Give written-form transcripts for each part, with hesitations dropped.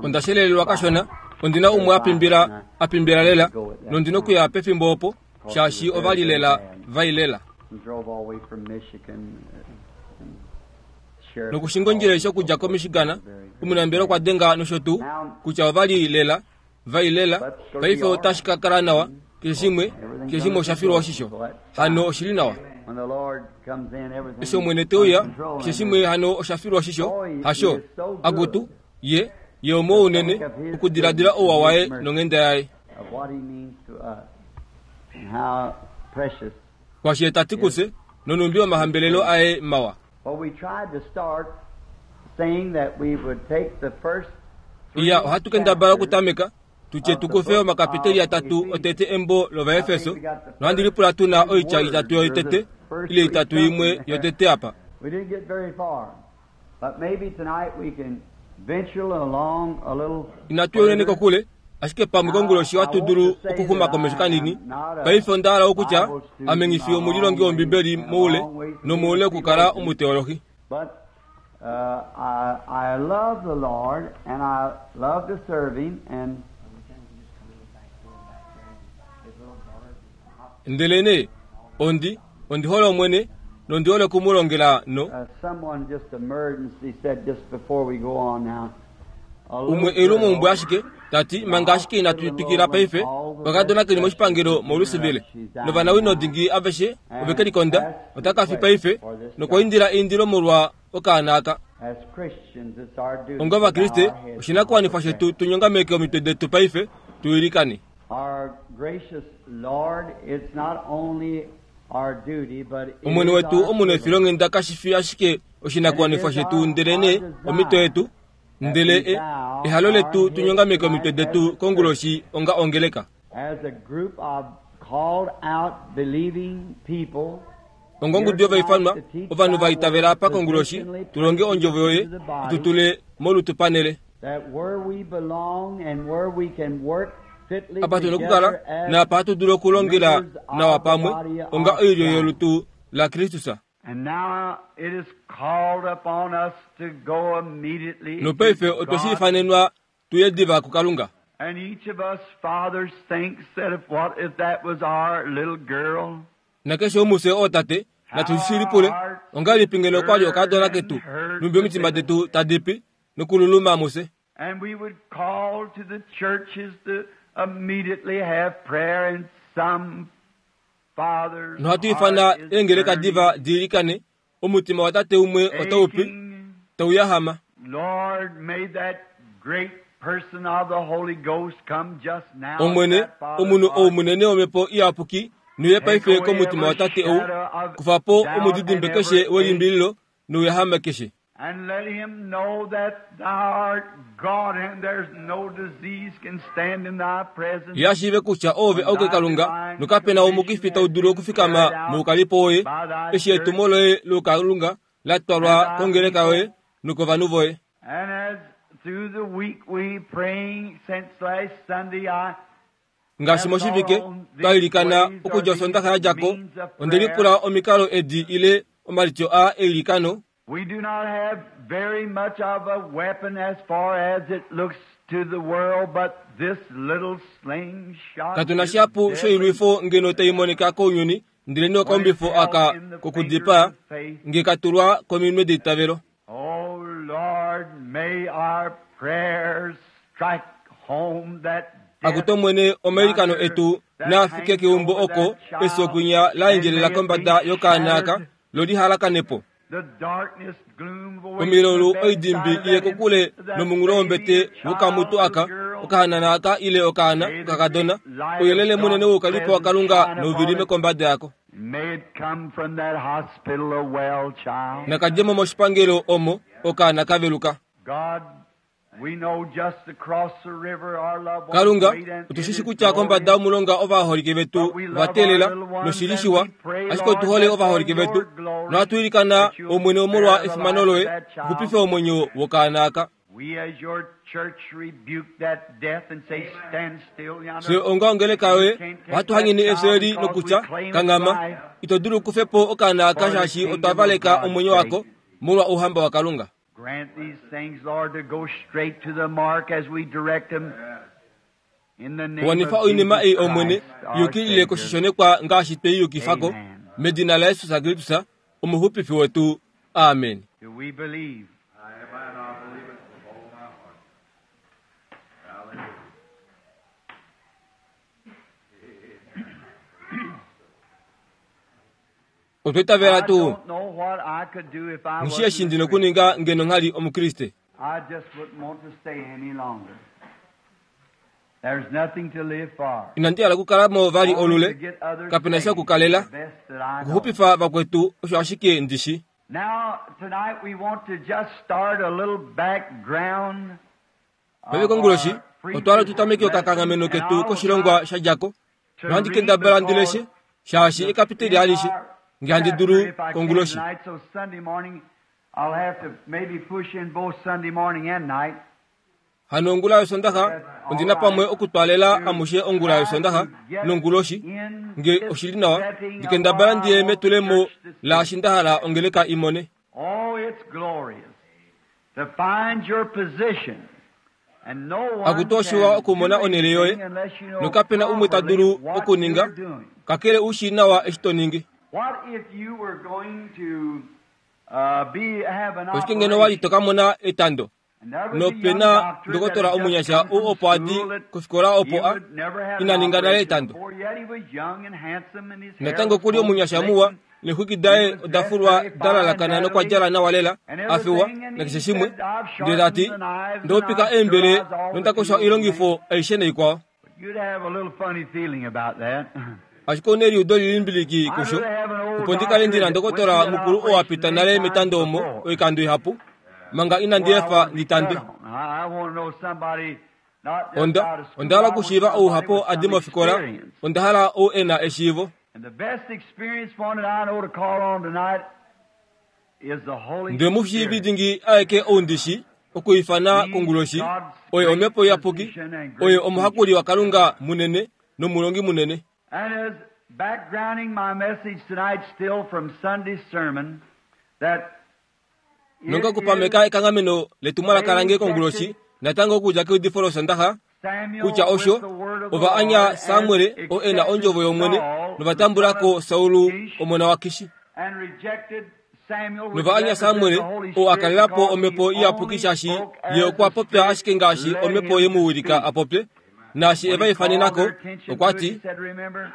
Onda shelelelwa kashona, ondi na umwe a pimbila, a pimbila lela, nondi nokuya pefimbo opo, shaashi ova li lela vai lela. Nokushinga ondjila aishe okudja koMichigan, omunambelewa okwa denga nosho tuu, kutya ova li lela vai lela. Paife otashi ka kala nawa, keshe shimwe, keshe shimwe osha filwa oshisho. Hano oshi li nawa. Eshi Omwene te uya, keshe shimwe hano osha filwa oshisho, hasho? Akutu, Ye, Ye omuwa unene, okudiladila ouwa waye nonghenda yaye. Kwashi Ye ta ti kufye, nonhumbi omahambelelo aye mawa. Iya, ohatu kendabala okutameka, tu tye tu kufe omakapiteli atatu otete embo lOvaefeso, nohandi lipula tu na oitya itatu yotete, ile itatu imwe yotete apa. Inatu ya unene kokule, ashike pamwe konguloshi ohatu dulu okuxuma komesho kanini. Paife onda hala okutya, ame nghi fi omulilongi wOmbibeli moule nomoule okukala omuteolohi. Ndelenee, ondi, ondi hole Omwene, nondi hole oku mu longela no. Umwe eulumomhumbwe ashike, ta ti, manga ashike inatu twikila paife, okakadona ke li moshipangelo moLouisville, novanawino dingi aveshe ove ke likonda, otaka fi paife, nokwa indila eindilo molwa okaana aka. Onga Ovakriste, oshinakuwanifwa shetu tu nyongameke omitwe detu paife, tu ilikane. Omwene wetu omunefilonghenda kashi fi ashike oshinakuwanifwa shetu ndelenee omhito yetu, ndele e, ehalo letu tu nyongameke omitwe detu konguloshi onga ongeleka. Ongongudu yovaifanwa, ovanhu va itavela apa konguloshi, tu longe ondjovo yoye, tu tule molutu panele. Apa tu na okukala naapa hatu dulu okulongela nawa pamwe onga oilyo yolutu laKristus. Nopaife otwe shi ifanenwa tu ye diva kuKalunga. Nakeshe womufye ootate, natu shi lipule, Ongahelipi ngeno okwa li okadona ketu, nhumbi omitima detu tadi pi nokululuma mufye? Nohatu ifana eengeleka diva di ilikane, Omutima watate umwe otau pi, tau yahama. Omwene, omunhu ou munene wOmhepo Iyapuki, nuye paife komutima watate ou, kufa po omudidimbe keshe welimbililo nouyahame keshe. And let him know that thou art God and there's no disease can stand in thy presence. Ye a shiive kutya oove auke Kalunga, nokape na omukifi tau dulu okufikama moukalipo woye, eshi etumo loye loukalunga la twalwa kongeleka yoye nokovanhu voye. And as through the week we praying since last Sunday, I Ngaashi moshivike twa ilikana okudja Osondaxa ya dja ko, onde lipula omikalo edi ile omalityo aa eilikano. We do not have very much of a weapon as far as it looks to the world, but this little slingshot Katu na is shihapu deadly shoilwifo ngeno tai monika kounyuni, ndelenee okaumbifo aka kokudipaa nge ka tulwa kominwe deitavelo. Oh Lord, may our prayers strike home that Akutu Omwene, omailikano etu naa fike keumbo oko efyo kwinya la endjelela kombada yokaana aka, lo li halakane po. Omilolu oidimbi iye kokule nomunghulo wombete wokamutu aka, okahanana aka ile okaana okakadona, ouyelele munene woukalipo waKalunga nau vilime kombada yako. Naka dje mo moshipangelo omo okaana ka veluka. Kalunga, otu shi shi kutya kombada yomulonga ovaholike vetu ova teelela, noshi li shiwa, ashike otu hole ovaholike vetu, nohatu ilikana, Omwene, omolwa efimano Loye, xupife omwenyo wokaana aka. Fye onga ongeleka yoye, ohatu hanyene efyo eli nokutya, Kanghama, ito dulu kufe po okaana aka shaashi otwa valeka omwenyo wako. molwa ouhamba waKalunga. Grant these things, Lord, to go straight to the mark as we direct them. In the name Wanifa of oinima Jesus ei Omwene Christ, our yukilile Savior. koshishonekwa ngaashi twei yukifako Amen. medina laYesus Kristus omuxupifi wetu. Amen. Do we believe? Amen. I believe it with all my heart. Hallelujah. Otwa itavela I tuu don't know what I could do if I ngishi wasn't eshi a ndi Christian. nokuninga ngeno nghali omukriste. I just wouldn't want to stay any longer. There's nothing to live for. Inandi hala okukalamo vali Only olule to get others kapena sha saved, okukalela the best that I know. okuxupifa vakwetu osho ashike ndishi. Now, tonight we want to just start a little background of Paife konguloshi our otwa hala tu tameke previous okakanghameno lesson, and ketu I will koshilongwa try sha djako to nohandi read kendabala ndi leshe because shaashi ekapiteli alishe our nge handi chapter, dulu if I can konguloshi. tonight, so Sunday morning I'll have to maybe push in both Sunday morning and night. Hano ongula yosondaxa ondina pamwe okutwaalela amushe ongula yosondaxa nonguloshi nge oshili nawa ndikendabala ndiye metulemo laashi nda hala ongeleka imone. Oh, it's glorious to find your position. And no one Akutoshiwa can okumona do onhele yoye, anything unless you know nokapena umwe ta dulu properly what okuninga you're doing. kakele u shii nawa eshi to ningi. What if you were going to be have an Oshike ngeno wali operation to ka mona etando and there was a young nopena doctor that ndokotola had just omunyasha come ou from opo adi school that kofikola he opo a would never have an ina ninga nale operation etando. before, yet he was young and handsome and his hair Natango was kuli combed omunyasha slick muwa and neexwiki daye he was oda dressed fulwa very da fine lalakana nokwa natalie djala nawa lela and a fewa everything, and he nakeshe shimwe said, I've ndele tati sharpened the knives and ndopika I've eembele sterilized all the nondakosha tools and oilongifo aishe naikwao. But you'd have a little funny feeling about that. Ashike ouna eliudo lilimbiliki I'd kusho rather have an old opo ndikale doctor ndina that went ndokotola through that mukulu oo a operation pita many nale times metando omo before. oikando ihapu manga inandi Before I efa want to be ndi tandwe. cut on. I want to know somebody not just Onda out of school. onda hala I want okushiiva somebody ouhapo with adi some mofikola experience. onda hala ou e na eshiivo. And the best experience one that I know to call on tonight is the Holy Ndele mushiivi Spirit. dingi aeke ou ndishi okwiifana He's konguloshi God's oye great omhepo iyapuki physician and oye great teacher. omuhakuli waKalunga munene nomulongi munene. And as backgrounding my message tonight still from Sunday's sermon, that Nonga it is okupameka ekanghameno letumwalaka they lange konguloshi rejected natango okudja keudifo losondaxa Samuel kutya with osho the word of the ova anya Lord and Samuel oo e na accepted ondjovo yOmwene Saul, the nova son tambulako of Saulu Kish, omona waKishi. and rejected Samuel, which Nova anya represents Samuel the Holy oo a Spirit, kalelapo because he omhepo iyapuki only shaashi spoke ye as okwa the popya Spirit ashike ngaashi led omhepo him ye to mu wilika speak. a popye naashi When eva he called ifanenako their attention okwa to it, ti he said, Remember,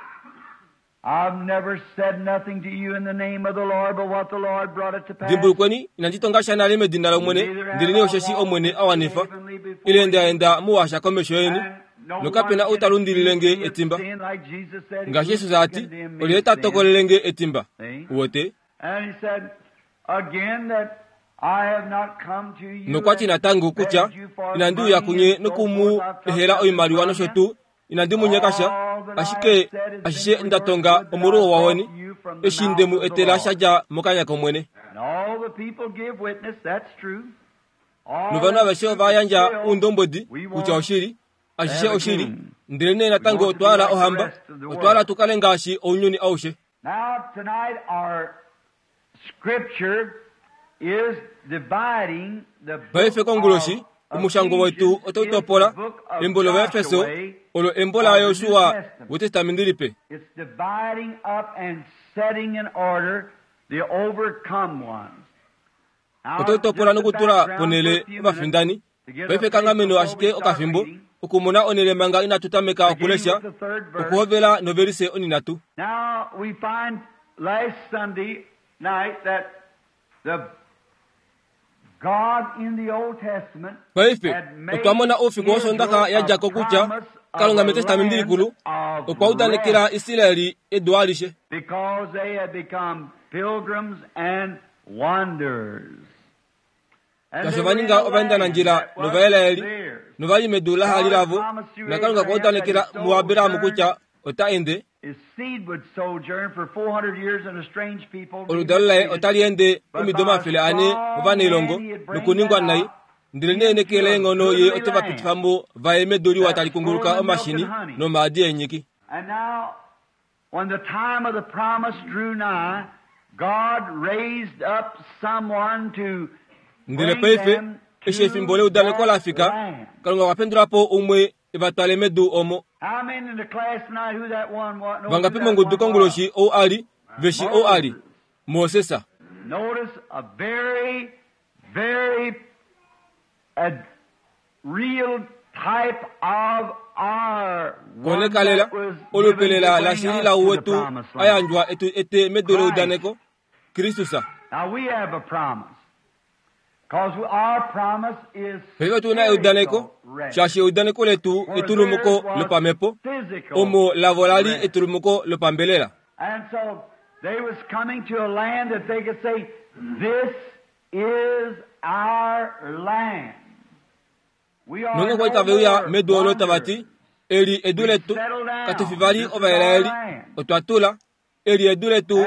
I've never said nothing to you in the name of the Lord, but what the Lord brought it to pass. Dimbulukweni inandi tonga sha nale medina lOmwene Neither have ndelenee I osheshi walked Omwene a wanifa heavenly ile before nda you. enda muwasha komesho yeni And no nokapena one ou ta can lundilile accuse nge me of etimba. sin like Jesus said, Ngaashi Who Jesus a can ti condemn me olyelye of ta sin? tokolele nge etimba See? uwete. And he said again that I have not come to you Nokwa ti and natango kutya begged you for inandi uya money kunye and so nokumu forth. I've took ehela nothing oimaliwa from nosho you. tuu inandi mu nyeka sha All that I ashike have said has been ashishe for nda your tonga good that omolwouwa I've brought weni you from the eshi mouth nde mu of the etela Lord. sha dja mokanya kOmwene. And all the people give witness, that's true. All Novanhu that's aveshe true, ova but yandja still oundombwedi we kutya want oshili to ashishe have a oshili king. ndelenee We natango want to otwa be hala like the ohamba rest of the otwa hala world. tu kale ngaashi ounyuni aushe. Now tonight our scripture is dividing the Paife book konguloshi of omushango wetu Ephesians otau is the topola book of embo lOvaefeso Joshua olo embo of the New laYosua Testament. wetestamenti lipe. It's dividing up and setting in order the overcome ones. Now, Otau topola just a nokutula background for ponhele a few minutes ovafindani. to get a Paife place ekanghameno before ashike we start okafimbo reading, okumona onhele manga inatu tameka beginning okulesha with the third verse. okuhovela novelise oninatu. Now, we find last Sunday night that the God in the Old Testament Paife had made otwa mona oufiku wosondaxa Israel ya a djako kutya promise of Kalunga a metestamenti land likulu of okwa udanekela rest Israeli edu alishe because they had become pilgrims and wanderers. And Ngaashi they ova were in ninga a land ovaendanandjila that was novaelaeli theirs. novali medu lahali God had lavo promised through naKalunga okwa Abraham that udanekela his muAbrahamu sojourn, kutya ota ende his seed would sojourn for 400 years in a strange people, be oludalo laye mistreated. otali ende But omido by a 400 strong movanailongo hand he'd bring nokuningwa them nai out ndelenee neke into a leenghono ye goodly ote va land pitifa mo vaye medu liwa that tali was kunguluka flowing with milk omashini and honey. nomaadi eenyiki. And now, when the time of the promise drew nigh, Ndele paife, eshi efimbo leudaneko la fika, Kalunga okwa pendula po umwe e va twale medu omo. Vangapi mongudu konguloshi ou a li, ve shi ou a li? Moses. Koneka lela, olupe lela lashili lau wetu a yandjwa e tu ete medu leudaneko, Kristus. Paife otu na eudaneko, shaashi eudaneko letu etulumuko lopamhepo, omo lavo la li etulumuko lopambelela. Nonge kwa li tave uya medu olo tava ti, Eli edu letu, katu fi vali Ovaisraeli, otwa tula, Eli edu letu,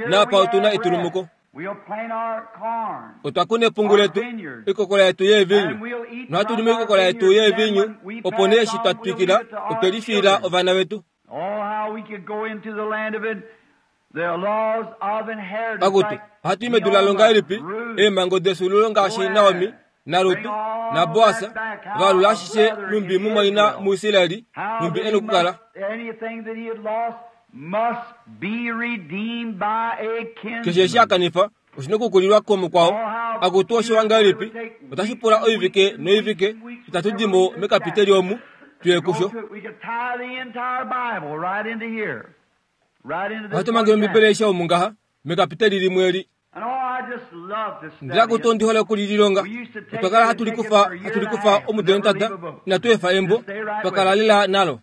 naapa otu na etulumuko. Otwa kuna epungu letu, oikokola yetu yeevinyu, nohatu li moikokola yetu yeevinyu, opo nee eshi twa twikila, otwe lifiila ovana vetu. Akutu, ohatu i medu lalo ngahelipi, eemhango defyuululo ngaashi Naomi naRut naBoas va alula ashishe nhumbi mumwaina muIsrael nhumbi e nokukala? Keshe eshi a kanifa oshi nokukulilwa komukwao. Akutu oshiwa ngahelipi, otashi pula oivike noivike itatu di mo mekapiteli omu tuye kusho. Ohatu mange Ombibeli aishe omu ngaha, mekapiteli limwe eli. Ndele akutu ondi hole oku li lilonga. Otwa kala hatu likufa, hatu likufa omudo notata, inatu efa embo, twa kala lela nalo.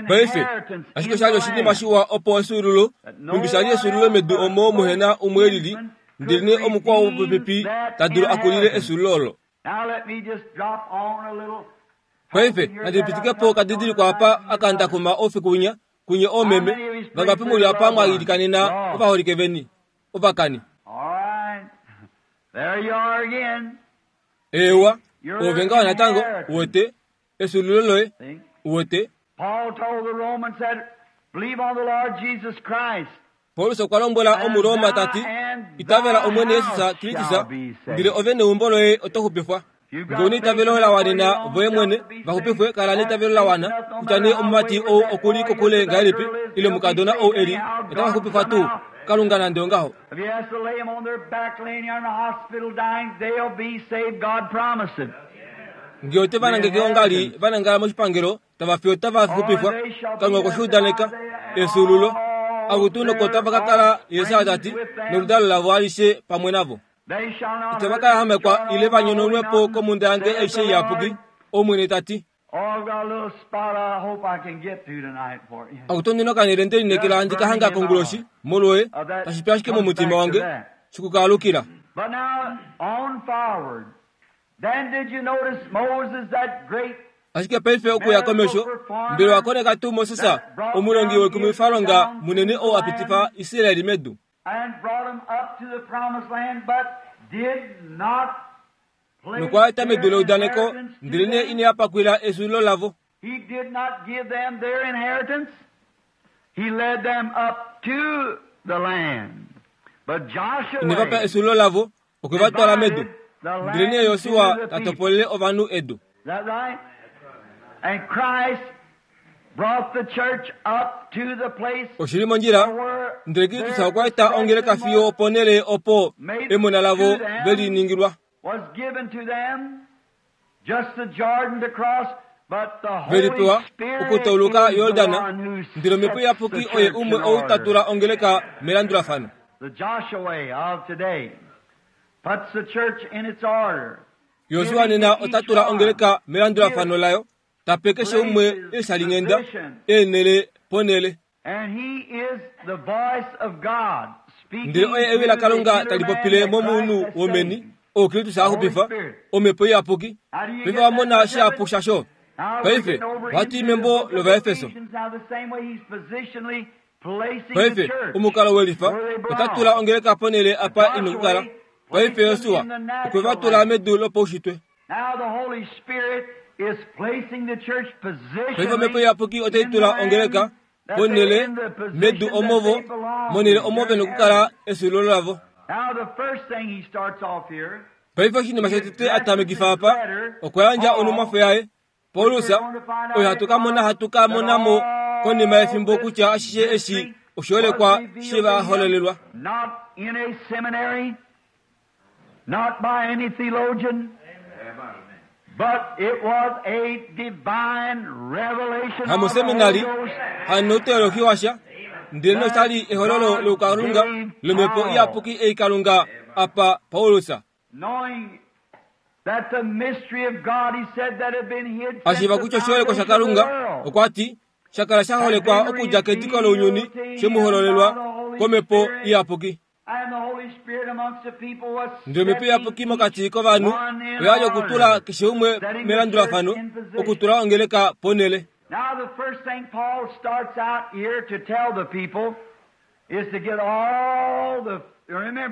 Paife, ashike osha li oshinima shiwa opo efyuululo, nhumbi sha li efyuululo medu omo muhe na umwe e lili, ndelenee omukwao wopopepi ta dulu a kulile efyuululo olo. Paife, nandi pitike po okadidiliko apa aka nda kuma oufiku winya, kunye oomeme, vangapi mu li apa mwa ilikanena ovaholike veni, ovakani? Eewa, oove ngaho natango, uwete, efyuululo loye, uwete. Paulus okwa lombwela Omuroma ta ti, Itavela Omwene Jesus Kristus, ndele ove neumbo loye oto xupifwa. Ngee u na eitavelo la wanena voye mwene va xupifwe, kala neitavelo la wana, kutya nee omumati ou oku li kokule ngahelipi ile omukadona ou e li, otava xupifwa tuu? Kalunga nande ongaho. Ngee ote va nangeke ongali va nangala moshipangelo, tava fi otava xupifwa. Kalunga okwe shi udaneka. Efyuululo. Akutu noko otava ka kala, Jesus ta ti, noludalo lavo alishe pamwe navo. Itava ka yahamekwa ile va nyononwe po komhunda yange aishe iyapuki, Omwene ta ti. Akutu ondi na okanhele nde lineekela handi ka hanga konguloshi, molwoye, tashi pi ashike momutima wange, shiku ka alukila. Ashike paife okuya komesho, mbela owa koneka tuu Moses, omulongi woikumwifalonga munene ou a pitifa Israel medu? Nokwa eta medu leudaneko, ndelenee ine a pakwila efyuululo lavo. Ine va pa efyuululo lavo, okwe va twala medu. Ndelenee Josua ta topolele ovanhu edu. Oshi li mondjila, ndele Kristus okwa eta ongeleka fiyo oponhele opo emona lavo ve li ningilwa. Ve li pewa okutauluka Yordan, ndele Omhepo Iyapuki oye umwe ou ta tula ongeleka melandulafano. Josua nena ota tula ongeleka melandulafano layo, ta pe keshe umwe eeshalinghenda, eenhele ponhele. Ndele oye ewi laKalunga tali popile momunhu womeni, oo Kristus a xupifa, Omhepo Iyapuki. Paife owa mona shihapu shasho? Paife, ohatu i membo lOvaefeso. Paife, omukalo welifa, ota tula ongeleka ponhele apa i nokukala. Paife Josua okwe va tula medu lopaushitwe. Paife Omhepo Iyapuki otai tula ongeleka ponhele medu omo vo, monhele omo ve nokukala efyuululo lavo. Paife oshinima shotete a tamekifa apa, okwa yandja onhumwafo yaye, Paulus, oyo hatu ka mona hatu ka mona mo konima yefimbo kutya ashishe eshi oshiholekwa she va hololelwa. Not by any theologian, but it was a divine revelation Hamuseminari, hanoteolohi washa, ndele noshali ehololo loukalunga lomhepo iyapuki ei Kalunga apa Paulus. Knowing that the mystery of God, he said, that had been hid A shiiva kutya oshiholekwa shaKalunga, okwa ti, sha kala sha holekwa okudja kediko lounyuni, she mu hololelwa komhepo iyapuki. Ndele Omhepo Iyapuki mokati kovanhu oya li okutula keshe umwe melandulafano, okutula ongeleka ponhele.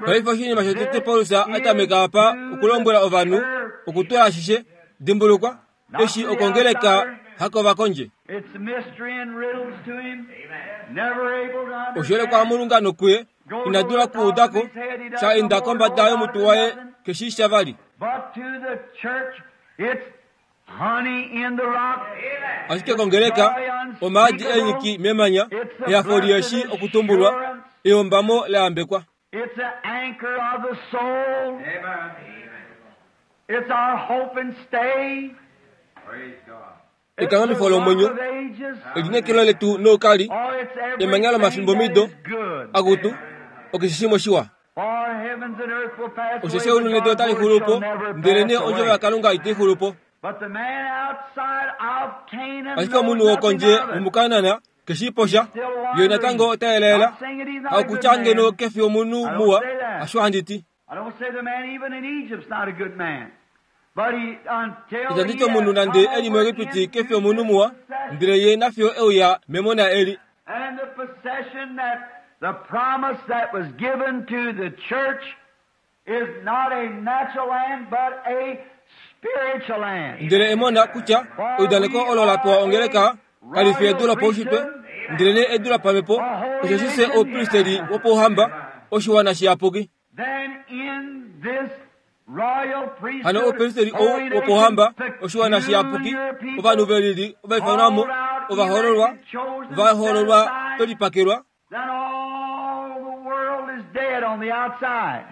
Paife oshinima shotete Paulus a tameka apa okulombwela ovanhu, okutula ashishe, dimbulukwa, eshi okongeleka hakovakondje. Oshiholekwa mulunga nokuye ina dula kuuda ko, sha enda kombada yomutwe waye keshi sha vali. Ashike kongeleka, omaadi eenyiki memanya, ehafo lieshi okutumbulwa, eyombamo la yambekwa. It's the anchor of the soul. It's our hope and stay. Ekanghamifo lomwenyo, elineekelo letu noukali, emanya lomafimbomido, akutu, okeshishimwe shiwa. Osheshi eulu nedu otali xulu po, ndelenee ondjovo yaKalunga itai xulu po. Ashike omunhu wokondje womuKanaan ke shii po sha, ye natango ota yelaela. Hakutya ngeno ke fi omunhu muwa, hasho handi ti. Itandi ti omunhu nande e li muEgipiti ke fi omunhu muwa, ndele ye nafiyo e uya memona eli. Ndele emona kutya eudaneko olo la pewa ongeleka kali fi edu lopaushitwe, ndelenee edu lopamhepo, osheshi fye oupristeli wopauhamba, oshiwana shiyapuki. Hano oupristeli ou wopauhamba, oshiwana shiyapuki, ovanhu ve lili ova ifanwa mo, ova hoololwa, va hoololwa ve lipakelwa, Then all the world is dead on the outside.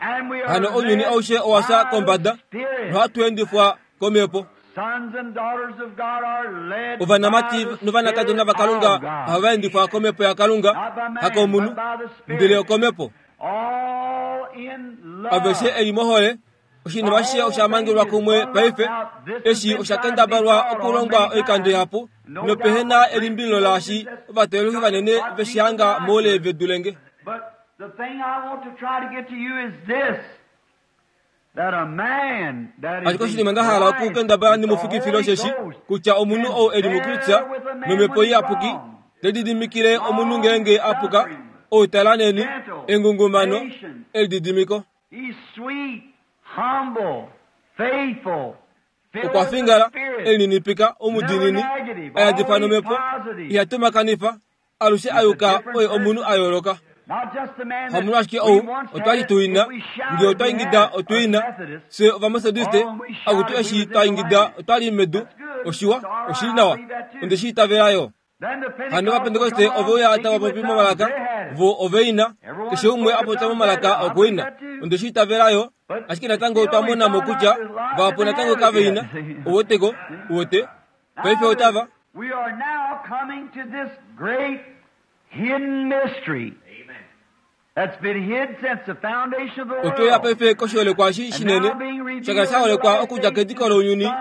And we are Hano ounyuni led aushe owa fya by the kombada Spirit. nohatu endifwa komhepo. Sons and daughters of God are led Ovanamati by the novanakadona Spirit vaKalunga of God. ohava endifwa komhepo yaKalunga, Not by man, hakomunhu, but by the Spirit. ndele okomhepo. All in love. Aveshe eli mohole, Oshinima ashishe osha mangelwa kumwe paife. Eshi osha kendabalwa okulongwa oikando ihapu, nopehe na elimbililo laashi ovateologi vanene ve shi hanga moule ve dule nge. Ashike oshinima nda hala okukendabala ndi mu fikifile osheshi, kutya omunhu ou e li muKristus nOmhepo Iyapuki, te lididimikile omunhu ngeenge a puka, ou tala neni, engungumano, elididimiko. Okwa fingala, e lininipika, omudiinini, a yadifwa nomhepo, iha tumakanifa, alushe a yuka oye omunhu a yooloka. Hamunhu ashike ou, otwa li tu ina, ngee otwa ingida otu ina, fye Ovametodiste, akutu eshi twa ingida otwa li medu, oshiwa, oshi li nawa, onde shi itavela yo. Hano Ovapentekoste ove uya tava popi momalaka, vo ove ina, keshe umwe a popya momalaka okwe ina. Onde shi itavela yo, ashike natango otwa mona mo kutya vahapu natango kave ina. Uweteko? Uwete? Paife otava. We are now coming to this great hidden mystery that's been hid since the foundation of the Otwe uya world. paife koshiholekwa eshi shinene, sha kala sha holekwa okudja kediko lounyuni,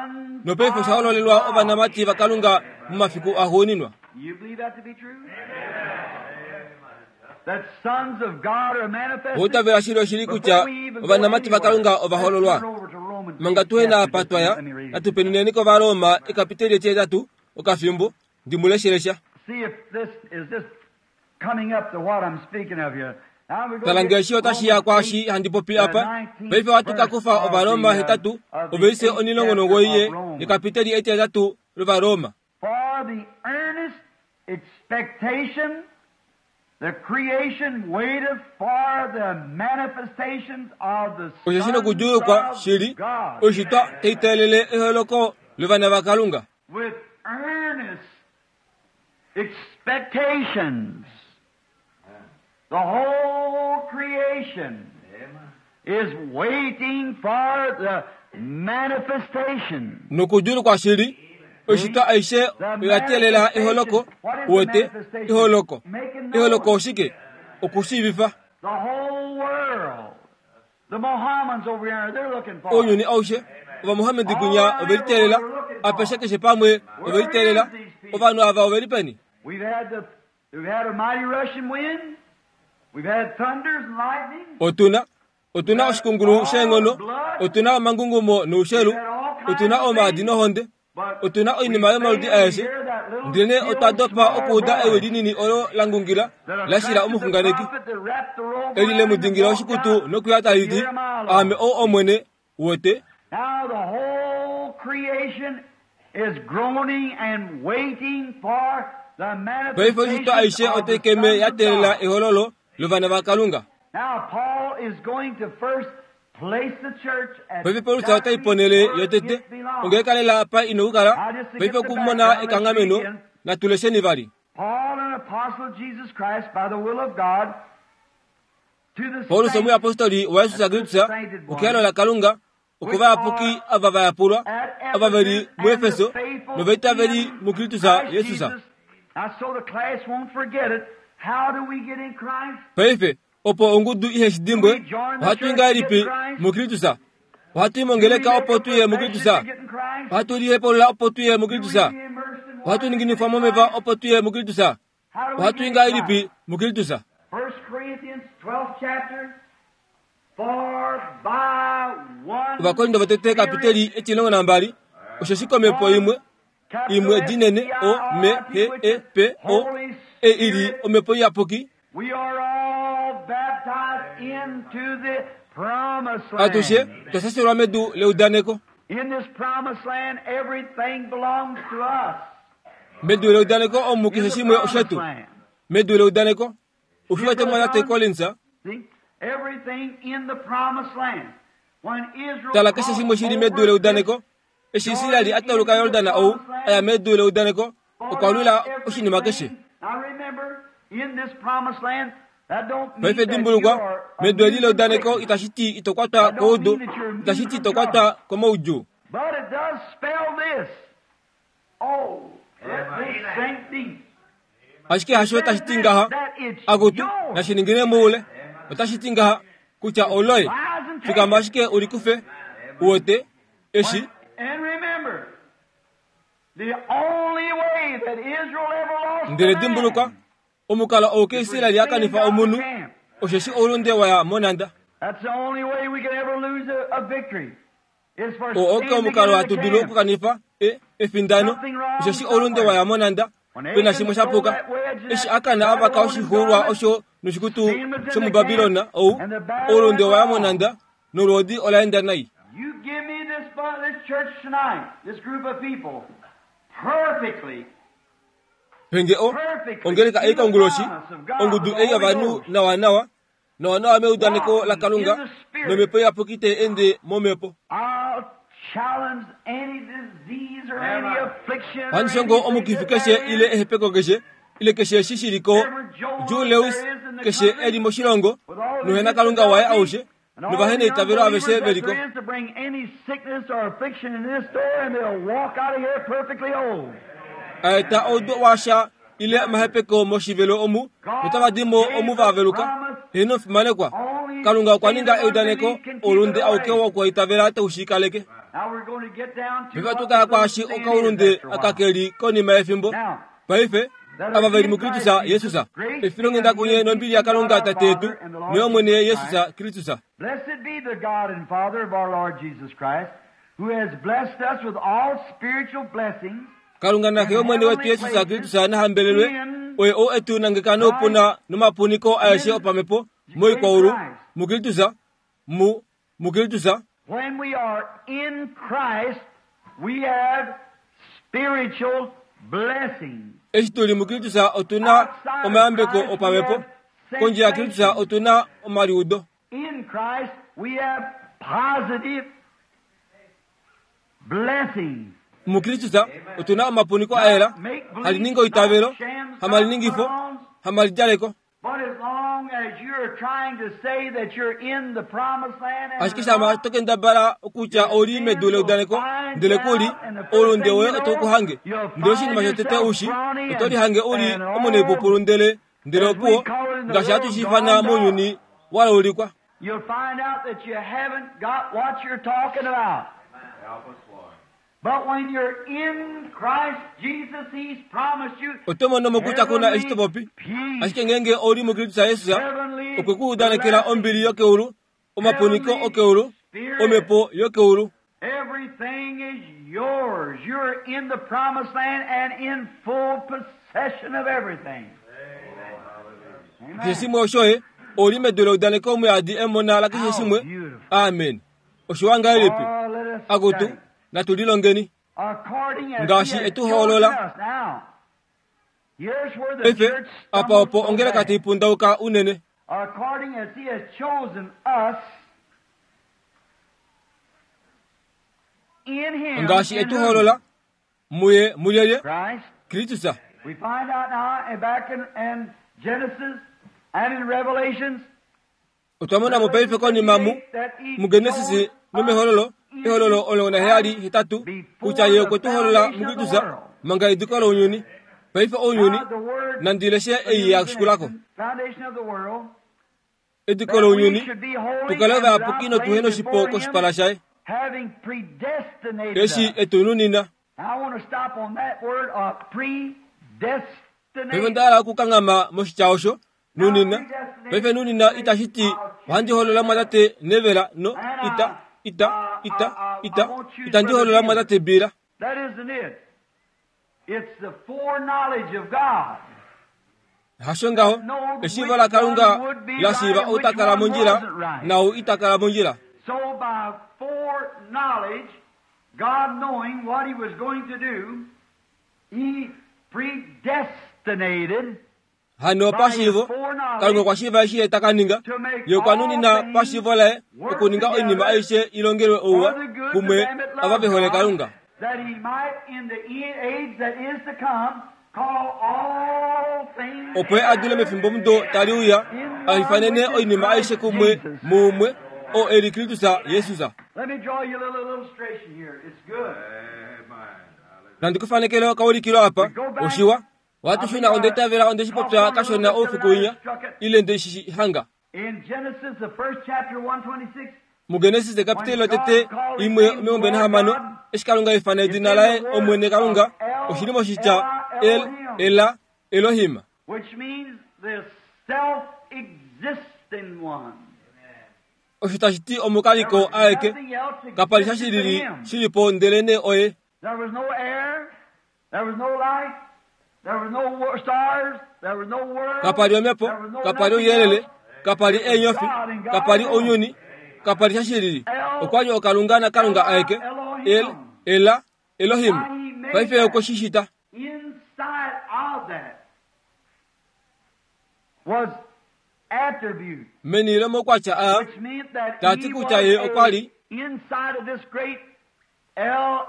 nopaife osha hololelwa ovanamati vaKalunga momafiku axuuninwa. You believe that to be true? That sons of God are manifested? Outavela shili oshili kutya ovanamati vaKalunga ova hololwa. Manga tuhe na apa twa ya, natu penuneni kOvaroma ekapiteli etihetatu, okafimbo, ndi mu leshelesha. See if this is this coming up to what I'm speaking of here. Tala nge eshi otashi ya kwaashi handi popi apa. Paife ohatu ka kufa Ovaroma hetatu, oveise 19 ye yekapiteli etihetatu lOvaroma. For the earnest expectation, the creation waiteth for the manifestations of the Osheshi sons nokudjuulukwa of shili God. oishitwa tai teelele eholoko lovana vaKalunga. With earnest expectations, the whole creation is waiting for the manifestation. Nokudjuulukwa shili oishitwa aishe oya teelela eholoko uwete eholoko. Eholoko oshike? Okushiivifa. The whole world. The Mohammedans over here, they're looking for Ounyuni it. aushe Ovamohamedi kunya ove liteelela apeshe keshe pamwe ove liteelela. Ovanhu ava ove li peni? We've had the we've had a mighty rushing wind. We've had thunders and lightning. Otuna otuna oshikungulu sheenghono, otuna omangungumo noushelu, otuna omaadi nohonde, But otuna we oinima yomaludi fail to aeshe. hear that little Ndele still otwa dopa small okuuda ewi voice linini olo la ngungila that la shila attracted the omuxunganeki prophet that wrapped the robe eli le around mu him and dingila walked oshikutu out. nokuya tali ti, Jeremiah Aame Lord. ou Omwene, uwete. Now the whole creation is groaning and waiting for the Paife oishitwa manifestations aishe of the otai keme sons ya of teelela God. ehololo lovana vaKalunga. Now Paul is going to first place the church at Paife Paulus otai exactly ponele where yotete it belongs. ongeeka lela apa ina okukala. Now just to Paife get the okumona background, let's read ekanghameno again. natulesheni vali. Paul, an apostle of Jesus Christ, by the will of God, to the Paulus saints omuyapostoli waYesus that's the Kristus sainted okehalo ones, laKalunga which okuvayapuki are ava va yapulwa at ava veli Ephesus and the muEfeso faithful novaitaveli in muKristus Christ Jesus. Jesus. Now, so the class won't forget it. How do we get in Christ? Paife opo ongudu ihe shi Do dimbwe we join the ohatu i church to get ngahelipi Christ? muKristus? Ohatu i Do we mongeleka make opo a tu ye profession muKristus? to get in Christ? Ohatu lihepulula opo tu ye Do we muKristus? be immersed in Ohatu water to get ninginifwa in momeva Christ? opo tu ye muKristus? How do we Ohatu i get in ngahelipi Christ? muKristus? 1 Corinthians 12th chapter, for by one Ovakorinto votete Spirit, kapiteli 12 osheshi komhepo one imwe capital imwe dinene O M S-P-I-R-I-T, H which E is P O Holy E ili Spirit, omhepo iyapuki we are all baptized into the promised atushe land. twa shashelwa medu leudaneko. In this promised land, everything belongs to us. Medu leudaneko omu In keshe the shimwe promised oshetu. land. Medu leudaneko See, ushiwete Brother mwa tate John? Collins See? Everything in the promised land. When Israel tala keshe crossed shimwe shili medu over this leudaneko eshi Israeli Jordan a tauluka into the Yordan ou promised aya land, medu leudaneko fought okwa out lwila oshinima keshe. everything. Now remember, in this promised land, that don't Paife mean that you dimbulukwa are medu eli immune from leudaneko sickness. itashi ti ito kwatwa That don't koudu mean that you're itashi immune ti from ito trouble. kwatwa komaudjuu. But it does spell this. Oh, let this sink deep. Ashike hasho It says tashi ti this, ngaha that it's akutu yours. nashiningine muule otashi ti ngaha kutya oloye Rise and take fikama it. ashike ulikufe uwete eshi When, and remember, the only way that Israel ever lost the ndele dimbulukwa land omukalo ou is for keIsraeli a sin kanifa got the omunhu camp. osheshi oulunde waya monanda. That's the only way we can ever lose a victory. Is for Oo oke sin to get omukalo in hatu the dulu camp. okukanifa efindano Something wrong osheshi oulunde somewhere. waya monanda When pena Achan shimwe sha stole puka that wedge and eshi that akana avaka Babylonian oshixuulwa garment, osho noshikutu sin was in the camp shomubabilona ou and the battle oulunde went waya wrong. monanda nolwoodi ola enda nai. You give me this, this church tonight, this group of people, perfectly, Penge o perfectly ongeleka in ei the konguloshi promise of God ongudu with the ei Holy yovanhu Ghost, nawanawa nawanawa meudaneko walking in laKalunga the Spirit. nomhepo iyapuki tai ende momhepo. I'll challenge any disease or any affliction or Ohandi shongo anything omukifi that keshe there ile is, ehepeko keshe ile keshe eshi shi liko every Joe Jew Louis Lewis there is in the keshe country, eli moshilongo with all the nohena Kalunga waye disability aushe and all novahena the eitavelo unbelievers aveshe that veliko. there is to bring any sickness or affliction in this door, and they'll walk out of here perfectly whole. Aeta oudu washa ile omahepeko moshivelo omu notava di mo God omu gave va the veluka. promise Heno fimanekwa only Kalunga okwa saving ninga eudaneko unbelief can keep it oulunde auke away. wokwaitavela tau shi kaleke. Now we're going to get down to Paife what ohatu the kaya little kwaashi sin is okaulunde after a while. akakeli konima yefimbo. Now, Paife that ava are veli in muKristus Christ Jesus Jesus, grace be efilonghenda unto you kunye and peace nombili from God yaKalunga our Tate yetu Father and the Lord noyOmwene Jesus Jesus Christ. Kristus. Blessed be the God and Father of our Lord Jesus Christ, who has blessed us with all spiritual blessings Kalunga in naxe yOmwene wetu heavenly Jesus places Kristus nahambelelwe in oye ou etu nangeka noupuna Christ, nomapuniko aeshe in opamhepo Moikwaulu, muKristus, mu, muKristus. When we are in Christ, we have spiritual blessings. Eshi tu li muKristus otu na omayambeko opamhepo. Kondje yaKristus otu na omaliudo. In Christ, we have positive blessings. MuKristus otu na omapuniko a yela, hali ningi oitavelo, hamaliningifo, hamalidjaleko. But as long as you're trying to say that you're in the promised land and Ashike shama to kendabala okutya ou li medu leudaneko, ndele ku li, oulunde woye otau ku hange. Ndele oshinima shotete u shi, oto lihange u li omunaipupulu ndele, ndele opuwo, ngaashi hatu shi ifana mounyuni wa laulikwa. You'll find out that you haven't got what you're talking about. Help us, Lord. But when you're in Christ Jesus, He's promised you Oto mono mo kutya ku na eshi to popi. peace, Ashike ngeenge ou li muKristus Jesus, heavenly okwe ku udanekela ombili yokeulu, omapuniko okeulu, omhepo yokeulu. Everything is yours. You're in the promised land and in full possession of everything. Keshe Amen. shimwe oshoye, ou li medu leudaneko muyadi emona lakeshe shimwe. Amen. Oshiwa ngahelipi? Oh, let us Akutu, study. natu lilongeni. According as Ngaashi he has etu hoolola. chosen us. Now, here's where the Paife, church apa stumbles opo so ongeleka bad. tai pundauka unene. According as he has chosen us in him, Ngaashi in etu whom? hoolola, muye mulyelye, Christ. Kristus. We find out now and back in Genesis and in Revelations Otwa mona mo paife konima mu, muGenesis nomehololo, ehololo 17, kutya ye okwe tu holola muKristus, manga ediko lounyuni. Paife ounyuni, nandi leshe ei ya shikulako. Foundation of the world, Ediko that we lounyuni, should be holy tukale and ovayapuki without notuhe blame noshipo before him, koshipala shaye. having predestinated Eshi us. etu nunina. I want to stop on that word of Paife predestinated. onda hala okukanghama moshitya osho, nunina. Paife nunina itashi ti ohandi holola mwatate nevela no ita ita ita ita itandi holola mwatate bila. That isn't it. It's the foreknowledge of God. Hasho ngaho, eshiivo laKalunga la shiiva ou ta kala mondjila naau ita kala mondjila. So by foreknowledge, God knowing what He was going to do, He predestinated Hano pashiivo, Kalunga okwa shiiva eshi ye ta ka ninga. to make Ye okwa nunina all things pashiivo laye work okuninga oinima together aishe i longelwe ouwa for the good to kumwe them that ava love ve hole God, Kalunga. that He might in the age that is to come call all things Opo ye a dule mefimbo mudo tali uya a ifanene oinima aishe kumwe muumwe oo e li Kristus Jesus. Let me draw you a little illustration here. It's good. Amen. Nandi kufanekele okaulikilo apa oshiwa. Ohatu shuna onde itavela onde shi popya kashona oufiku winya ile nde shi hanga. In Genesis, the first chapter, 126, MuGenesis ekapiteli lotete 1:26 eshi Kalunga ifana edina laye Omwene Kalunga oshili moshitya El Ela Elohim which means the self-existing one. osho tashi ti There omukaliko was aeke nothing else kapali sha existed shilili but him. shilipo ndelene oye. There was no air, there was no light, there was no stars, there was no world, Kapali omhepo, there was no kapali nothing ouyelele, else. kapali eenyofi, kapali ounyuni, kapali sha shilili. Okwali okalunga naKalunga aeke El Ela Elohim. Paife okwe shi shita. Inside of that was attribute, Meni lomoukwatya aa which meant that Tati he kutya was ye okwa li inside of this great El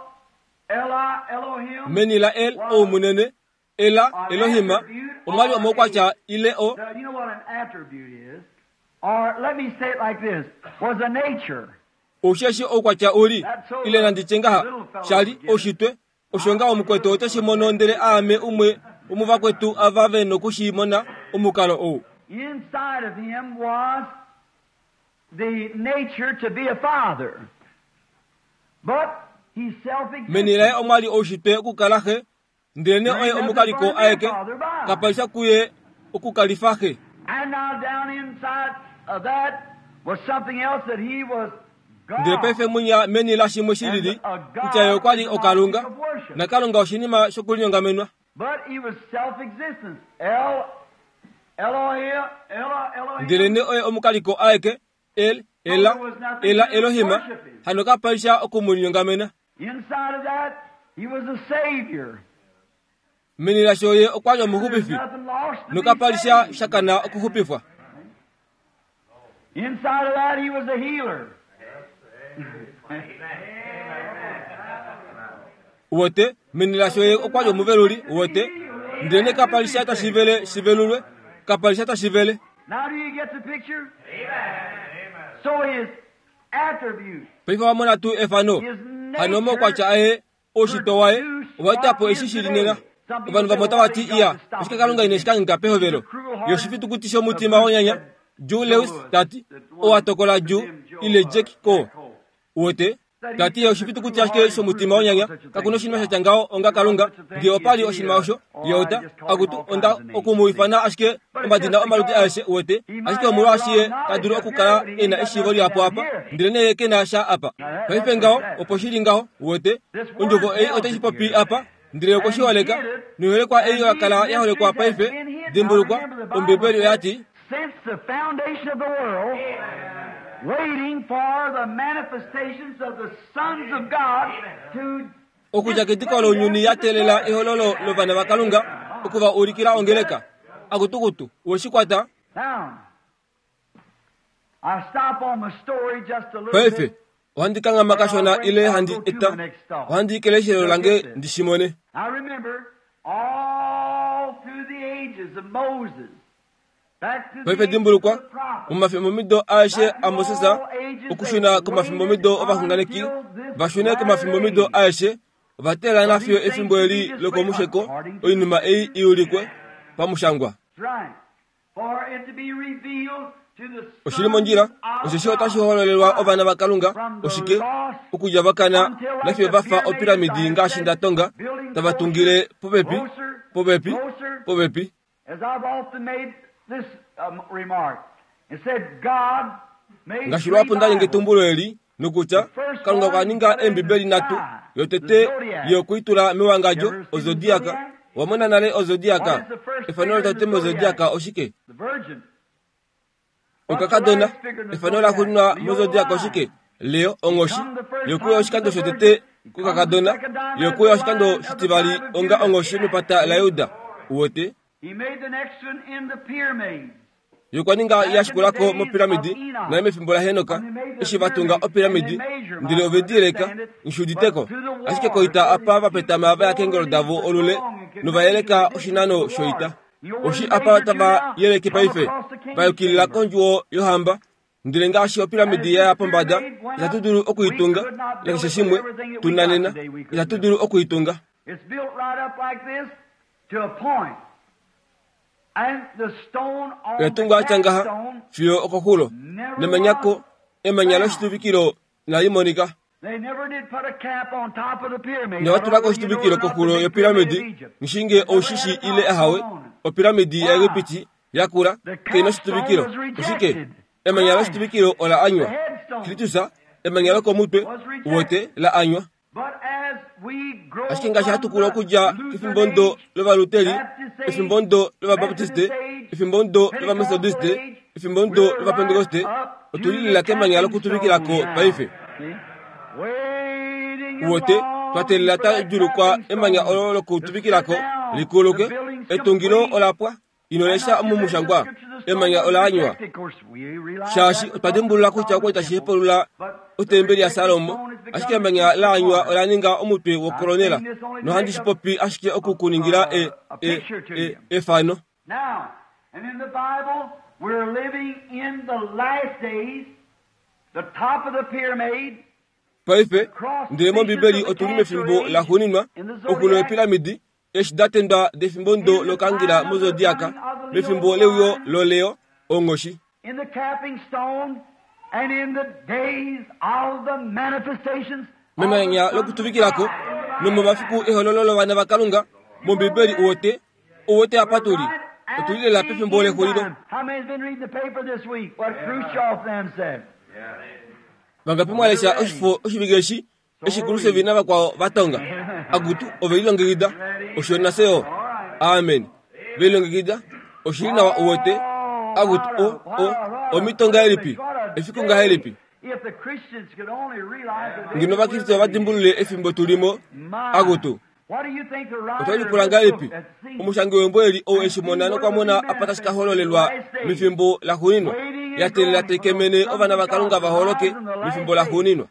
Ela Elohim. meni la El oumunene Ela Elohim omwali omoukwatya ile o Now, you know what an attribute is? Or let me say it like this was a nature. Osheshi oukwatya uli ile nandi tye ngaha shali oshitwe osho nga omukwetu ote shi mono ndele aame umwe womuvakwetu ava ve noku shi mona omukalo ou. Inside of him was the nature to be a father. But he's Meni laye self-existent. omwali oushitwe okukala xe ndelene oye omukaliko aeke kapali kuye okukalifa xe. And now down inside of that was something else that he was Ndele paife God. munya meni la shimwe shilili kutya ye okwa li okalunga naKalunga oshinima shokulinyongamenwa. But he was self-existent. El Ndelenee oye omukaliko aeke, El, Ela, Ela Elohima, hano kapa li sha oku mu linyongamena. Meni lasho ye okwa li omuxupifi, nokapa li sha sha kana okuxupifwa. Uwete, meni lasho ye okwa li omuveluli, uwete. Ndelenee kapa li sha tashi vele shi velulwe, kapa li sha tashi vele. Paife owa mona tuu efano? Hano omaukwatya aye oushitwe waye owa eta po eshi shi li nena. Ovanhu vamwe otava ti, Iya, oshike Kalunga ine shi kangheka pehovelo? Ye oshifitukuti shomutima wonyanya, Joe Lewis ta ti, oo a tokola Joe, ile Jack Coe. Uwete? Ta ti ye oshifitukuti ashike shomutima wonyanya. Kaku na oshinima sha tya ngaho onga Kalunga. Nge opa li oshinima osho, ye ota, akutu, onda oku mu ifana ashike omadina omaludi aeshe, uwete, ashike omolwaashi ye ta dulu okukala e na eshiivo lihapu apa, ndelenee ye ke na sha apa. Paife ngaho, opo shi li ngaho, uwete, Ondjovo ei otai shi popi apa, ndele okwe shi holeka, noiholekwa ei oya kala ya holekwa paife. Dimbulukwa, Ombibeli oya ti, Since the foundation of the world, waiting for the manifestations of the sons of God to Okudja kediko lounyuni ya teelela ehololo lovana vaKalunga oku va ulikila ongeleka. Akutukutu, we shi kwata? Now, I stop on my story just a little Paife, bit. ohandi kanghama kashona ile handi eta, ohandi i keleshelo lange ndi shi mone. I remember all through the ages of Moses, back to the Paife ages of dimbulukwa, the prophets, momafimbomido aeshe aMoses, okushuna komafimbomidho ovaxunganeki va shune komafimbomidho aeshe, ova teelela nafiyo efimbo eli lokomusheko oinima ei i ulikwe pamushangwa. Right. For it to be revealed to the Oshi li mondjila, osheshi otashi hololelwa ovana vaKalunga, oshike, okudja va kana nafiyo va fa opiramidi ngaashi nda tonga, tava tungile popepi, popepi, popepi. As I've often made this remark, and said God made Ngaashi lwapo nda ninga etumbulo eli, nokutya, Kalunga okwa ninga Eembibeli nhatu, yotete ye okwe i tula mewangadjo, ozodiaka. Owa mona nale ozodiaka? Efano lotete mozodiaka oshike? the Virgin. Okakadona. Efano laxuuninwa mozodiaka oshike? Leo, onghoshi. Ye okwe uya oshikando shotete kokakadona. Ye okwe uya oshikando shitivali onga onghoshi mepata laJuda. Uwete? He made the next one in the pyramids. Ye okwa ninga ya shikula ko mopiramidi, nale mefimbo laHenok, eshi va tunga opiramidi, ndele ove di yeleka, nghi udite ko. Ashike koita apa va petama va ya keengolo davo olule, nova yeleka oshinano shoita. Oshi apa tava yeleke paife, va yukilila kondjuwo yohamba. Ndele ngaashi opiramidi ya ya pombada, itatu dulu oku i tunga, nakeshe shimwe tu na nena, itatu dulu oku i tunga. It's built right up like this to a point. And the stone on Oya the tungwa ya tya ngaha capstone fiyo okoxulo, nemanya ko emanya loshituvikilo inali monika. They never did put a cap on top of the pyramid. Inava tula ko oshituvikilo koxulo yopiramidi, ngishinge oushishi ile ahawe, opiramidi yaEgipiti yakula kai na oshituvikilo. Oshike? Emanya loshituvikilo ola anywa. Kristus, emanya lokomutwe, uwete, la anywa. Ashike ngaashi hatu kulu okudja kefimbomudo lOvaluteri, efimbomudo lOvabaptiste, efimbomudo lOvametodiste, efimbomudo lOvapentekoste, otu li lela kemanya lokutuvikila ko paife. Uwete, twa teelela twa djuulukwa emanya olo lokutuvikila ko li kuluke. Etungilo ola pwa. Ino lesha omomushangwa, Emanya ola anywa. Shaashi otwa dimbulula kutya okwa li tashi hepulula otembeli yaSalomo, ashike emanya la anywa ola ninga omutwe wokolonela. Nohandi shi popi ashike oku ku ningila e, e, e, efano. Now, and in the Bible, we're living in the last days, the top of the pyramid. Paife, ndele mOmbibeli otu li mefimbo laxuuninwa, oxulo yopiramidi, eshi da tendwa defimbomudo lokangila mozodiaka, mefimbo leuyo loleo, onghoshi. In the capping stone and in the days of the manifestations Memanya lokutuvikilako, nomomafiku ehololo lovana vaKalunga, mOmbibeli uwete, uwete apa tu li. Otu li lela pefimbo lexulilo. How many's been reading the paper this week? What Khrushchev them said. Vangapi mwa lesha oshifo oshivike eshi, eshi Khrushchev navakwao va tonga? Akutu, ove lilongekida. Osho nafye yo. Amen. Ve lilongekida. Oshi li nawa uwete, akutu, o, o, omhito ngahelipi, efiku ngahelipi. Ngeno Ovakriste ova dimbulule efimbo tu li mo, akutu. Otwe lipula ngahelipi omushangi wembo eli ou eshi mona nokwa mona apa tashi ka hololelwa mefimbo laxuuninwa, ya teelela tai kemene ovana vaKalunga va holoke mefimbo laxuuninwa.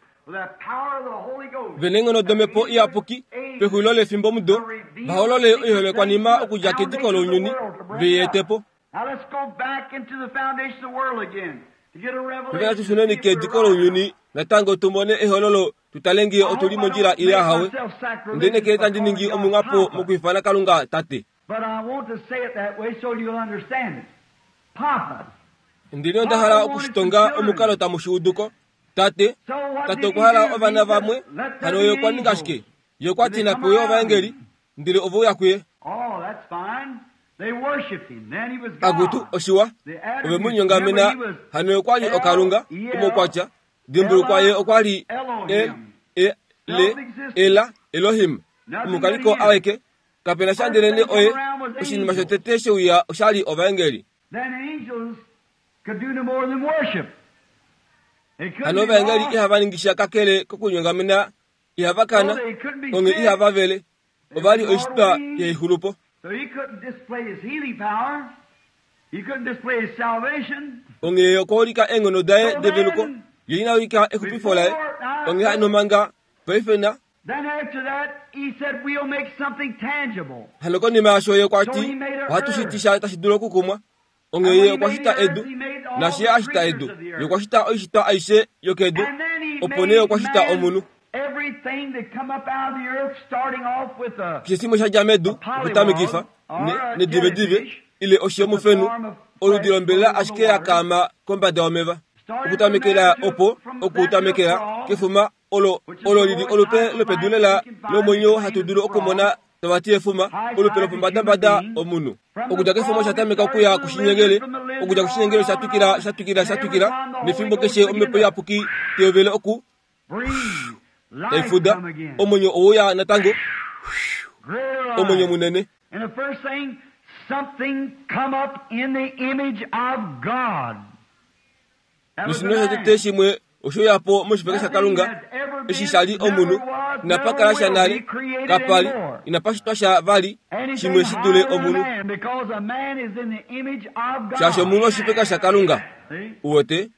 Ve neenghono dOmhepo Iyapuki pexulilo lefimbomudo va holole oiholekwanima okudja kediko lounyuni ve i ete po. Paife natu shuneni kediko lounyuni natango tu mone ehololo tu tale ngee otu li mondjila ile ahawe. Onde lineekele tandi ningi omunghapo mokwiifana Kalunga Tate. Ndele onda hala oku shi tonga omukalo tamu shi udu ko. Tate, Tate okwa hala ovana vamwe, hano Ye okwa ninga shike? Ye okwa ti nape uye ovaengeli, ndele ove uya kuye. Akutu, oshiwa, ove mu linyongamena, hano ye okwa li okalunga, omaukwatya, Dimbulukwa ye okwa li E, E, L, Ela, Elohim, omukaliko aweke. Kape na sha ndelene oye. Oshinima shotete she uya osha li ovaengeli. Hano ovaengeli ihava ningi sha kakele kokunyongamena, ihava kana, onghee ihava vele. Ova li oishitwa yaixulupo. Onghee ye okwa ulika eenghono daye develuko, ye ina ulika exupifo laye. Onghee hano manga paife na. Hano konima yaasho ye okwa ti, Ohatu shiti sha tashi dulu okukumwa. Onghee ye okwa shita edu, naashi ye a shita edu, ye okwa shita oishitwa aishe yokedu, opo nee okwa shita omunhu. Keshe shimwe sha dja medu, okutamekifa, ne, nedivedive, ile oshi yomufenu, oludi lombelela ashike ya kaama kombada yomeva. Okutamekela opo, okutamekela kefuma olo, olo li li olupe lopedu lela lomwenyo hatu dulu okumona tava ti efuma, olupe lopombadambada omunhu. Okudja kefuma osha tameka okuya kushinyengele, okudja kushinyengele osha twikila, sha twikila, sha twikila, nefimbo keshe omhepo iyapuki teyovele oku tai fuda, omwenyo ouya natango, omwenyo munene. Noshinima shotete shimwe oshe uya po moshipala shaKalunga, eshi sha li omunhu, inapa kala sha nale, kapa li, inapa shitwa sha vali shimwe shi dule omunhu. Shaashi omunhu oshipeka shaKalunga. Uwete?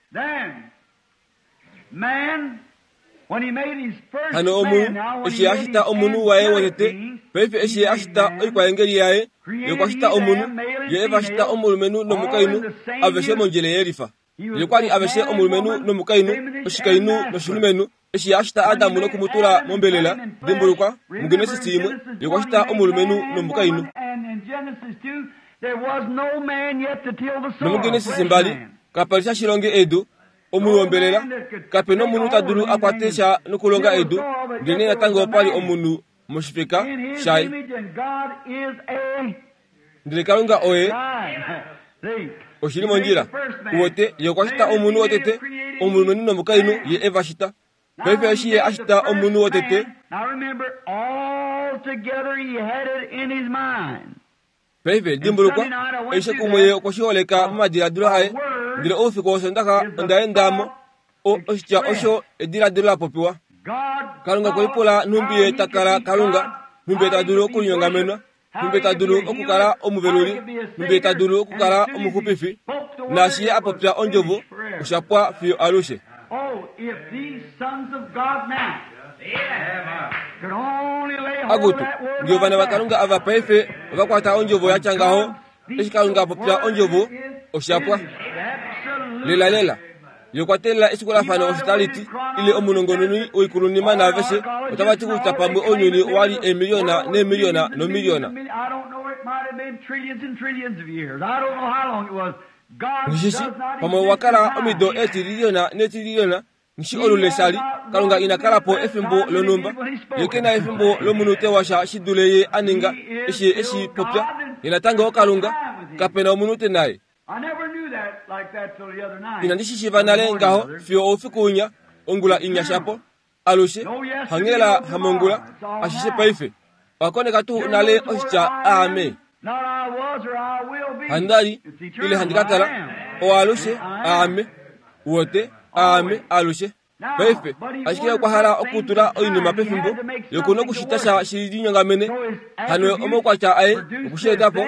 Hano omunhu, eshi Ye a shita omunhu waye wotete, paife eshi Ye a shita oikwaengeli yaye, Ye okwa shita omunhu, Ye e va shita omulumenhu nomukainhu, aveshe mondjele yelifa. Ye okwa li aveshe omulumenhu nomukainhu, oshikainhu noshilumenhu. Eshi Ye a shita Adam noku mu tula mombelela, dimbulukwa, muGenesis imwe, Ye okwa shita omulumenhu nomukainhu. NomuGenesis mbali, kapa li sha shilonge edu, omunhu wombelela, kape nomunhu ta dulu a kwate sha nokulonga edu, ndelenee natango opa li omunhu moshifeka shaye. Ndele Kalunga oye oshi li mondjila. Uwete, Ye okwa shita omunhu wotete, omulumenhu nomukainhu, Ye e va shita. Paife eshi Ye a shita omunhu wotete, Paife, dimbulukwa, aishe kumwe ye okwe shi holeka momadiladilo aye. Ndele oufiku wOsoondaxa onda enda mo, o, oshitya osho ediladilo la popiwa. Kalunga okwe lipula nhumbi ye ta kala Kalunga, nhumbi ye ta dulu okulinyongamenwa, nhumbi ye ta dulu okukala omuveluli, nhumbi ye ta dulu okukala omuxupifi. Naashi ye a popya ondjovo, osha pwa fiyo alushe. Akutu, nge ovana vaKalunga ava paife ova kwata ondjovo ya tya ngaho, eshi Kalunga a popya ondjovo, osha pwa. Lelalela. Ye okwa teelela eshikulafano osho tali ti, ile omunongononi woikulunima naaveshe otava ti kutya pamwe ounyuni owa li eemiliyona neemiliyona nomiliyona. Nghishishi, pamwe owa kala omido eetililiyona neetililiyona, nghi shi olule sha li, Kalunga ina kala po efimbo lonhumba. Ye ke na efimbo lomunute washa shi dule Ye a ninga eshi Ye e shi popya. Ye natango oKalunga. Kape na omunute naYe. Inandi shi shiiva nale ngaho fiyo oufiku winya, ongula inya shapo. Alushe, hanghela hamongula, ashishe paife. Owa koneka tuu nale oshitya aame? Handali ile handi ka kala oalushe aame wote aame alushe. Paife ashike okwa hala okutula oinima pefimbo yoku nokushita sha shi linyongamene hano omaukwatya aye okushieta po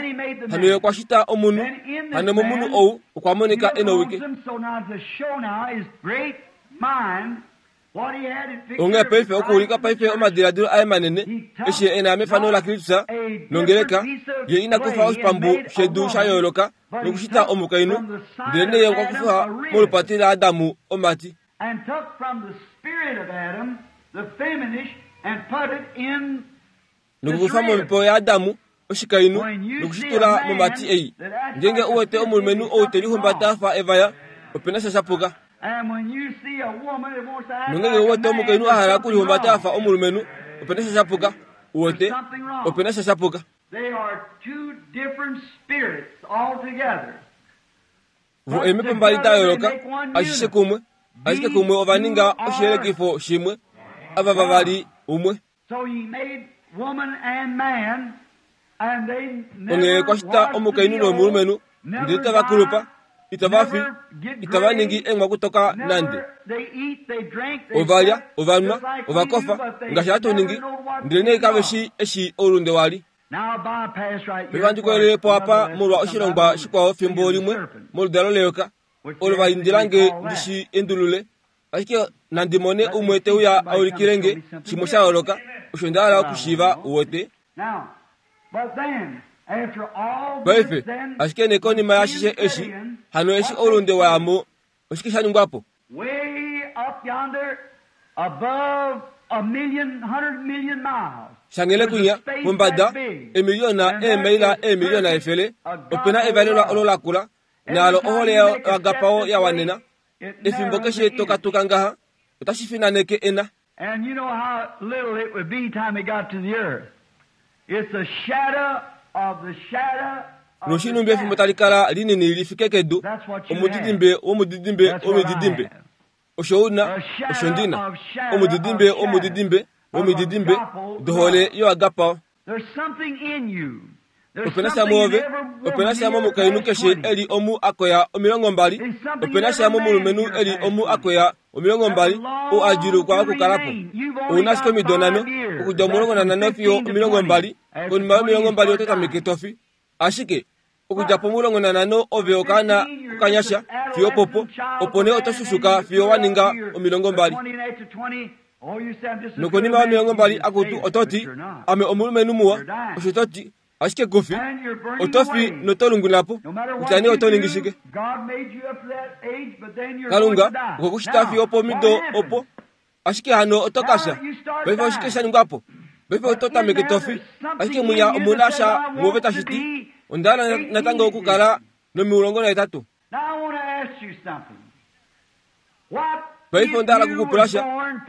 hano ye okwa shita omunhu hano momunhu ou okwa monika e nowike. Onghee paife okuulika paife omadiladilo aye manene eshi e na mefano laKristus nongeleka ye ina kufa oshipambu shedu sha yooloka nokushita omukainhu ndelenee ye okwa kufa molupati laAdamu omati. Nokukufa momhepo yaAdamu oshikainhu nokushitula momati ei. Ngeenge u wete omulumenhu ou te lihumbata a fa evaya, ope na sha sha puka. Nongeenge u wete omukainhu a hala okulihumbata a fa omulumenhu, ope na sha sha puka. U wete, ope na sha sha puka. Vo eemhepo mbali da yooloka, ashishe kumwe, ashike kumwe ova ninga oshiyelekifo shimwe, ava vavali umwe. Onghee kwa shita omukainhu nomulumenhu, ndele itava kulupa, itava fi, itava ningi eenghwakutoka nande. Ova lya, ova nwa, ova kofa, ngaashi hatu ningi, ndelenee kave shii eshi oulunde wa li. Pevandi koelele po apa molwa oshilongwa shikwao fimbo limwe moludalo leyoka, olo va indila nge ndi shi endulule, ashike nandi mone umwe te uya a ulikile nge shimwe sha yooloka, osho nda hala okushiiva, uwete. Paife, ashike nee konima yaashishe eshi, hano eshi oulunde wa ya mo, oshike sha ningwa po? Shanghele kwinya, pombada, emiliyona eemaila eemiliyona efele, ope na evalelwa olo lakula, naalo ohole yaagapao ya wanena. Efimbo keshe to katuka ngaha, otashi finaneke ena. And you know how little it would be time it got to the earth. It's a shadow of the shadow Noshinumbi efimbo tali kala linini li fike kedu, omudidimbe womudidimbe womididimbe. Osho u na, osho ndi na. Omudidimbe womudidimbe womididimbe dohole yoagapao. Ope na sha mwoove, ope na sha momukainhu keshe e li omu a koya 20, ope na sha momulumenhu e li omu a koya 20 ou a djuulukwa okukala po. Ou na ashike omido nhano, okudja 15 fiyo 20, konima yomilongo mbali oto tameke to fi. Ashike, okudja po15 ove okaana okanyasha fiyo opopo, opo nee oto shushuka fiyo wa ninga 20. Nokonima yomilongo mbali akutu oto ti, Ame omulumenhu muwa, osho to ti, ashike ku fi. Oto fi noto lungwina po, kutya nee oto ningi shike. Kalunga okwe ku shita fiyo opomido opo, ashike hano oto ka fya. Paife oshike sha ningwa po? Paife oto tameke to fi, ashike mwinya omu na sha mwoove tashi ti, Onda hala natango okukala nomilongo nahetatu. Paife onda hala okukupula sha.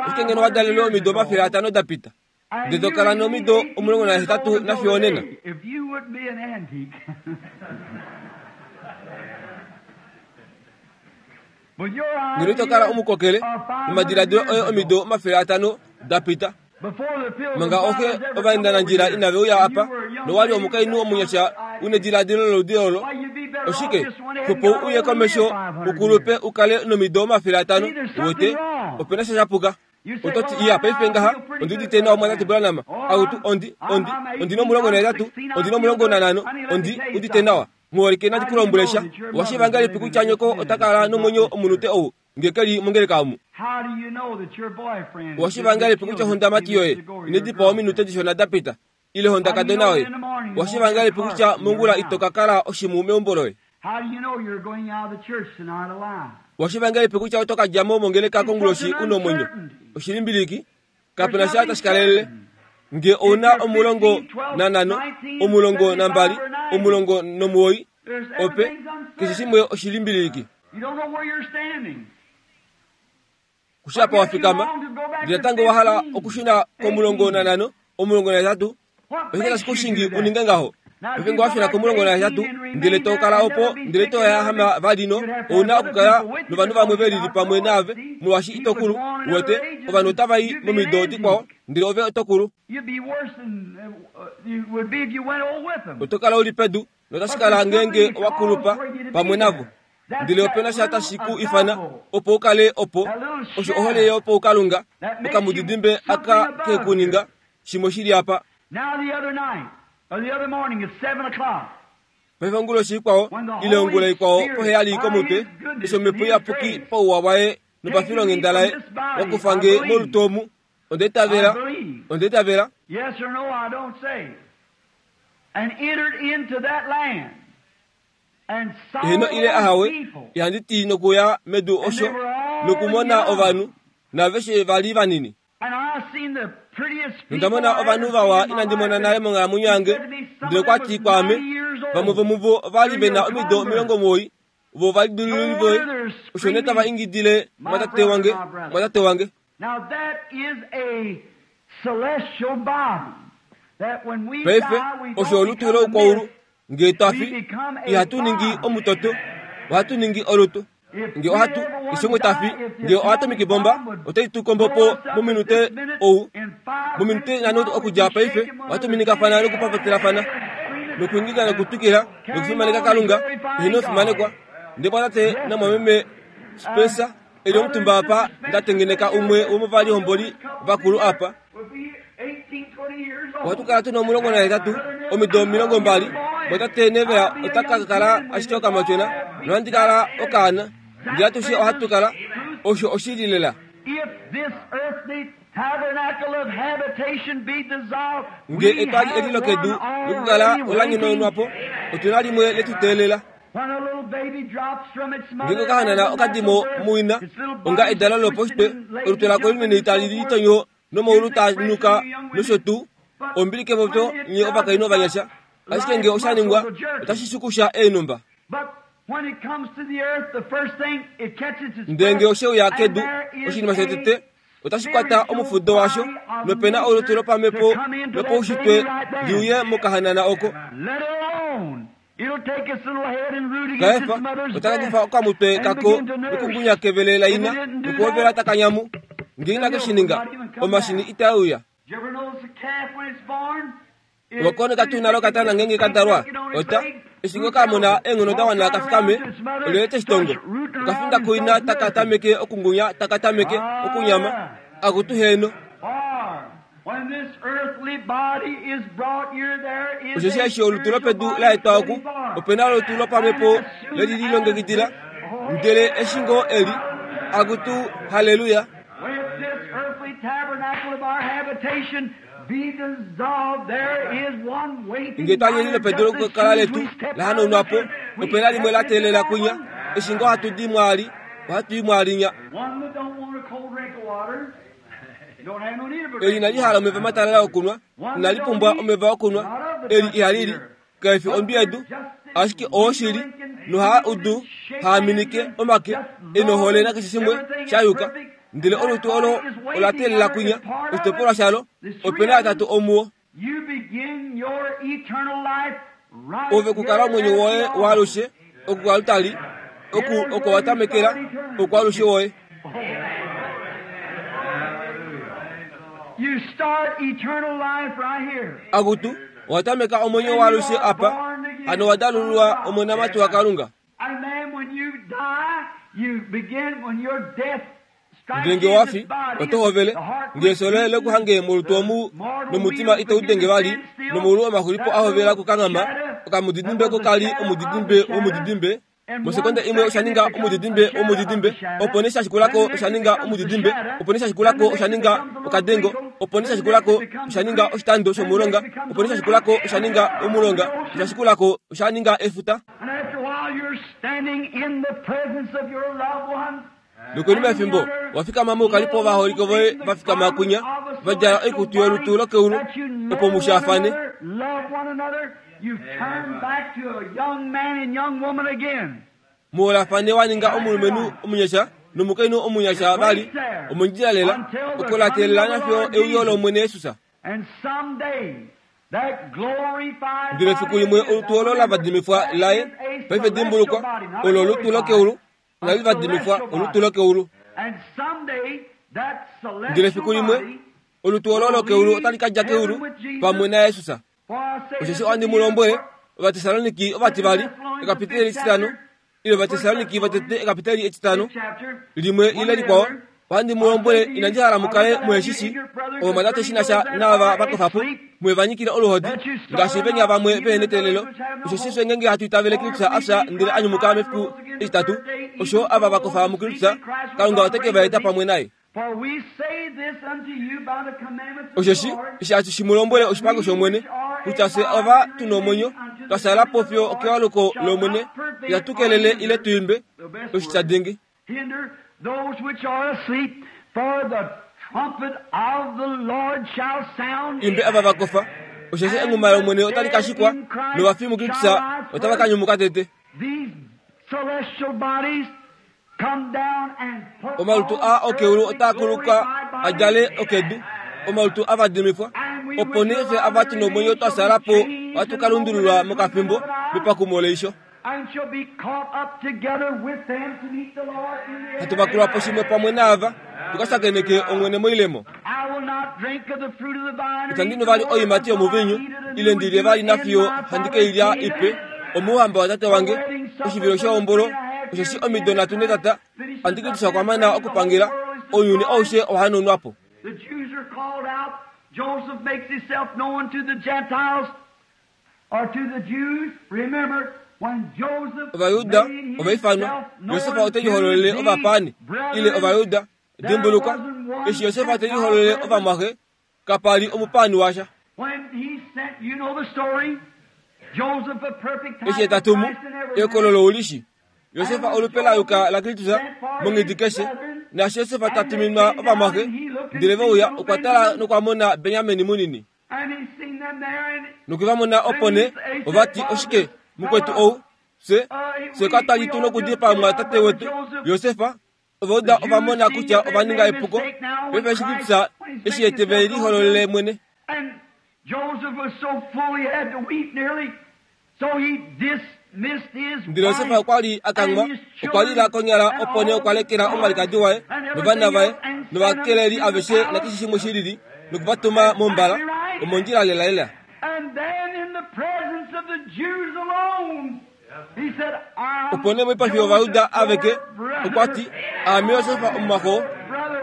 Oshike ngeno wa dalelwe omido 500 da pita, ndele to kala nomido 18 nafiyo onena? Ngeno ito kala omukokele momadiladilo oye omido 500 da pita, manga ooxe ovaendanandjila inave uya apa, nowa li omukainhu omunyasha u nediladilo loludi olo, oshike, xupo u uye komesho u kulupe u kale nomido 500, uwete, ope na sha sha puka. Oto ti, Iya, paife ngaha, ondi udite nawa, Mumwatate Branham. Akutu, ondi, ondi, ondi no18, ondi no15, ondi udite nawa. Muholike nandi ku lombwele sha. Owa shiiva ngahelipi kutya nyoko ota kala nomwenyo omunute ou nge ke li mongeleka omu? Owa shiiva ngahelipi kutya ohondamati yoye ine dipawa ominute dishona da pita, ile ohondakadona yoye? Owa shiiva ngahelipi kutya mongula ito ka kala oshimhu meumbo loye? Owa shiiva ngahelipi kutya oto ka dja mo mongeleka konguloshi u nomwenyo? Oshilimbiliki, kape na sha tashi kalelele. Nge ou na 15, 12, 19, ope, keshe shimwe oshilimbiliki. Kushi apa wa fikama, ndele natango wa hala okushuna ko15, 18, oshike tashi ku shingi u ninge ngaho? Paife nge wa shuna ko-18, ndele to kala opo, ndele to yahama vali no, ou na okukala novanhu vamwe ve lili pamwe naave, molwaashi ito kulu. Uwete, ovanhu otava i momido dikwao, ndele ove oto kulu. Oto kala u li pedu, notashi kala ngeenge owa kulupa pamwe navo. Ndele ope na sha tashi ku ifana opo u kale opo, osho ohole yopaukalunga, okamudidimbe aka ke ku ninga shimwe shi li apa. Paife onguloshi ikwao, ile ongula ikwao poheyali komutwe, eshi Omhepo Iyapuki pauwa waye nopafilonghenda laye wa kufa nge molutu omu, onda itavela, onda itavela. Eheno ile ahawe, ihandi ti nokuya medu osho nokumona ovanhu, naaveshe va li vanini. Nonda mona ovanhu vawa inandi mona nale monghalamwenyo yange, ndele okwa ti kwaame, vamwe vomuvo ova li ve na omido 90, vo ovalidilululi voye, osho nee tava ingidile mwatate wange, mwatate wange. Paife, osho olutu loukwaulu, Nge twa fi, ihatu ningi omutoto, ohatu ningi olutu. Nge ohatu, ishongo ta fi, nge oatomiki bomba otai tu kombo po mominute ou, mominute nhano okudja paife, ohatu minikafana nokupapatelafana, nokuingida nokutwikila, nokufimaneka Kalunga, eheno fimanekwa. Ndele mwatate namwameme Spencer, e li omutumba apa, nda tengeneka umwe womovalihomboli vakulu apa, Ohatu kala tu na 18, omido 20, mwatate Neville ota ka kala ashike okamatyona, nohandi kala okaana. Ndele atushe ohatu kala. Osho oshili lela. Nge etwali eli lokedu lokukala ola nyonaunwa po, otu na limwe le tu teelela. Ngeenge okahanana oka di mo muina, onga edalo lopaushitwe, olutu lako linini tali litonyo nomaulu taa nuka nosho tuu, ombili kepopyo nye ovakainhu ovanyasha. Ashike nge osha ningwa, otashi xukusha eenhumba. Ndele nge oshe uya kedu, oshinima shotete, otashi kwata omufudo washo, nope na olutu lopamhepo lopaushitwe li uye mokahanana oko. Kaefa otaka kufa okamutwe kako nokungunya kevele laina nokuhovela taka nyamu. Nge inake shi ninga, omashini itae uya. Owa koneka tuu nale okatana ngeenge ka dalwa? Ota, eshi ngoo ka mona eenghono da wana ka fikame, olyelye te shi tongo? Oka finda kuina taka tameke okungunya taka tameke okunyama. Akutu heeno. Osheshi eshi olutu lopedu la etwa oku, ope na olutu lopamhepo le li lilongekidila. Ndele eshi ngoo eli, akutu, halleluya! Nge twa nyeni lopedu lokukala letu la hanaunwa po, ope na limwe la teelela kwinya. Eshi ngoo hatu di mwaali, ohatu i mwaalinya. Eli inali hala omeva matalala okunwa, inali pumbwa omeva okunwa. Eli ihali li, kai fi ondwi yedu, ashike oo shili, nohaa udu, haa minike omake, e nohole nakeshe shimwe sha yuka. Ndele olutu olo ola teelela kwinya, oshitopolwa shalo, ope na yatatu omuwo. Ove kukala omwenyo woye waalushe oku koaltari, oku oko wa tamekela oukwaalushe woye. Akutu, owa tameka omwenyo waalushe apa, hano wa dalululwa omonamati waKalunga. Ndele nge owa fi, oto hovele, nge efyo loye le ku hange molutu omu, nomutima itau denge vali, nomaulu omaxulipo a hovela okukanghama, okamudidimbe oko ka li omudidimbe womudidimbe, mosekonde imwe osha ninga omudidimbe womudidimbe, opo nee sha shikula ko osha ninga omudidimbe, opo nee sha shikula ko osha ninga okadengo, opo nee sha shikula ko osha ninga oshitando shomulonga, opo nee sha shikula ko osha ninga omulonga, osha shikula ko osha ninga efuta. Nokonima yefimbo, wa fikama moukalipo ovaholike voye va fikama kwinya, va djala oikutu yolutu lokeulu, opo mu shaafane. Mu holafane wa ninga omulumenhu omunyasha nomukainhu omunyasha vali, omondjila lela, oko la teelela nafiyo euyo lOmwene Jesus. Ndele fiku limwe olutu olo la vadimifwa laye, paife dimbulukwa, olo olutu lokeulu, inali vadimifwa, olutu lokeulu. Ndele fiku limwe olutu olo lokeulu otali ka dja keulu pamwe naJesus. Osheshi ohandi mu lombwele, Ovatessaloniki ovativali, ekapiteli etitano, ile Ovatessaloniki votete ekapiteli etitano, limwe ile likwao, ohandi mu lombwele inandi hala mu kale muhe shi shi ovamwatate shi na sha naava va kofa po, muhe va nyikile oluhodi, ngaashi venya vamwe vehe neteelelo. Osheshi fye ngeenge hatu itavele Kristus a fya ndele a nyumuka mefiku etitatu, osho ava va kofa muKristus, Kalunga ote ke va eta pamwe naye. Osheshi eshi hatu shi mu lombwele oshipango shOmwene, kutya fye ova tu nomwenyo, twa fyaala po fiyo okewaluko lOmwene, itatu kelele ile tu imbe oshitya dingi. Imbe ava va kofa, osheshi enghuma lOmwene otali ka shikwa, novafi muKristus otava ka nyumuka tete. Omalutu aa okeulu otaa kuluka a djale okedu, omalutu a vadimifwa. Opo nee fye ava tu nomwenyo twa fyaala po ohatu ka lundululwa mokafimbo mepakumo leisho. Hatu vakulwa po shimwe pamwe naava, tu ka shakeneke Omwene moilemo. Itandi nu vali oiimati yomuviinyu, ile ndi lye vali nafiyo handi ke i lya ipe omouhamba waTate wange, oshivilo shehombolo, osheshi omido nhatu netata Antikristus okwa mana okupangela, ounyuni aushe owa hanaunwa po. Ovajuda ova ifanwa, Josef ote lihololele ovapaani, ile Ovajuda. Dimbulukwa, eshi Josef te lihololele ovamwaxe, kapa li omupaani washa. Eshi ye ta tumu ekololo ulishi, Josef olupe la yuka laKristus monghedi keshe. Naashi Josef ta tuminwa ovamwaxe, ndele ve uya, okwa tala nokwa mona Benjamin munini. Nokwe va mona opo nee ova ti, Oshike, mukwetu ou, fye, fye katwa li tu nokudipaa omumwatate wetu, Josef? Ovauda ova mona kutya ova ninga epuko, paife eshi Kristus eshi ye te ve lihololele mwene. Ndele Josef okwa li a kanghwa, okwa lila konyala, opo nee okwa lekela omwalikadi waye novana vaye novakeleli aveshe nakeshe shimwe shi lili, noku va tuma mombala, omondjila lelalela. Opo nee moipafi yOvayuda aveke okwa ti, Aame Josef omumwaxo,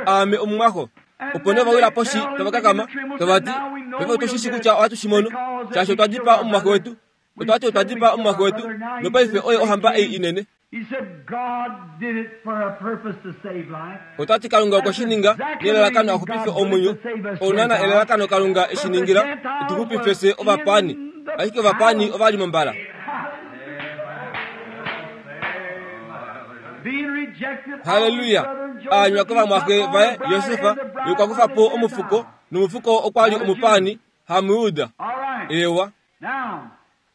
aame omumwaxo. Opo nee ova wila poshi tava kakama, tava ti, Paife otu shi shii kutya ohatu shi mono, shaashi otwa dipaa omumwaxe wetu. Otwa ti otwa dipaa omumwaxe wetu, nopaife oye ohamba ei inene. Ota ti Kalunga okwe shi ninga nelalakano a xupife omwenyo. Ounana elalakano Kalunga e shi ningila e tu xupife fye ovapaani. Ashike ovapaani ova li mombala. Halleluya! A anywa kovamwaxe vaye Josef, ye okwa kufa po omufuko, nomufuko okwa li omupaani, haMujuda. Eewa.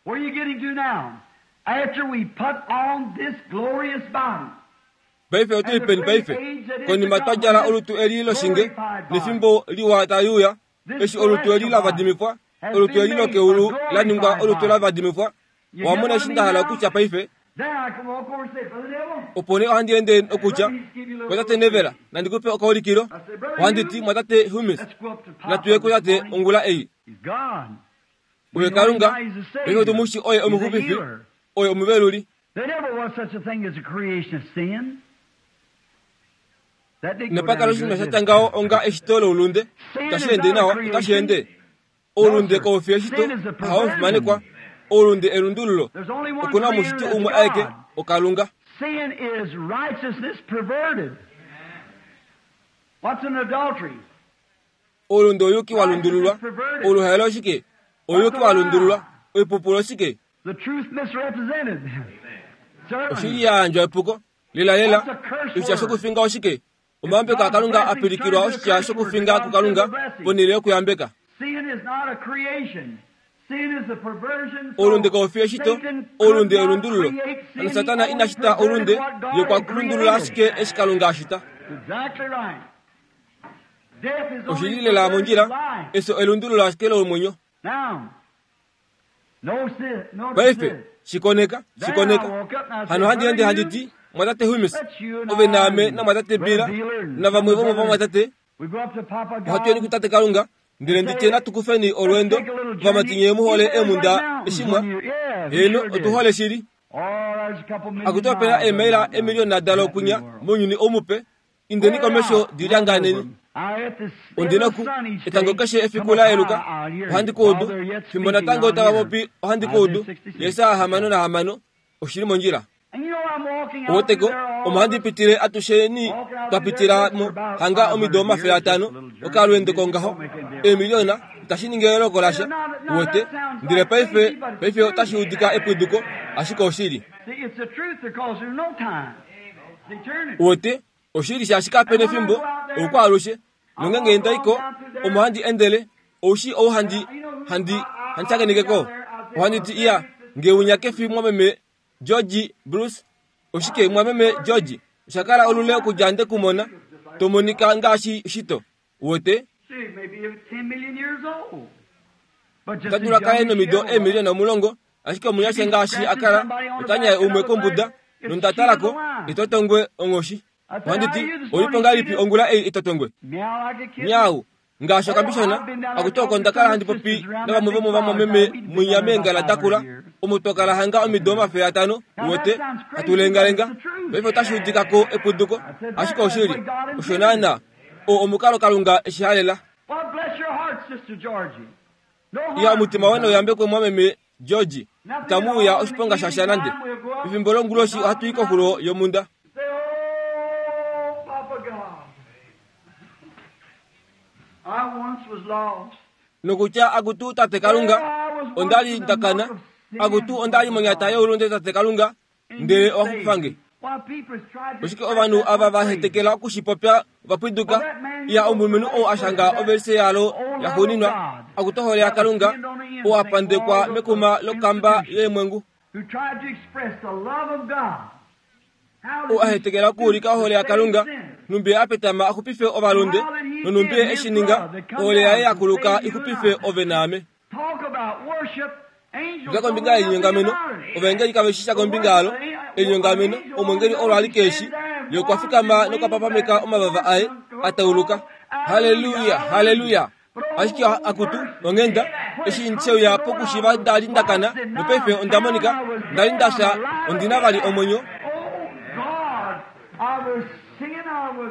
Where are you getting to now? After we put on this glorious body. Paife otu li peni paife? Konima twa djala olutu eli loshinge, nefimbo liwa tali uya, eshi olutu eli la vadimifwa, olutu eli lokeulu la ningwa olutu la vadimifwa. Owa mona eshi nda hala okutya paife? Opo nee ohandi ende nokutya, Mwatate Neville, nandi ku pe okaulikilo. Ohandi ti, Mwatate Humes, natu ye kutate ongula ei. Oye Kalunga, paife otu mu shi oye Omuxupifi, oye Omuveluli. Inapa kala oshinima sha tya ngaho onga eshito loulunde. Itashi ende nawa, otashi ende. Oulunde kau fi eshito, hawo omufimanekwa. Oulunde elundululo. Oku na Omushiti umwe aeke, oKalunga. Oulunde ouyuki wa lundululwa. Oluhaelo oshike? Ouyuki wa lundululwa. Oipupulu oshike? Oshili ya yandjwa epuko. Lelalela, oshitya shokufinga oshike? Omayambeko aKalunga a pilikilwa oshitya shokufinga kuKalunga ponhele yokuyambeka. Oulunde kau fi eshito, oulunde elundululo. Hano Satana ina shita oulunde, ye okwa lundulula ashike eshi Kalunga a shita. Oshi li lela mondjila, efyo elundululo ashike lomwenyo. Paife shikoneka shikoneka hano handi ende handi ti mwatate Humes ove naame namwatate Bila navamwe vomovamwatate ohatu yeni kutate Kalunga ndele nditye natukufeni olweendo vamati nye muhole eemunda eshimwa heeno otuhole shili akuti opena eemaila emiliyona dalo kunya mounyuni omupe indeni komesho dilyanganeni ondinaku etango keshe efiku layeluka ohandi kuudu fimbo natango tava popi ohandi kuudu yesaa 66 oshili mondjila oweteko omo handi pitile atusheni twapitila mo hanga omido 500 okalweendo kongaho emiliyona itashi ningi eloko lasha uwete ndele paife paife otashi udika epwiduko ashike oshili uwete oshili shaashi kapena efimbo oukwaalushe nongenge ndaiko omo handi endele oushi ou handi handi handishakenekeko ohandi ti iya ngeunya kefi mwameme George Bruce oshike mwameme George oshakala olule okudja nde kumona tomonika ngaashi shito uwete otadula kale nomido emiliyona 10 ashike omunyasha ngaashi akala otanyaye umwe kombuda nondatalako itotongwe onghoshi ohandi ti olipo ngahelipi ongula ei itotongwe nyau ngaashi okambishona akuti oko ndakala handi popi navamwe vomovamwameme mwinya meengala dakula omo twakala hanga omido 500 uwete hatulengalenga paife otashi udikako epuduko ashike oshili osho naana o omukalo Kalunga eshihalela iya omutima wene uyambekwe mwameme George itamuuya oshiponga shasha nande efimbo longuloshi ohatu i koxulo yomunda nokutya akutu tate Kalunga ondali ndakana akutu ondali monyata youlunde tate Kalunga ndele owaxupifange oshike ovanhu ava vahetekela okushipopya vapwiduka iya omulumenhu ou ashanga ovelise yalo yaxuuninwa akutu ohole yaKalunga ou apandekwa mekuma lokamba yeemwengu ou ahetekela okuulika ohole yaKalunga numbi apetama axupife ovalunde nonumbi eshininga ohole yaye yakuluka ixupife ove naame nga kombinga yelinyongameno ovaengeli kave shisha kombinga yalo elinyongameno omwengeli olo ali keeshi ye okwa fikama nokwapapameka omavava aye atauluka haleluya haleluya ashike akutu onghenda eshi nsheuya pokushiva ndali ndakana nopaife onda monika ndali ndafya ondina vali omwenyo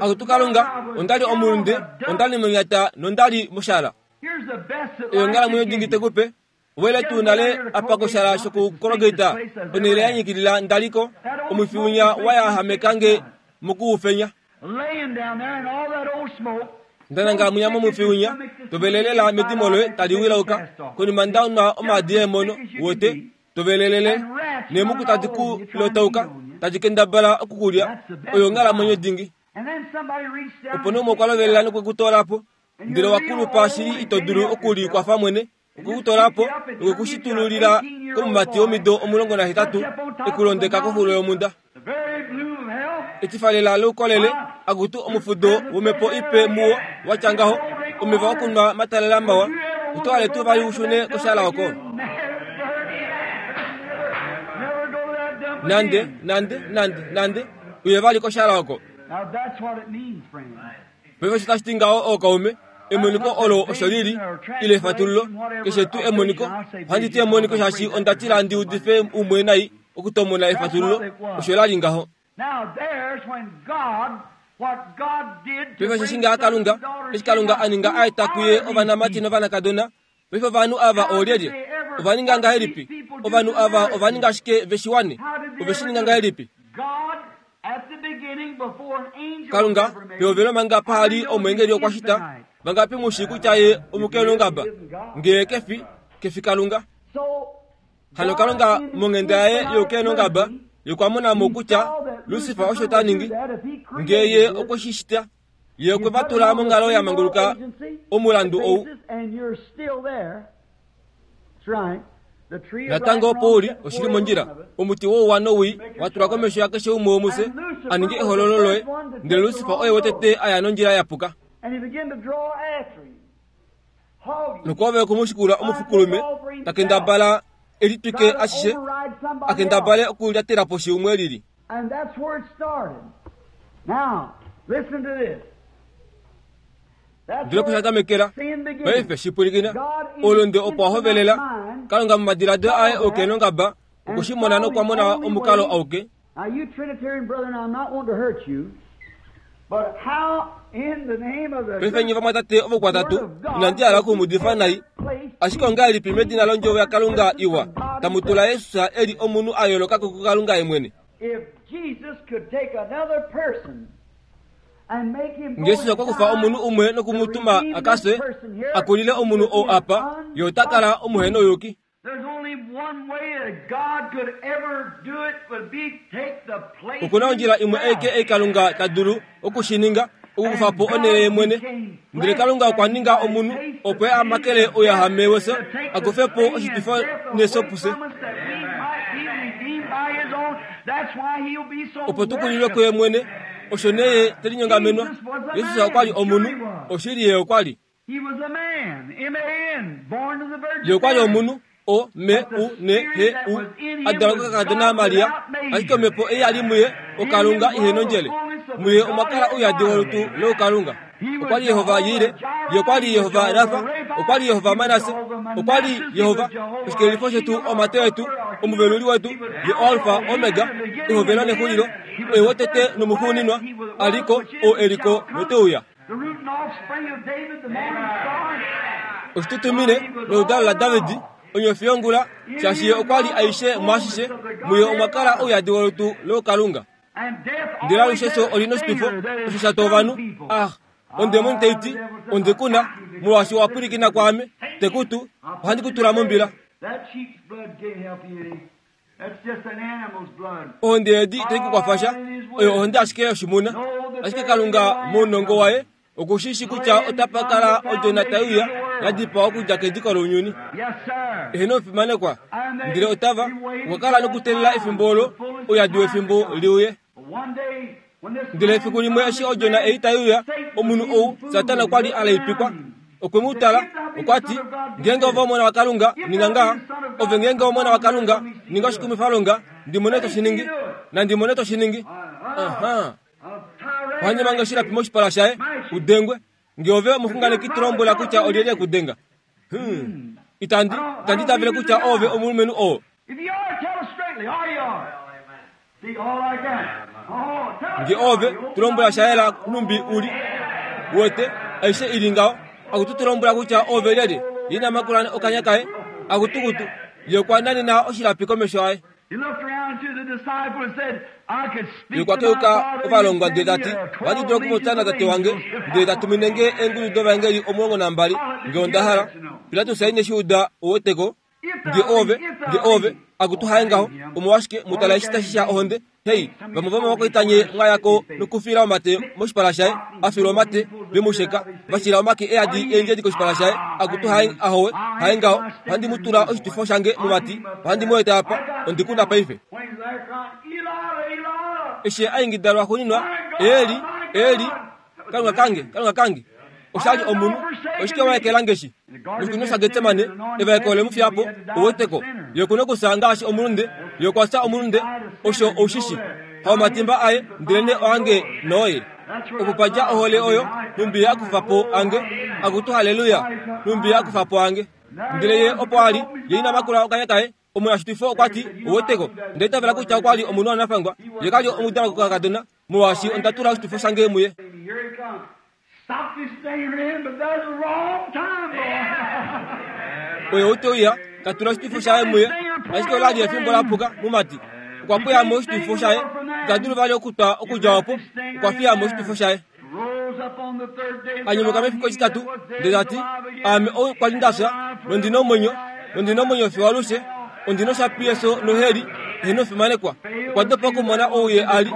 akutu Kalunga ondali omulunde ondali monyata nondali moshala eyo onghalamwenyo dingi tekupe wele tuu nale apa koshala shokukologeta onhele yanyikilila ndaliko omwifiunya wayahamekange mokuufenya ndananga munya momwifiunya tovelelela medimo loye tali wilauka konima ndaunwa omaadi eemono wote tovelelele neemuku tadi ku lotauka tadi kendabala okukulya oyo onghalamwenyo dingi opo nee umwe okwa lovelela nokwekutolapo ndele wakulupa shili ito dulu okulikwafa mwene okukutolapo nokwekushitululila komumati womido 18 ekulondeka koxulo yomunda etifalela loukolele akutu omufudo womepo ipe muwo watya ngaho omeva okunwa matalela mawa utwale tuu vali ushune koshala oko nande nande nande nande uye vali koshala oko paife osho tashi ti ngaho ookaume emoniko olo osho lili ile efatululo keshe tuu emoniko ohandi ti emoniko shaashi onda tila ndi udife umwe nai okutomona efatululo osho lali ngaho paife osheshi ngaa Kalunga eshi Kalunga a ninga aeta kuye ovanamati novanakadona paife ovanhu ava oolyelye ova ninga ngahelipi ovanhu ava ova ninga ashike veshiwane ove shi ninga ngahelipi Kalunga pehovelo manga pahali omwengeli okwa shita vangapi mushi kutya ye omukelongaba ngee kefi kefi Kalunga hano Kalunga monghenda yaye youkelongaba yokwamona mo kutya Lucifer osho ta ningi ngee ye okwe shi shita ye okwe vatula monghalo ya manguluka omulandu ou natango opo uli oshili mondjila omuti wouwa nowii watulwa komesho yakeshe umwe womufye a ninge ehololo loye ndele Lucifer oye wotete aya nondjila yapuka nokwove okumushikula omufukulume takendabala Elitwike ashishe a kendabale okulyatela poshi umwe lili. And that's where it started. Now, listen to this. Ndele opo sha tamekela. Paife shipwilikina, oulunde opo wa hovelela. Kalunga momadiladilo aye oukenongaba okwe shi mona nokwa mona omukalo auke. Now, you Trinitarian brethren, I'm not wanting to hurt you, but how in the name of the Paife nye vamwatate ovokwatatu, inandi hala oku mu udifa nai, ashike ongahelipi medina londjovo yaKalunga iwa tamu tula Jesus e li omunhu a yooloka ko kuKalunga ye mwene? If Jesus could take another person and make him Nge Jesus okwa kufa omunhu umwe noku mu tuma a ka fye, a kulile omunhu ou apa, ye ota kala omuhenouyuki. Oku na ondjila imwe aike ei Kalunga ta dulu oku shi ninga, okukufa po onhele ye mwene. Ndele Kalunga okwa ninga omunhu opo ye a makele ouyahame wefyo, a kufe po oshitwifo nefyo pufye. Opo tu kulilwe kuye mwene, osho nee ye te linyongamenwa. Jesus okwa li omunhu, oshili ye okwa li. Ye okwa li omunhu, O, M, U, N, H, U, a dalwa kokakadona Maria, ashike omhepo ei ya li muye, oKalunga ihe nondjele. Muye omwa kala ouyadi wolutu loukalunga. Okwa li Jehova Jire, Ye okwa li Jehova Rafa, okwa li Jehova Manasse, okwa li Jehova, oshikelelifo shetu, omate wetu, omuveluli wetu, Ye oAlfa, Omega, ehovelo nexulilo, Oye wotete nomuxuuninwa, a li ko, ou e li ko note uya. Oshitutumine noludalo laDavid, onyofi yongula, shaashi ye okwa li aishe mwaashishe, muye omwa kala ouyadi wolutu lookalunga. Ndele alushe efyo oli noshitwifo osho sha twa ovanhu, Ah, ondemoni tai ti, onde ku na, molwaashi owa pwilikina kwaame, te ku tu, ohandi ku tula mombila. Ohonde yeedi itai ku kwafa sha, oyo ohonde ashike yoshimuna. Ashike Kalunga mounongo waye oku shi shii kutya otapa kala odjona tai uya ya dipawa okudja kediko lounyuni. Eheno omufimanekwa, ndele otava okwa kala nokuteelela efimbo olo ouyadi wefimbo li uye. Ndele efiku limwe eshi odjona ei tai uya, omunhu ou, Satana okwa li a laipikwa. Okwe mu tala, okwa ti, Ngeenge ove Omona waKalunga, ninga ngaha. Ove ngeenge Omona waKalunga, ninga oshikumwifalonga, ndi mone to shi ningi. Nandi mone to shi ningi. Aha. Ohandi mange oshilapi moshipala shaye, u dengwe. Nge ove omuxunganeki to lombwela kutya olyelye e ku denga. Hmm. Itandi, itandi itavele kutya oove omulumenhu oo. Nge oove, tu lombwela sha yela nhumbi u li. Uwete, aishe i li ngaho. Akutu tu lombwela kutya oove lyelye. Ye ina makula okanya kaye. Akutukutu. Ye okwa nanena oshilapi komesho aye. Ye okwa keuka ovalongwa ndele ta ti, Ohandi dulu okupopya naTate wange, ndele ta tumine nge eengudu dovaengeli 12, nge onda hala. Pilatus ine shi uda, uweteko. Nge oove, nge oove, akutu haye ngaho, omolwashike mu tala eshi tashi sha ohonde? Hei, vamwe vomovakwaita nye mwa ya ko nokufila omate moshipala shaye, a filwa omate, ve mu sheka, va shila omake e yadi eendjedi koshipala shaye, akutu haye, ahowe, haye ngaho, ohandi mu tula oshitwifo shange momati, ohandi mu eta apa, ondi ku na paife. Eshi a ingida lwaxuuninwa, Eli, Eli, Kalunga kange, Kalunga kange, osha li omunhu, oshike wa ekela nge shi? Moshikunino shaGetsemane, evaeko ole mu fiya po, uweteko. Ye oku nokusa ngaashi omulunde, ye okwa fya omulunde, osho ou shi shi. Haomatimba aye, ndelenee oange nooye. Opo pa dja ohole oyo, nhumbi ye a kufa po ange, akutu halleluya, nhumbi ye a kufa po ange. Ndele ye opo a li, ye ina makula okanya kaye, omunashitifo okwa ti, uweteko, onda itavela kutya okwa li omunhu wanafangwa, ye ka li omudalwa kokakadona, molwaashi onda tula oshitifo shange muye. Oye ou te uya, ta tula oshitifo shaye muye, ashike ola li efimbo la puka, mumati. Okwa pweya mo oshitifo shaye, ita dulu vali okutwa okudja opo, okwa fiya mo oshitifo shaye. A nyumuka mefiku etitatu, ndele ta ti, Aame ou kwa li nda fya, nondi na omwenyo, nondi na omwenyo fiyo alushe, ondi na oshapi yefyo noheli, eheno fimanekwa. Okwa dopa okumona ou ye a li,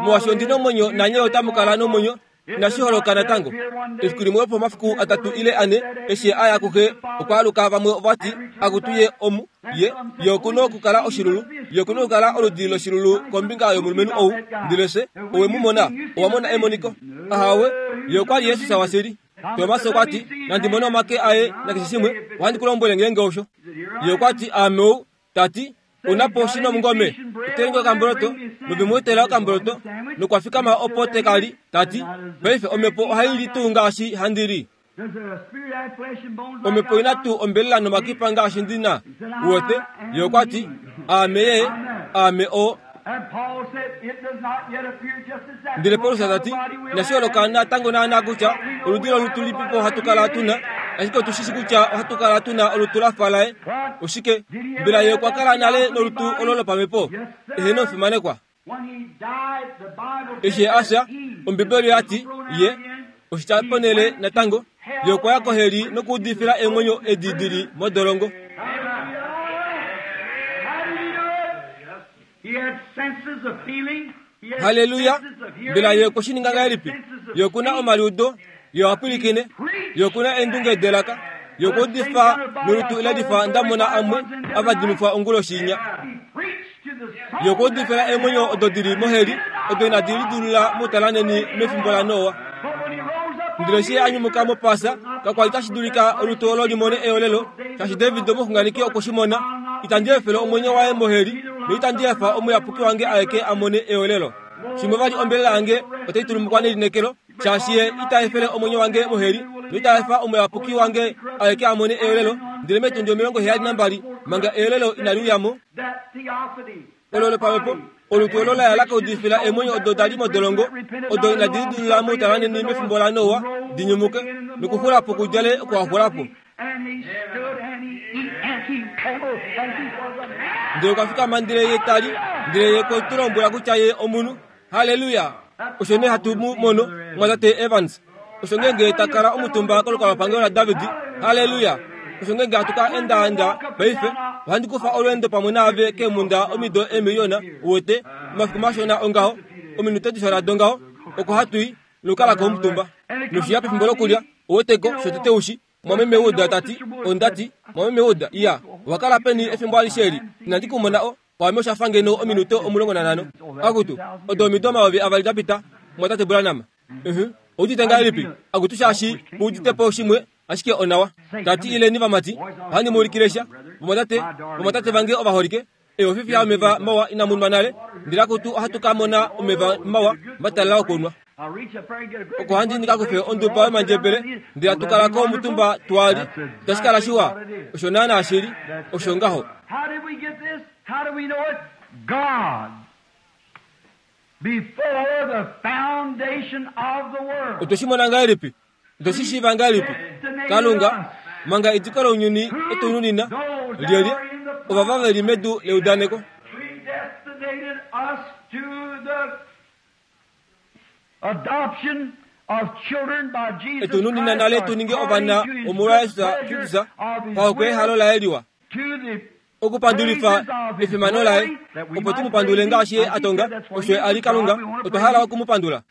molwaashi ondi na omwenyo nanye otamu kala nomwenyo, Inashi holoka natango. Efiku limwe lwopomafiku atatu ile ane, eshi ye a ya kuxe, okwa aluka. Vamwe ova ti, Akutu ye omu, ye, ye oku nokukala oshilulu. Ye oku nokukala oludi loshilulu kombinga yomulumenhu ou. Ndele fye, owe mu mona? Owa mona emoniko? Ahawe, ye okwa li Jesus washili. Tomas okwa ti, Nandi mone omake aye nakeshe shimwe, ohandi ku lombwele ngeenge osho. Ye okwa ti, Aame ou. Ta ti, Una po shi nomungome, etelenge okamboloto, nove mu etela okamboloto, nokwa fikama opo te ka li, ta ti, Paife omhepo ohai li tuu ngaashi handi li? Omhepo ina tuu ombelela nomakipa ngaashi ndi na? Uwete? Ye okwa ti, Aame Ye, Aame oo. Ndele Paulus ta ti, Inashi holoka natango naanaa kutya oludi lolutu lilipipo hatu kala tu na, ashike otu shi shi kutya ohatu kala tu na olutu la fa laye. Oshike? Mbela ye okwa kala nale nolutu olo lopamhepo? Eheno, omufimanekwa. Eshi a fya, Ombibeli oya ti, Ye, oshitya ponhele natango, ye okwa ya koheli nokuudifila eemwenyo edi di li modolongo. Halleluya! Mbela ye okwe shi ninga ngahelipi? Ye oku na omaliudo, ye oha pwilikine, ye oku na eendunge delaka, ye okwa udifa nolutu le lifa nda mona amwe a vadimifwa onguloshi inya. Ye okwa udifila eemwenyo odo di li moheli, odo inadi lidilula moutalanheni mefimbo laNoa. Ndele eshi ye a nyumuka mOpaasa, kakwa li tashi dulika olutu olo li mone eolelo, shaashi David omuxunganeki okwe shi mona, Itandi efele omwenyo waye moheli, noitandi efa omuyapuki wange aeke a mone eolelo. Shimwe vali ombelela yange otai tulumukwa nelineekelo, shaashi ye ita efele omwenyo wange moheli, noita efa omuyapuki wange aeke a mone eolelo. Ndele metundi 72 manga eolelo inali uya mo, olo lopamhepo, olutu olo la ya la ka udifila eemwenyo odo da li modolongo, odo inadi lidulula moutalanheni mefimbo laNoa, di nyumuke, nokuxula po kudjale oko wa xula po. Ndele okwa fikama ndele ye ta li, ndele ye okwe tu lombwela kutya ye omunhu. Halleluya! Osho nee hatu mu mono, Mumwatate Evans. Osho ngeenge ta kala omutumba kolukalwapangelo laDavid. Halleluya! Osho ngeenge hatu ka endaenda paife, ohandi kufa olweendo pamwe naave keemhunda omido eemiliyona, uwete, omafiku mashona ongaho, ominute dishona dongaho, oko hatu i, nokukala ko omutumba. Noshiya pefimbo lokulya, uweteko, shotete ushi, Mwameme Wood ta ti, Onda ti, Mwameme Wood, iya, owa kala peni efimbo alishe eli? Inandi ku mona o, kwaame osha fa ngeno ominute 15. Akutu, odo omido 2000 da pita, Mumwatate Branham. Uh-huh. Ou udite ngahelipi? Akutu, shaashi ku udite po shimwe, ashike onawa. Ta ti, Ileni vamati, ohandi mu ulikile sha. Vamwatate, vamwatate vange ovaholike, Eofifiya yomeva mawa inamu nwa nale, ndele akutu ohatu ka mona omeva mawa matalala okunwa. Oko handi ndi ka kufe onduba yomandjebele, ndele hatu kala ko omutumba twa li. Itashi kala shiwa? Osho naanaa shi li. Osho ngaho. Otwe shi mona ngahelipi? Otwe shi shiiva ngahelipi? Kalunga, manga ediko lounyuni e tu nunina, lyelye ovava ve li medu leudaneko. E tu nunina nale tu ninge ovana omolwaJesus Kristus pahokwe yehalo laye liwa. Okupandulifa efimano laye, opo tu mu pandule ngaashi ye a tonga, osho ye a li Kalunga, otwa hala oku mu pandula.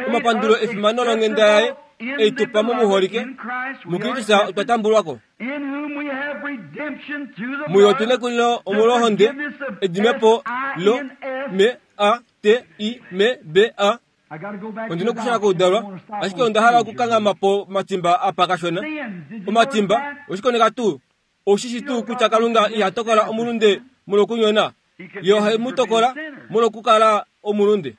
Omapandulo efimano longhenda yaye ei tu pa momuholike, muKristus otwa tambulwa ko. Muye otu nekulilo omolwohonde, edimepo lo m a t i m b a. Ondi na okushuna koudalwa, ashike onda hala okukanghama po matimba apa kashona. Omatimba, oshikoneka tuu? Ou shi shi tuu kutya Kalunga iha tokola omulunde molwokunyona? Ye ohe mu tokola molwokukala omulunde.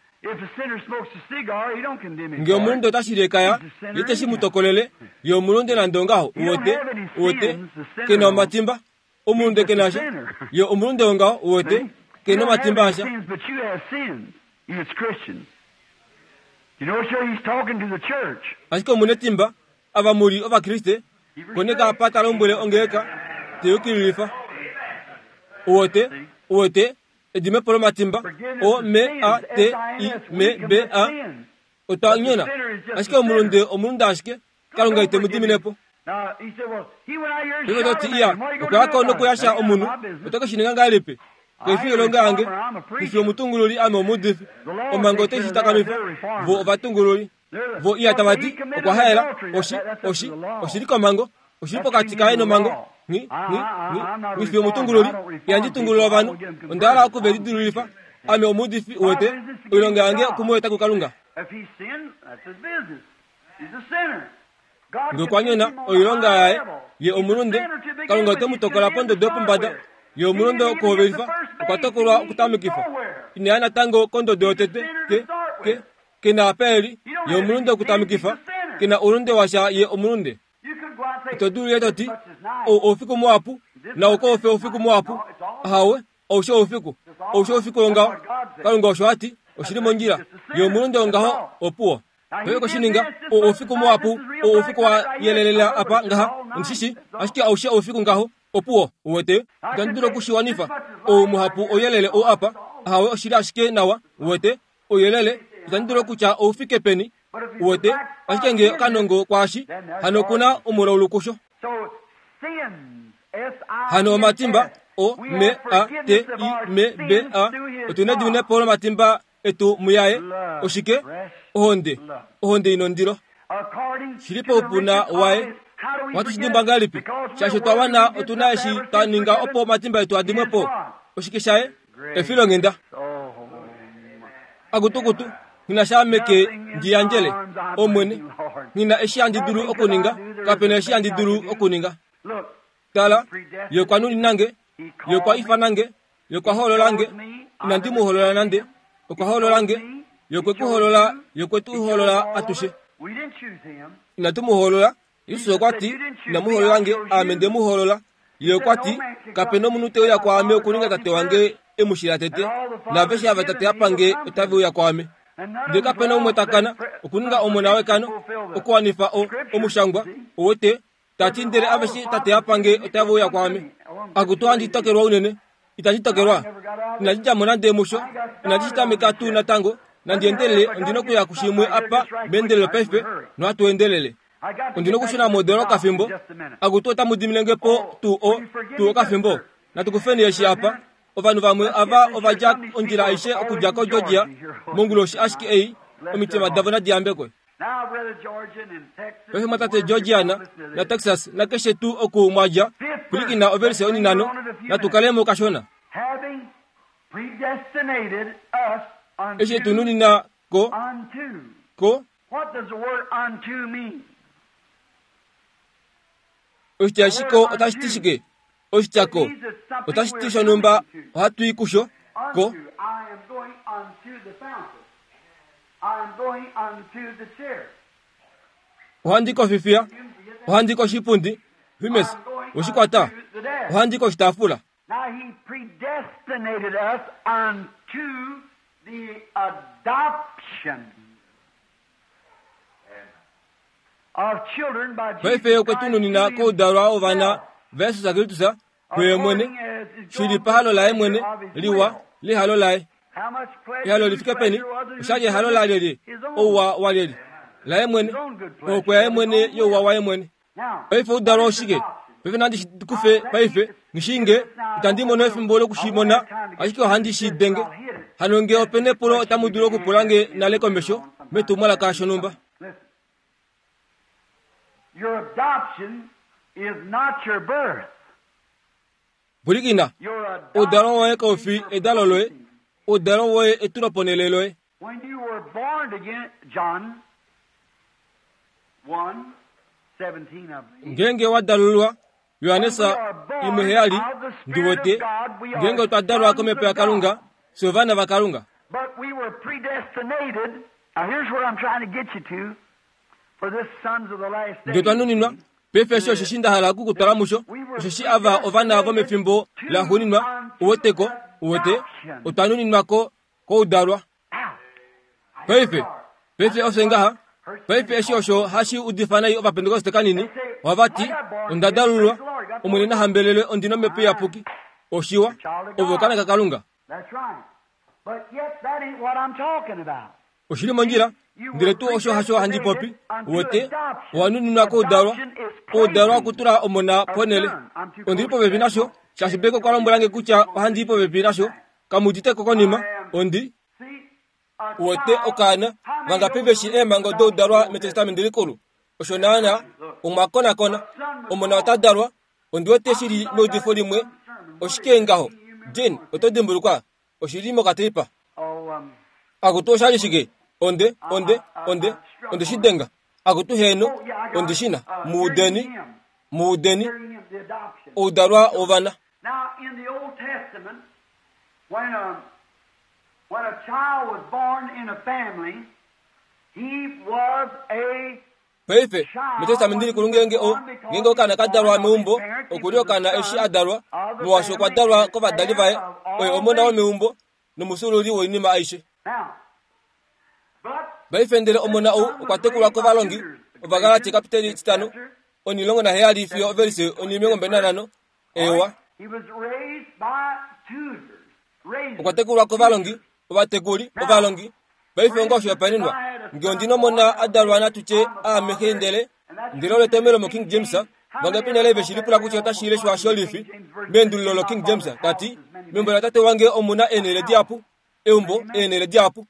Nge omulunde ota shili ekaya, ye ite shi mu tokolele. Ye omulunde nande ongaho. Uwete? Uwete? Ke na omatimba. Omulunde ke na sha. Ye omulunde wongaho. Uwete? Ke na omatimba asha. Ashike omu netimba, ava mu li Ovakriste, koneka apa ta lombwele ongeleka, te yukililifa. Uwete, uwete, edimepo lomatimba, O M A T I M B A. Otwa nyona. Ashike omulunde omulunde ashike. Kalunga ite mu dimine po. Paife oto ti, Iya, okwa ya ko nokuyasha omunhu. Oto ke shi ninga ngahelipi? Kai fi oilonga yange. Ndi fi omutungululi, ame omuudifi. Omhango otai shi takamifa. Vo ovatungululi. Vo iya tava ti, Okwa haela. Oshi, oshi, oshi li komhango. Oshi li pokati kaye nomhango. Nghi, nghi, nghi, nghi fi omutungululi. Ihandi tungulula ovanhu. Onda hala oku ve lidilululifa. Ame omuudifi, uwete. Oilonga yange oku mu eta kuKalunga. Nge okwa nyona oilonga yaye, ye omulunde, Kalunga ote mu tokola pondodo yopombada. Ye omulunde okuhovelifa, okwa tokolwa okutamekifa. Ina ya natango kondodo yotete, ke, ke, ke na apa e li. Ye omulunde okutamekifa, ke na oulunde washa, ye omulunde. Ito dulu ye to ti, Ou oufiku muhapu, nau kau fi oufiku muhapu. Ahawe, Oushe oufiku. Oushe oufiku wongaho. Kalunga osho a ti, oshi li mondjila. Ye omulunde wongaho, opuwo. Oye ko shi ninga, ou oufiku muhapu, ou oufiku wa yelelela apa ngaha, ondi shi shii, ashike aushe oufiku ngaho, opuwo, uwete. Itandi dulu oku shi wanifa. Ou muhapu ouyelele ou apa, ahawe, oshi li ashike nawa, uwete, ouyelele, itandi dulu okutya ou fike peni, uwete, ashike nge okanongo kwaashi, hano oku na omulaulu kusho. Hano omatimba, O, M, A, T, I, M, B, A, otu nediminepo lomatimba etu muyaye. Oshike? Ohonde. Ohonde i nondilo. Shi li poupuna waye. Ohatu shi dimbwa ngahelipi? Shaashi otwa wana, otu na eshi twa ninga opo omatimba etu a dimwe po. Oshike shaye? Efilonghenda. Akutukutu, nghi na sha meke ndi yandjele, Omwene. Nghi na eshi handi dulu okuninga, kape na eshi handi dulu okuninga. Tala, Ye okwa nunina nge, Ye okwa ifana nge, Ye okwa hoolola nge. Inandi mu hoolola nande, okwa hoolola nge. Ye okwe ku hoolola, Ye okwe tu hoolola atushe. Inatu mu hoolola, Jesus okwa ti, Inamu hoolola nge, aame nde mu hoolola. Ye okwa ti, Kape nomunhu te uya kwaame okuninga Tate wange e mu shila tete, naaveshe ava Tate a pa nge otave uya kwaame. Ndele kape na umwe ta kana okuninga omona wekano okuwanifa o, omushangwa, uwete, ta ti, Ndele aveshe Tate a pa nge otave uya kwaame. Akutu ohandi tokelwa unene. Itandi tokelwa. Inandi dja mo nande musho. Inandi shi tameka tuu natango. Nandi endelele, ondi nokuya kushimwe apa meendelelo paife, nohatu endelele. Ondi nokushuna modoolo okafimbo. Akutu otamu dimine nge po tuu o, tuu okafimbo? Natu kufeni eshi apa. Ovanhu vamwe ava ova dja ondjila aishe okudja koGeorgia, monguloshi ashike ei, omitima davo nadi yambekwe. Paife mwatate Georgiana naTexas nakeshe tuu oku mwa dja, pwilikina ovelise oninano, natu kale mo kashona. Eshi e tu nunina ko, ko. Oshitya eshi ko otashi ti shike? Oshitya ko otashi ti shonhumba ohatu i kusho, ko. Ohandi kofifiya, ohandi koshipundi, Humes, we shi kwata? Ohandi koshitaafula. Now he predestinated us unto the adoption of children by Jesus Paife okwe tu nunina koudalwa wovana vaJesus Kristus kuye mwene, shi li pahalo laye mwene liwa lehalo laye. How much pleasure Ehalo li fike peni? Oshali ehalo lalyelye? Ouwa walyelye? Laye mwene. Ohokwe yaye mwene youwa waye mwene. Paife oudalwa oshike? Paife nandi shi kufe paife, nghi nge itandi mono efimbo loku shi mona, ashike ohandi shi denge. Hano nge ope nepulo otamu dulu okupula nge nale komesho metumwalaka shonhumba. Your adoption is not your birth. Pwilikina, oudalwa woye kau fi edalo loye, oudalwa woye etuloponhele loye. When you were born again, John 1:17, I believe. Ngeenge wa dalululwa, Johannes 1:7, ndi wete, ngeenge otwa dalwa komhepo yaKalunga, fye ovana vaKalunga. But we were predestinated. Now here's where I'm trying to get you to for this sons of the last Nge twa days. nuninwa, paife eshi osheshi nda hala oku ku twala musho, osheshi ava ovana vomefimbo laxuuninwa, uweteko, uwete, otwa nuninwa ko, koudalwa. Paife, paife ofye ngaha. Paife eshi osho hashi udifa nai Ovapentekoste kanini, ohava ti, Onda dalululwa, Omwene na hambelelwe ondi nOmhepo Iyapuki. Oshiwa, ove okaana kaKalunga. Oshi li mondjila, ndele tuu osho hasho handi popi. Uwete, owa nuninwa koudalwa, oudalwa okutula omona ponhele. Ondi li popepi nasho, shaashi Becky okwa lombwela nge kutya ohandi i popepi nasho. Kamu udite ko konima? Ondi. Uwete, okaana, vangapi ve shii eemhango doudalwa mEtestamenti Likulu? Osho naanaa, omwa konakona. Omona ota dalwa. Ondi wete shi li meudifo limwe. Oshike ngaho? Gene, oto dimbulukwa? Oshi li mokateipa. Akutu, osha li shike? Onde, onde, onde, onde shi denga. Akutu heeno, ondi shi na. Mu udeni, mu udeni, oudalwa wovana. Now, in the Old Testament, when a, when a child was born in a family, he was a Paife, mEtestamenti Likulu ngeenge o, ngeenge okaana ka dalwa meumbo, oku li okaana eshi a dalwa, molwaashi okwa dalwa kovadali vaye, oye omona womeumbo nomufyuululi woinima aishe. Now, but Paife ndele omona ou okwa tekulwa kovalongi, Ovagalati kapiteli 5, 17 fiyo ovelise 25, eewa. he was raised by tutors. Raised. Okwa tekulwa kovalongi, ovatekuli, ovalongi. Paife onga oshihopaenenwa, ngee ondi nomona a dalwa natu tye aame xe ndele, ndele olo etomhelo moKing James, vangapi nale ve shi lipula kutya otashi leshwa sholifi, meendululo loKing James, ta ti, Meumbo latate wange omu na eenhele dihapu, eumbo, eenhele dihapu.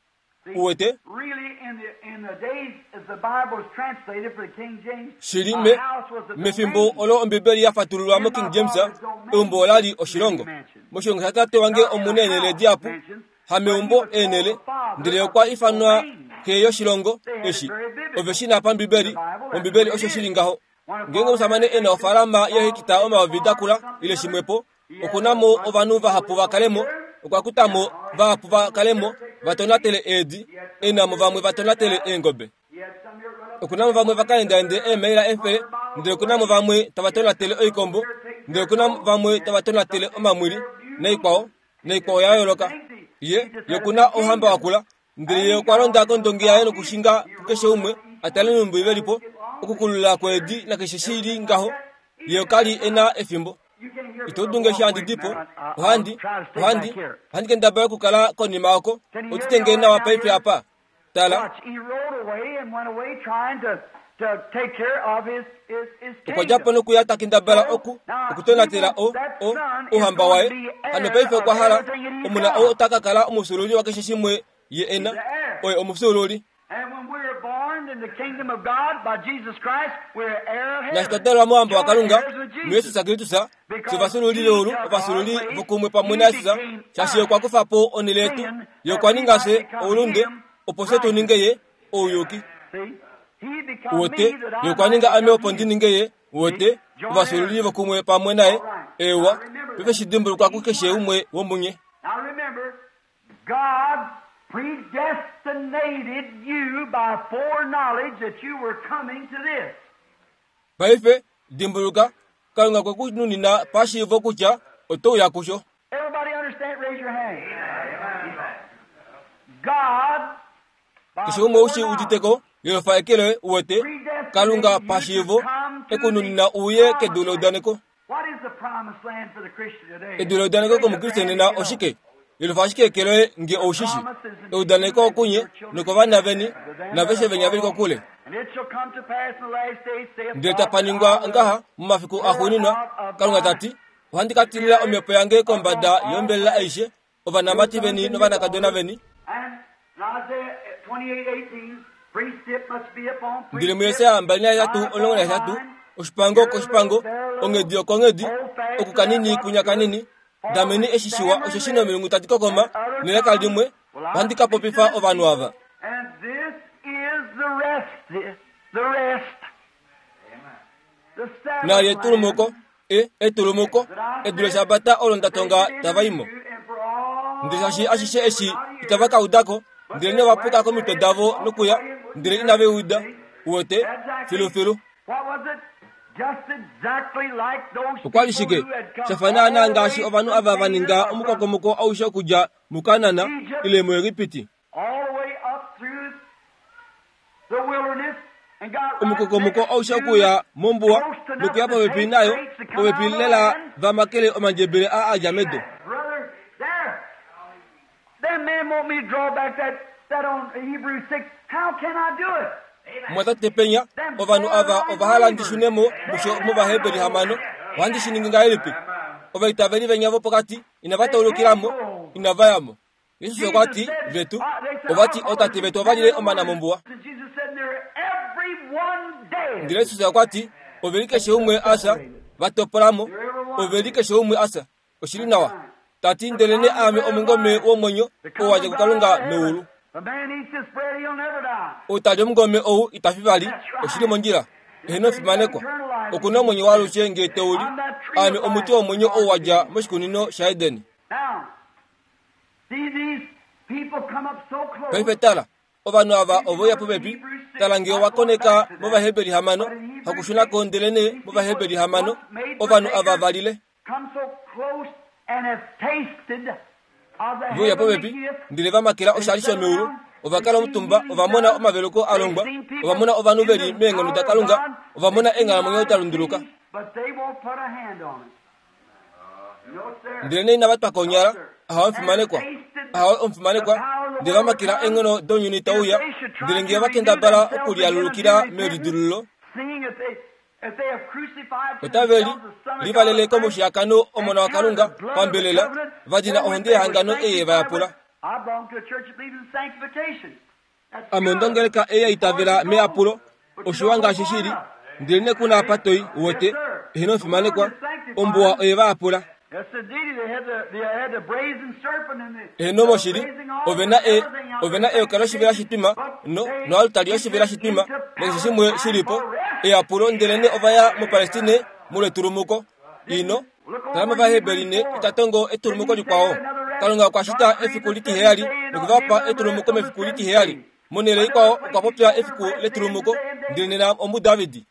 Uwete? Really, in the, in the days as the Bible was translated for the King James, Shili a me, house was a mefimbo domain. olo Ombibeli ya fatululwa moKing James, eumbo ola li oshilongo. Moshilongo shatate wange omu na eenhele dihapu, hameumbo eenhele, ndele okwa ifanwa xe yoshilongo eshi. Ove shi na pambibeli, mOmbibeli osho shi li ngaho. Ngeenge omushamane e na ofaalama yeehekita omayovi da kula ile shimwepo, oku na mo ovanhu vahapu va kale mo, okwa kuta mo vahapu va kale mo va tonatele eedi, e na mo vamwe va tonatele eengobe. He had some here run up Oku na mo vamwe va ka endaende eemaila efele, ndele oku na mo vamwe tava tonatele oikombo, ndele oku na vamwe tava tonatele omamwili, naikwao, naikwao ya yooloka. Ye, ye oku na ouhamba wa kula, ndele ye okwa londa kondongi yaye nokushinga kukeshe umwe, a tale nhumbi ve li po, okukulula kweedi nakeshe shi li ngaho. Ye ka li e na efimbo. You can't hear Ito dulu nge eshi handi di po, ohandi, ohandi, ohandi kendabala okukala konima oko, otite nge nawa paife apa. Tala, Watch, he rode away and went away trying to, to take care of his, his, his okwa dja po kingdom. nokuya ta kendabala oku, okutonatela o, o, ouhamba waye. Hano paife okwa hala, omona ou ota ka kala omufyuululi wakeshe shimwe ye e na, oye omufyuululi. And when we are born in the kingdom of God by Jesus Christ, we're heir of Naashi twa heaven. dalwa mouhamba waKalunga, Joint heirs with muJesus Jesus. Kristus, fye ovafyuululi veulu, ovafyuululi vokumwe pamwe naJesus, shaashi ye okwa kufa po onhele yetu, ye okwa ninga fye oulunde, opo fye tu ninge ye ouyuki. See? He become Uwete, me that I ye okwa might ninga ame become opo ndi him. ninge ye, uwete, ovafyuululi vokumwe pamwe naye, eewa, paife shi dimbulukwa kukeshe umwe womunye. Now remember, God predestinated you by foreknowledge that you were coming to this. Paife, dimbuluka, Kalunga okwe ku nunina pashiivo kutya oto uya kusho. Everybody understand? Raise your hand. God, by Keshe umwe ou shi foreknowledge, udite ko, yelofa eke loye, uwete, Kalunga pashiivo e ku nunina uye kedu leudaneko. What is the promised land for the Christian today? Edu leudaneko komukriste nena oshike? Yelofa ashike eke loye nge oushishi. Eudaneko okunye, nokovana veni, naveshe venya veli kokule. And it shall come to pass in the last days, saith Ndele God, tapa that I ningwa will ngaha momafiku axuuninwa, Kalunga ta ti, ohandi ka tilila omhepo yange kombada yombelela aishe, ovanamati veni novanakadona veni. And in Isaiah 28:18, precept must be upon Ndele precept, muJesaja 28, line upon 18, line, oshipango koshipango, onghedi okonghedi, oku kanini kunya kanini, dameni eshi shiwa osheshi nomilungu tadi kokoma, nelaka limwe, ohandi ka popifa ovanhu ava. And this is the rest, the, the rest. The Sabbath Naali etulumuko, land e etulumuko, edu leshabata olo nda tonga tava i mo. and for all Ndele shaashi ashishe eshi itava ka uda ko, ndele nee ova puka komitwe davo nokuya, ndele inave uda, uwete, filufilu. What was it? Just exactly like those Okwa li people shike who had come sha fa naanaa all the ngaashi way ovanhu from ava va ninga Canaan or from omukokomoko aushe okudja muKanana ile muEgipiti. all the way up through the wilderness and got right Omukokomoko next aushe to okuya mombuwa close enough nokuya to popepi take nayo, grapes to come popepi out of the lela land. va makele omandjebele aa a dja medu. Brother, there. Them men want me to draw back that, that on Hebrews 6. How can I do it? Mwatate penya, ovanhu ava ova hala ndi shune mo musho mOvaheberi 6, ohandi shi ningi ngahelipi? Ovaitaveli venya vopokati inava taulukila mo, inava ya mo. Jesus okwa ti, vetu, ova ti ootate vetu ova lile omana mombuwa. And Jesus said, they're every one dead. Ndele Jesus okwa ti, ove li keshe umwe a fya, va topola mo, ove li keshe umwe a fya. Oshili nawa. Ta ti, ndelene aame omungome womwenyo, oo wa dja kuKalunga meulu. Ou ta li omungome ou ita fi vali, oshi li mondjila. Eheno fimanekwa. Oku na omwenyo waalushe ngee te u li. Aame omuti womwenyo ou wa dja moshikunino shaEden. Paife tala, ovanhu ava ove uya popepi. Tala ngee owa koneka mOvaheberi hamano, hakushuna ko ndelenee mOvaheberi hamano, ovanhu ava va lile. Ve uya popepi, ndele va makela oshali shomeulu. Ova kala omutumba, ova mona omaveluko a longwa, ova mona ovanhu ve li meenghono daKalunga, ova mona eenghalamwenyo da lunduluka. Ndelenee inava twa konyala, Ahawe omufimanekwa, ahawe omufimanekwa, ndele va makela eenghono dounyuni tau uya, ndele ngee va kendabala okulialulukila melidilululo, Otave li livalele komushiyakano Omona waKalunga pambelela, va dina ohonde yehangano ei ye va yapula. Ame ondongeleka ei ya itavela meyapulo, oshiwa ngaashi shi li, ndelenee ku na apa toi, uwete, eheno omufimanekwa, ombuwa oye va yapula. Eheno moshili, ove na e, ove na eyoka loshivela shitwima, no, noaltari yoshivela shitwima, nakeshe shimwe shi li po, eyapulo, ndelenee ova ya muPalestine molwetulumuko. Ino tala mOvaheberi ne ita tongo etulumuko likwao. Kalunga okwa shita efiku litiheyali noku va pa etulumuko mefiku litiheyali. Monhele ikwao okwa popya efiku letulumuko, ndele nena omuDavid.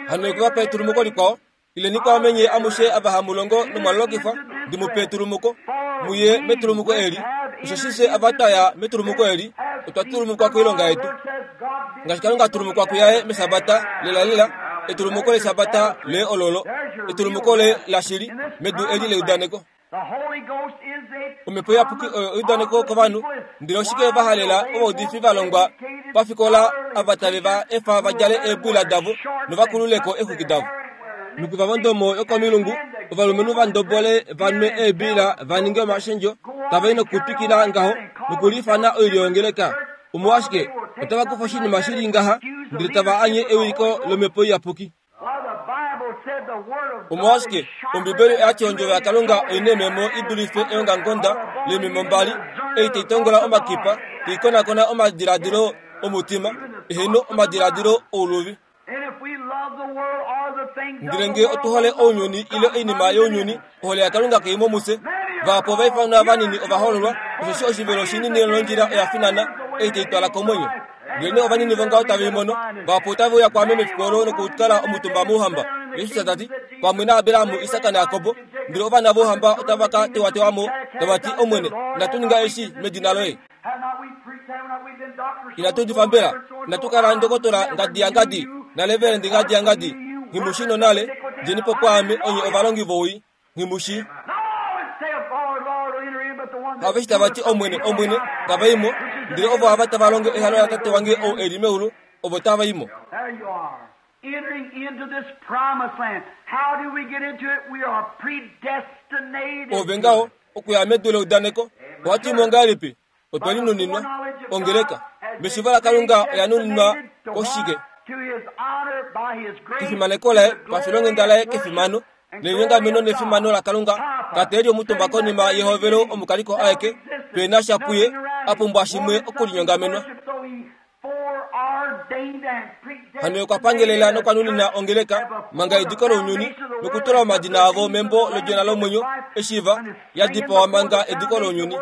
Hano okwe va pa etulumuko likwao, Ileni kwaame nye amushe ava hamu longo nomwa lolokifwa, ndi mu pe etulumuko. Mu ye metulumuko eli. Osheshi fye ava twa ya metulumuko eli, otwa tulumukwa koilonga yetu. Ngaashi Kalunga a tulumukwa kuyaye mEshabata, lelalela, etulumuko lEshabata lee ololo, etulumuko lee lashili, medu eli leudaneko. Omhepo Iyapuki oyo eudaneko kovanhu. Ndele oshike va halela ovaudifi va longwa pafikola ava tave va efa va djale eebwila davo nova kulule ko eexwiki davo? Nokuva vondomo yokomilungu, ovalumenhu va ndobole va nwe eebiila va ninge omashendjo, tava i nokutwikila ngaho nokuliifana oilyo yongeleka. Omolwashike, otava kufa oshinima shi li ngaha ndele tava anye ewiliko lOmhepo Iyapuki. Omolwashike Ombibeli oya ti ondjovo yaKalunga oi na eememo i dulife eongamukonda leememo mbali, ei tai tongola omakipa, tai konakona omadiladilo omutima, eheno omadiladilo ouluvi. Ndele ngee otu hole ounyuni ile oinima younyuni, ohole yaKalunga kai mo mufye. Vahapu ova ifanwa vanini ova hoololwa, osheshi oshivelo shinini nondjila oya finana, ei tai twala komwenyo. Ndelenee ovanini vongaho tave i mono, vahapu otave uya kwaame mefiku olo nokukala omutumba mouhamba. Jesus ta ti, Pamwe naAbraham, Isak naJakob, ndele ovana vouhamba otava ka tewatewa mo, tava ti, Omwene, inatu ninga eshi medina loye? Inatu udifa mbela? Inatu kala ndokotola ngadi yangadi, naleverendi ngadi yangadi? Nghi mu shii nonale, djeni po kwaame, onye ovalongi vowii. Nghi mu shii. Aveshe tava ti, Omwene, Omwene, tava i mo, ndele ovo ava tava longo ehalo laTate wange ou e li meulu, ovo tava i mo. Ove ngaho, okuya medu leudaneko, ohatu i mo ngahelipi? Otwe li nuninwa. Ongeleka, meshiivo laKalunga, oya nuninwa koshike? Kefimaneko laye, pafilonghenda laye, kefimano, nelinyongameno nefimano laKalunga. Tate e li omutumba konima yehovelo omukaliko aeke, pe na sha puye, a pumbwa shimwe okulinyongamenwa. Hano okwa pangelela nokwa nunina ongeleka manga ediko lounyuni nokutula omadina avo membo lOdjona lomwenyo eshi va ya dipawa manga ediko lounyuni.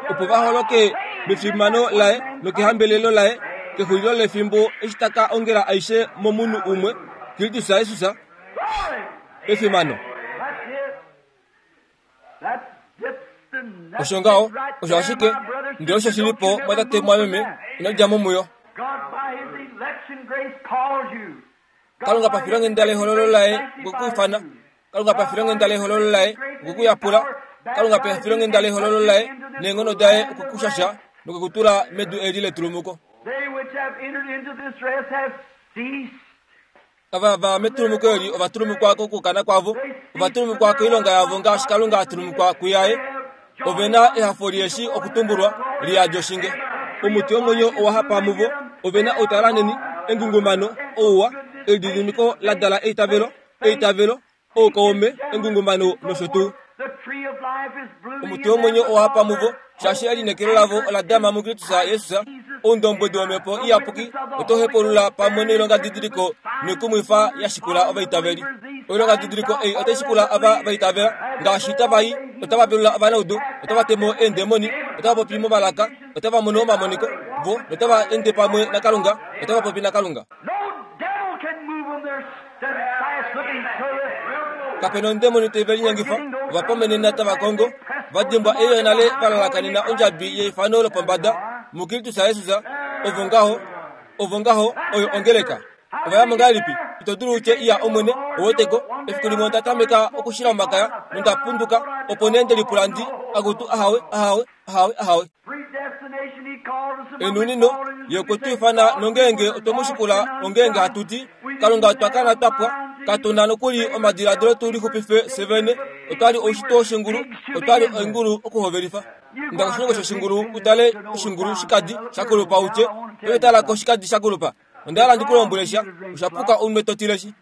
Opo va holoke mefimano laye nokehambelelo laye kexulilo lefimbo eshi ta ka ongela aishe momunhu umwe, Kristus Jesus. Efimano! Osho ngaho, osho ashike, ndele osho shi li po, mwatate mwameme, ino dja mo muyo. Kalunga pafilonghenda lehololo laye okwe ku ifana. Kalunga pafilonghenda lehololo laye okwe ku yapula. Kalunga pafilonghenda lehololo laye neenghono daye okwe ku shasha nokwe ku tula medu eli letulumuko. Ava va metulumuko eli ova tulumukwa kokukana kwavo, ova tulumukwa koilonga yavo ngaashi Kalunga a tulumukwa kuyaye. Ove na ehafo lieshi okutumbulwa li yadi oshinge. Omuti womwenyo owa hapa muvo. Ove na outalanheni, engungumano, ouwa, elididimiko la dala eitavelo, eitavelo. Oukaume, engungumano nosho tuu. Omuti womwenyo owa hapa muvo, shaashi elineekelo lavo ola dama muKristus Jesus. Oundombwedi wOmhepo Iyapuki otau hepaulula pamwe noilongadidiliko noikumwifa ya shikula ovaitaveli. Oilongadidiliko ei otai shikula ava va itavela, ngaashi tava i, otava velula ovanaudu, otava te mo eendemoni, otava popi momalaka, otava mono omamoniko, vo notava ende pamwe naKalunga, otava popi naKalunga. Kape na ondemoni tai ve linyengifa, ova pamenena tava kongo, va dimbwa ei nale va lalakanena ondjabi yeifano lopombada muKristus Jesus. Ovo ngaho, ovo ngaho, oyo ongeleka. Ova ya mo ngahelipi? Ito dulu u tye, Iya, Omwene, ou weteko, efiku limwe onda tameka okushila omakaya nonda punduka, opo nee nde lipula ndi, Akutu, ahawe, ahawe, ahawe, ahawe. Enunino ye okwe tu ifana nongeenge otwe mu shikula ongeenge hatu ti, Kalunga otwa kala twa pwa, katu na nokuli omadiladilo tu lixupife fye vene, otwa li oushitwe woshingulu, otwa li oingulu okuhovelifa. Inda koshilongo shoshingulu u tale oshingulu shikadi sha kulupa u tye, Ove tala ko shikadi sha kulupa. Onda hala ndi ku lombwele sha, osha puka unwe to tileshi.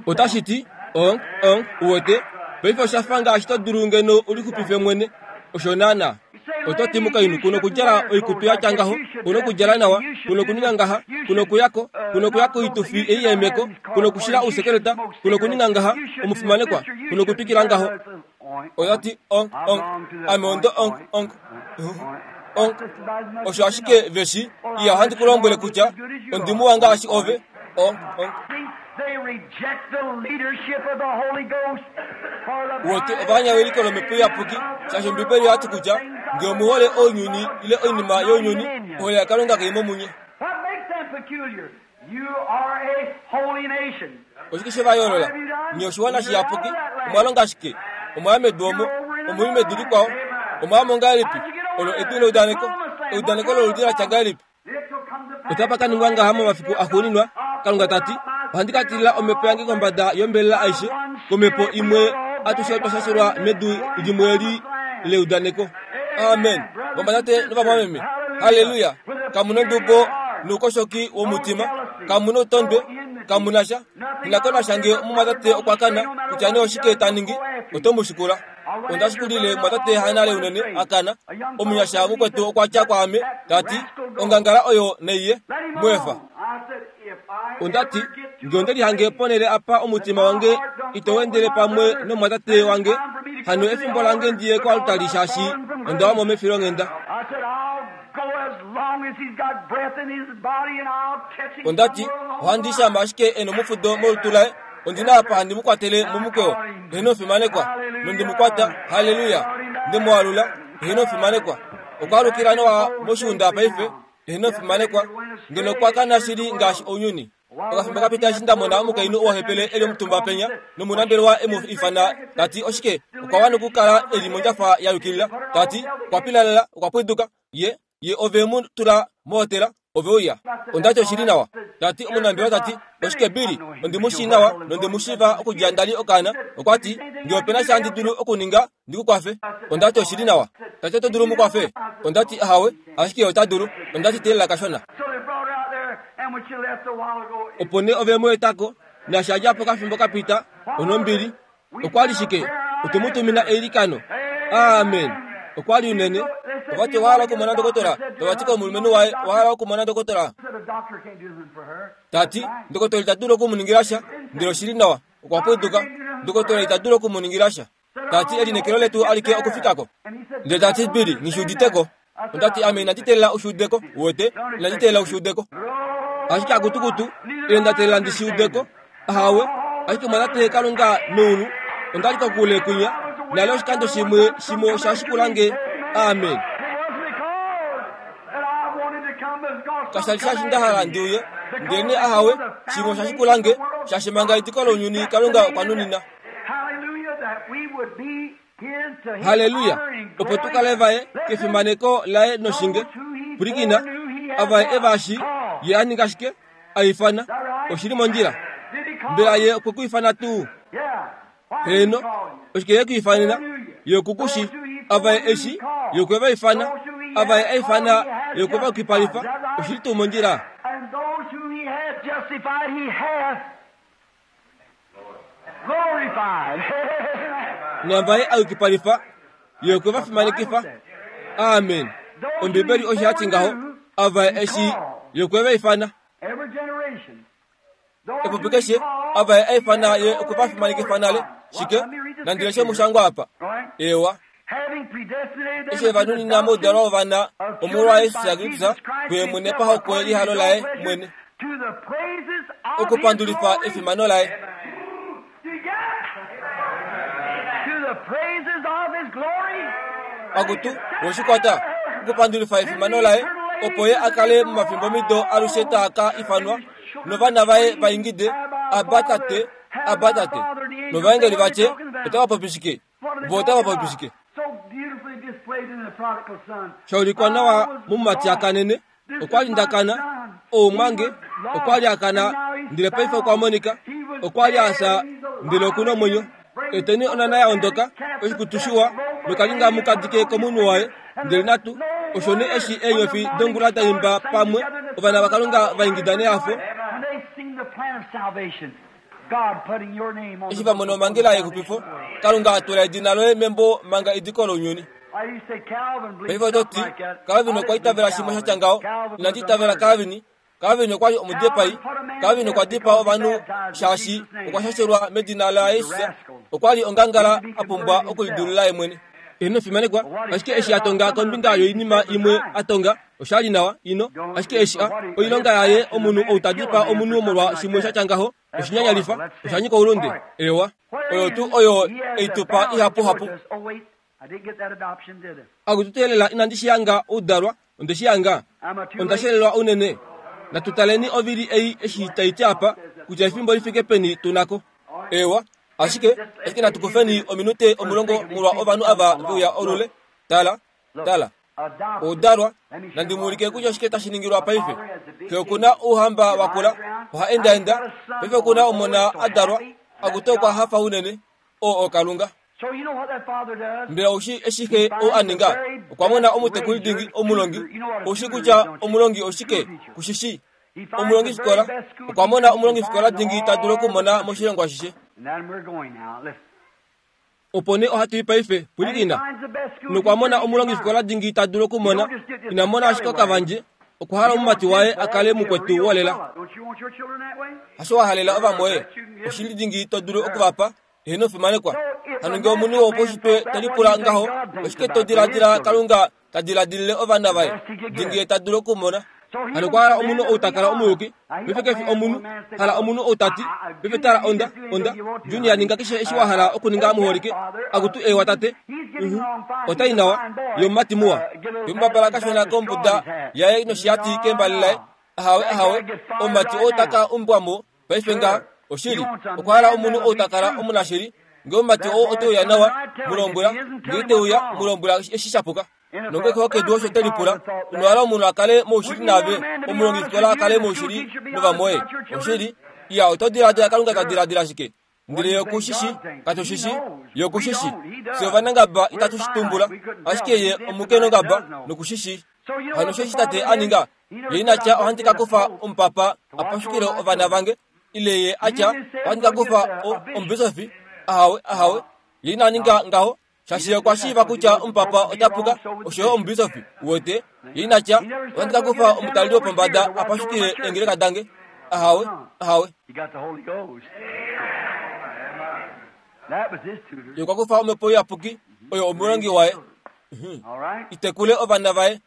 Otashi ti, Ong, ong, uwete, paife osha fa ngaashi to dulu ngeno u lixupife mwene. Osho naanaa. Oto ti mukainhu ku nokudjala oikutu ya tya ngaho, ku nokudjala nawa, ku nokuninga ngaha, ku nokuya ko, ku nokuya koitufi ei yeemeko, ku nokushila ousekeleta, ku nokuninga ngaha, omufimanekwa, ku nokutwikila ngaho. Oya ti, Ong, ong, ame ondo ong, ong, ong. Osho ashike ve shi iya ohandi ku lombwele kutya ondi muwa ngaashi ove. Ong, ong. Wote ova anya ewiliko lOmhepo Iyapuki, shaashi Ombibeli oya ti kutya nge omu hole ounyuni ile oinima younyuni, ohole yaKalunga kai mo munye. Oshike she va yoolola? Nye oshiwana shiyapuki. Omwa longa shike? Omwa ya medu omo. Omu li medu likwao. Omwa ya mo ngahelipi? Olo edu leudaneko. Eudaneko loludi la tya ngahelipi? Otapa ka ningwa ngaha momafiku axuuninwa, Kalunga ta ti, Ohandi ka tilila omhepo yange kombada yombelela aishe, komhepo imwe atushe otwa shashelwa medu limwe eli leudaneko. Amen. Vamwatate novamwameme, halleluya! Kamu nondubo noukoshoki womutima, kamu noutondwe, kamu na sha. Ina ko nasha nge omumwatate okwa kana, kutya nee oshike ta ningi, oto mu shikula. Onda shikulile mumwatate hanale unene a kana. Omunyasha mukwetu okwa tya kwaame, ta ti, Ongangala oyo naiye, mu efa. Onda ti, Nge onde lihange ponhele apa omutima wange ito wendele pamwe nomumwatate wange, hano efimbo lange ndi ye koaltari shaashi onda wa mo mefilonghenda. Onda ti, Ohandi shama ashike e nomufudo molutu laye, ondi na apa handi mu kwatele momukweyo. Eheno omufimanekwa. Nondi mu kwata. Halleluya! Nde mu alula. Eheno omufimanekwa. Okwa alukila nawa moshiunda paife. Eheno omufimanekwa. Ngeno okwa kana shili ngaashi ounyuni. Okafimbo ka pita eshi nda mona omukainhu oo hepele e li omutumba penya, nomunambelewa e mu ifana, ta ti, Oshike? Okwa wana okukala e li mondjafa ya yukilila. Ta ti, Okwa pilalala, okwa pwiduka. Ye, ye ove mu tula mohotela, ove uya. Onda ti oshi li nawa. Ta ti, omunambelewa ta ti, Oshike Billy? Ondi mu shii nawa nonde mu shiiva okudja nda li okaana. Okwa ti, Nge ope na sha handi dulu okuninga ndi ku kwafe. Onda ti oshi li nawa. Ta ti oto dulu mu kwafe? Onda ti ahawe, ashike ye ota dulu. Onda ti teelela kashona. Opo nee ove mu eta ko, naashi a dja po okafimbo ka pita, onombili. Okwa li shike? Otwe mu tumina eilikano. Amen. Okwa li unene. Ova ti owa hala okumona ndokotola? Tava ti komulumenhu waye, owa hala okumona ndokotola? Ta ti, ndokotola ita dulu oku mu ningila sha, ndele oshi li nawa. Okwa pwiduka. Ndokotola ita dulu oku mu ningila sha. Ta ti elineekelo letu alike okufika ko. Ndele ta ti, Billy, nghi shi udite ko. Onda ti, Ame inandi teelela u shi ude ko, uwete, inandi teelela u shi ude ko. Ashike akutukutu, ile nda teelela ndi shi ude ko. Ahawe, ashike mwa Tate Kalunga meulu, onda li kokule kwinya, nale oshikando shimwe, shimwe osha shikula nge. Amen. Kasha li shaashi nda hala ndi uye, ndelenee ahawe, shimwe osha shikula nge, shaashi manga ediko lounyuni Kalunga okwa nunina. Halleluya! Opo tu kale vaye kefimaneko laye noshinge. Pwilikina, ava ye e va shi, ye a ninga shike? A ifana. Oshi li mondjila. Mbela ye okwe ku ifana tuu? Heeno. Oshike ye ku ifanena? Ye oku ku shi. Ava ye e shi, ye okwe va ifana. Ava ye a ifana, ye okwe va yukipalifa. Oshi li tuu mondjila? justified, he hath glorified. Naava ye a yukipalifa, ye okwe va fimanekifa. Amen. Ombibeli osho ya ti ngaho, ava eshi ye okwe va ifana. Every generation. Epupi keshe, ava ye a ifana ye okwe va fimanekifa nale. Shike? Nandi leshe omushangwa apa. Ewa. Having predestinated them Eshi va nunina moudalwa wovana omolwa Jesus Kristus kuye mwene pahokwe lehalo laye mwene, to the praises of okupandulifa his glory. efimano laye. To the praises of his glory. Akutu, woshikwata, okupandulifa efimano laye, opo ye a kale momafimbomido alushe taa ka ifanwa, novana vaye va ingide, Abba Tate, Abba Tate. Novaengeli va tye, otava popi shike? Vo otava popi shike? So beautifully displayed in the prodigal son. Sha ulikwa nawa momumati a kanene, okwa li nda kana, oumwange, okwa li a kana, ndele paife okwa monika, okwa li a fya, ndele oku na omwenyo. Eteni onhana ya ondoka, oshikutu shiwa, nokalinga mu ka dike komunwe waye, ndele natu, osho nee eshi eenyofi dongula da imba pamwe, ovana vaKalunga va ingida nehafo, When they seen the plan of salvation, God putting your name on eshi the va mona omhangela yexupifo, Kalunga a tula edina loye membo manga ediko lounyuni. I used to say Calvin believed Paife oto ti, something like that. Calvin I okwa didn't itavela believe shimwe sha Calvin. tya ngaho. Calvin was Inandi a itavela murderer. Calvin. Calvin okwa li omudipai. Calvin okwa dipaa ovanhu shaashi okwa shashelwa medina laJesus. Okwa li ongangala a pumbwa okulidulula ye mwene. Ino fimanekwa, ashike eshi a tonga kombinga yoinima imwe a tonga, osha li nawa, ino, ashike eshi a, oilonga yaye omunhu ou ta dipaa omunhu molwa shimwe sha tya ngaho, oshinyanyalifa, osha nyika oulunde. Ewa, oyo tuu oyo eitupa ihapuhapu. Oh, wait, I didn't get that adoption, did I? Akututeelela inandi shi hanga oudalwa, onde shi hanga. Am I too Onda late? shelelwa unene. Natu taleni ovili ei eshi tai ti apa, kutya efimbo li fike peni tu nako. Ewa, ashike, ashike natu kufeni ominute 10 molwa ovanhu ava ve uya olule. Tala, tala. Adopted. Oudalwa, Let me show nandi you mu ulike what kutya oshike tashi ningilwa paife. Xe oku na ouhamba wa kula, oha endaenda, paife oku na omona a dalwa, akutu okwa hafa unene, oo oKalunga. So you know what that father does? Mbela oushi eshi xe ou a ninga? Okwa mona omutekuli dingi omulongi. Oushi kutya omulongi oshike? Kushishi. He finds the very Omulongifikola best school okwa mona teacher he can omulongifikola find in dingi ta dulu all okumona the moshilongo ashishe. And then we're going now. Listen. Opo nee ohatu i paife, And he pwilikina. finds the best school Nokwa teacher mona he can omulongifikola find. dingi ta dulu okumona, ina mona ashike okavandje, okwa hala He wants omumati his waye boy a kale to be a mukwetu real wolela. fella. Don't you want your children that way? Hasho wa halela ovamwoye, oshili dingi to dulu okuvapa, eheno fimanekwa. Hano ngee omunhu wopaushitwe te lipula ngaho, oshike to diladila Kalunga ta diladilile ovana vaye, dingi ye ta dulu okumona. Hano okwa hala omunhu ou ta kala omuyuki, paife kefi omunhu, hala omunhu ou ta ti, paife tala onda, onda, Junior ninga keshe eshi wa hala okuninga muholike, akutu ewa tate, otai nawa, ye omumati muwa. Ye mubabala kashona kombuda yaye noshihati kembali laye, ahawe ahawe, omumati oo ta ka umbwa mo, paife ngaha, oshili, okwa hala omunhu ou ta kala omunashili, ngee omumati oo ote uya nawa, mu lombwela, ngee ite uya, mu lombwela eshi sha puka. Nonge kedu osho te lipula, ino hala omunhu a kale moushili naave, omulongifikola a kale moushili novamwoye. Oshili, iya oto diladila Kalunga ta diladila shike? Ndele ye okushishi, katushishi, ye okushishi. Fye ovanangaba itatu shi tumbula, ashike ye omukenongaba nokushishi. Hano osho eshi tate a ninga, ye ina tya ohandi ka kufa omupapa a pashukile ovana vange, ile ye a tya ohandi ka kufa omubisofi, ahawe ahawe, ye ina ninga ngaho, shaashi ye okwa shiiva kutya omupapa ota puka, osho yo omubisofi, uwete, ye ina tya ohandi ka kufa omutaleli wopombada a pashukile eengeleka dange, ahawe ahawe. He got the Holy Ghost. That was his tutor. Ye okwa kufa omhepo iyapuki, oyo omulongi waye. All right? Itekule ovana vaye,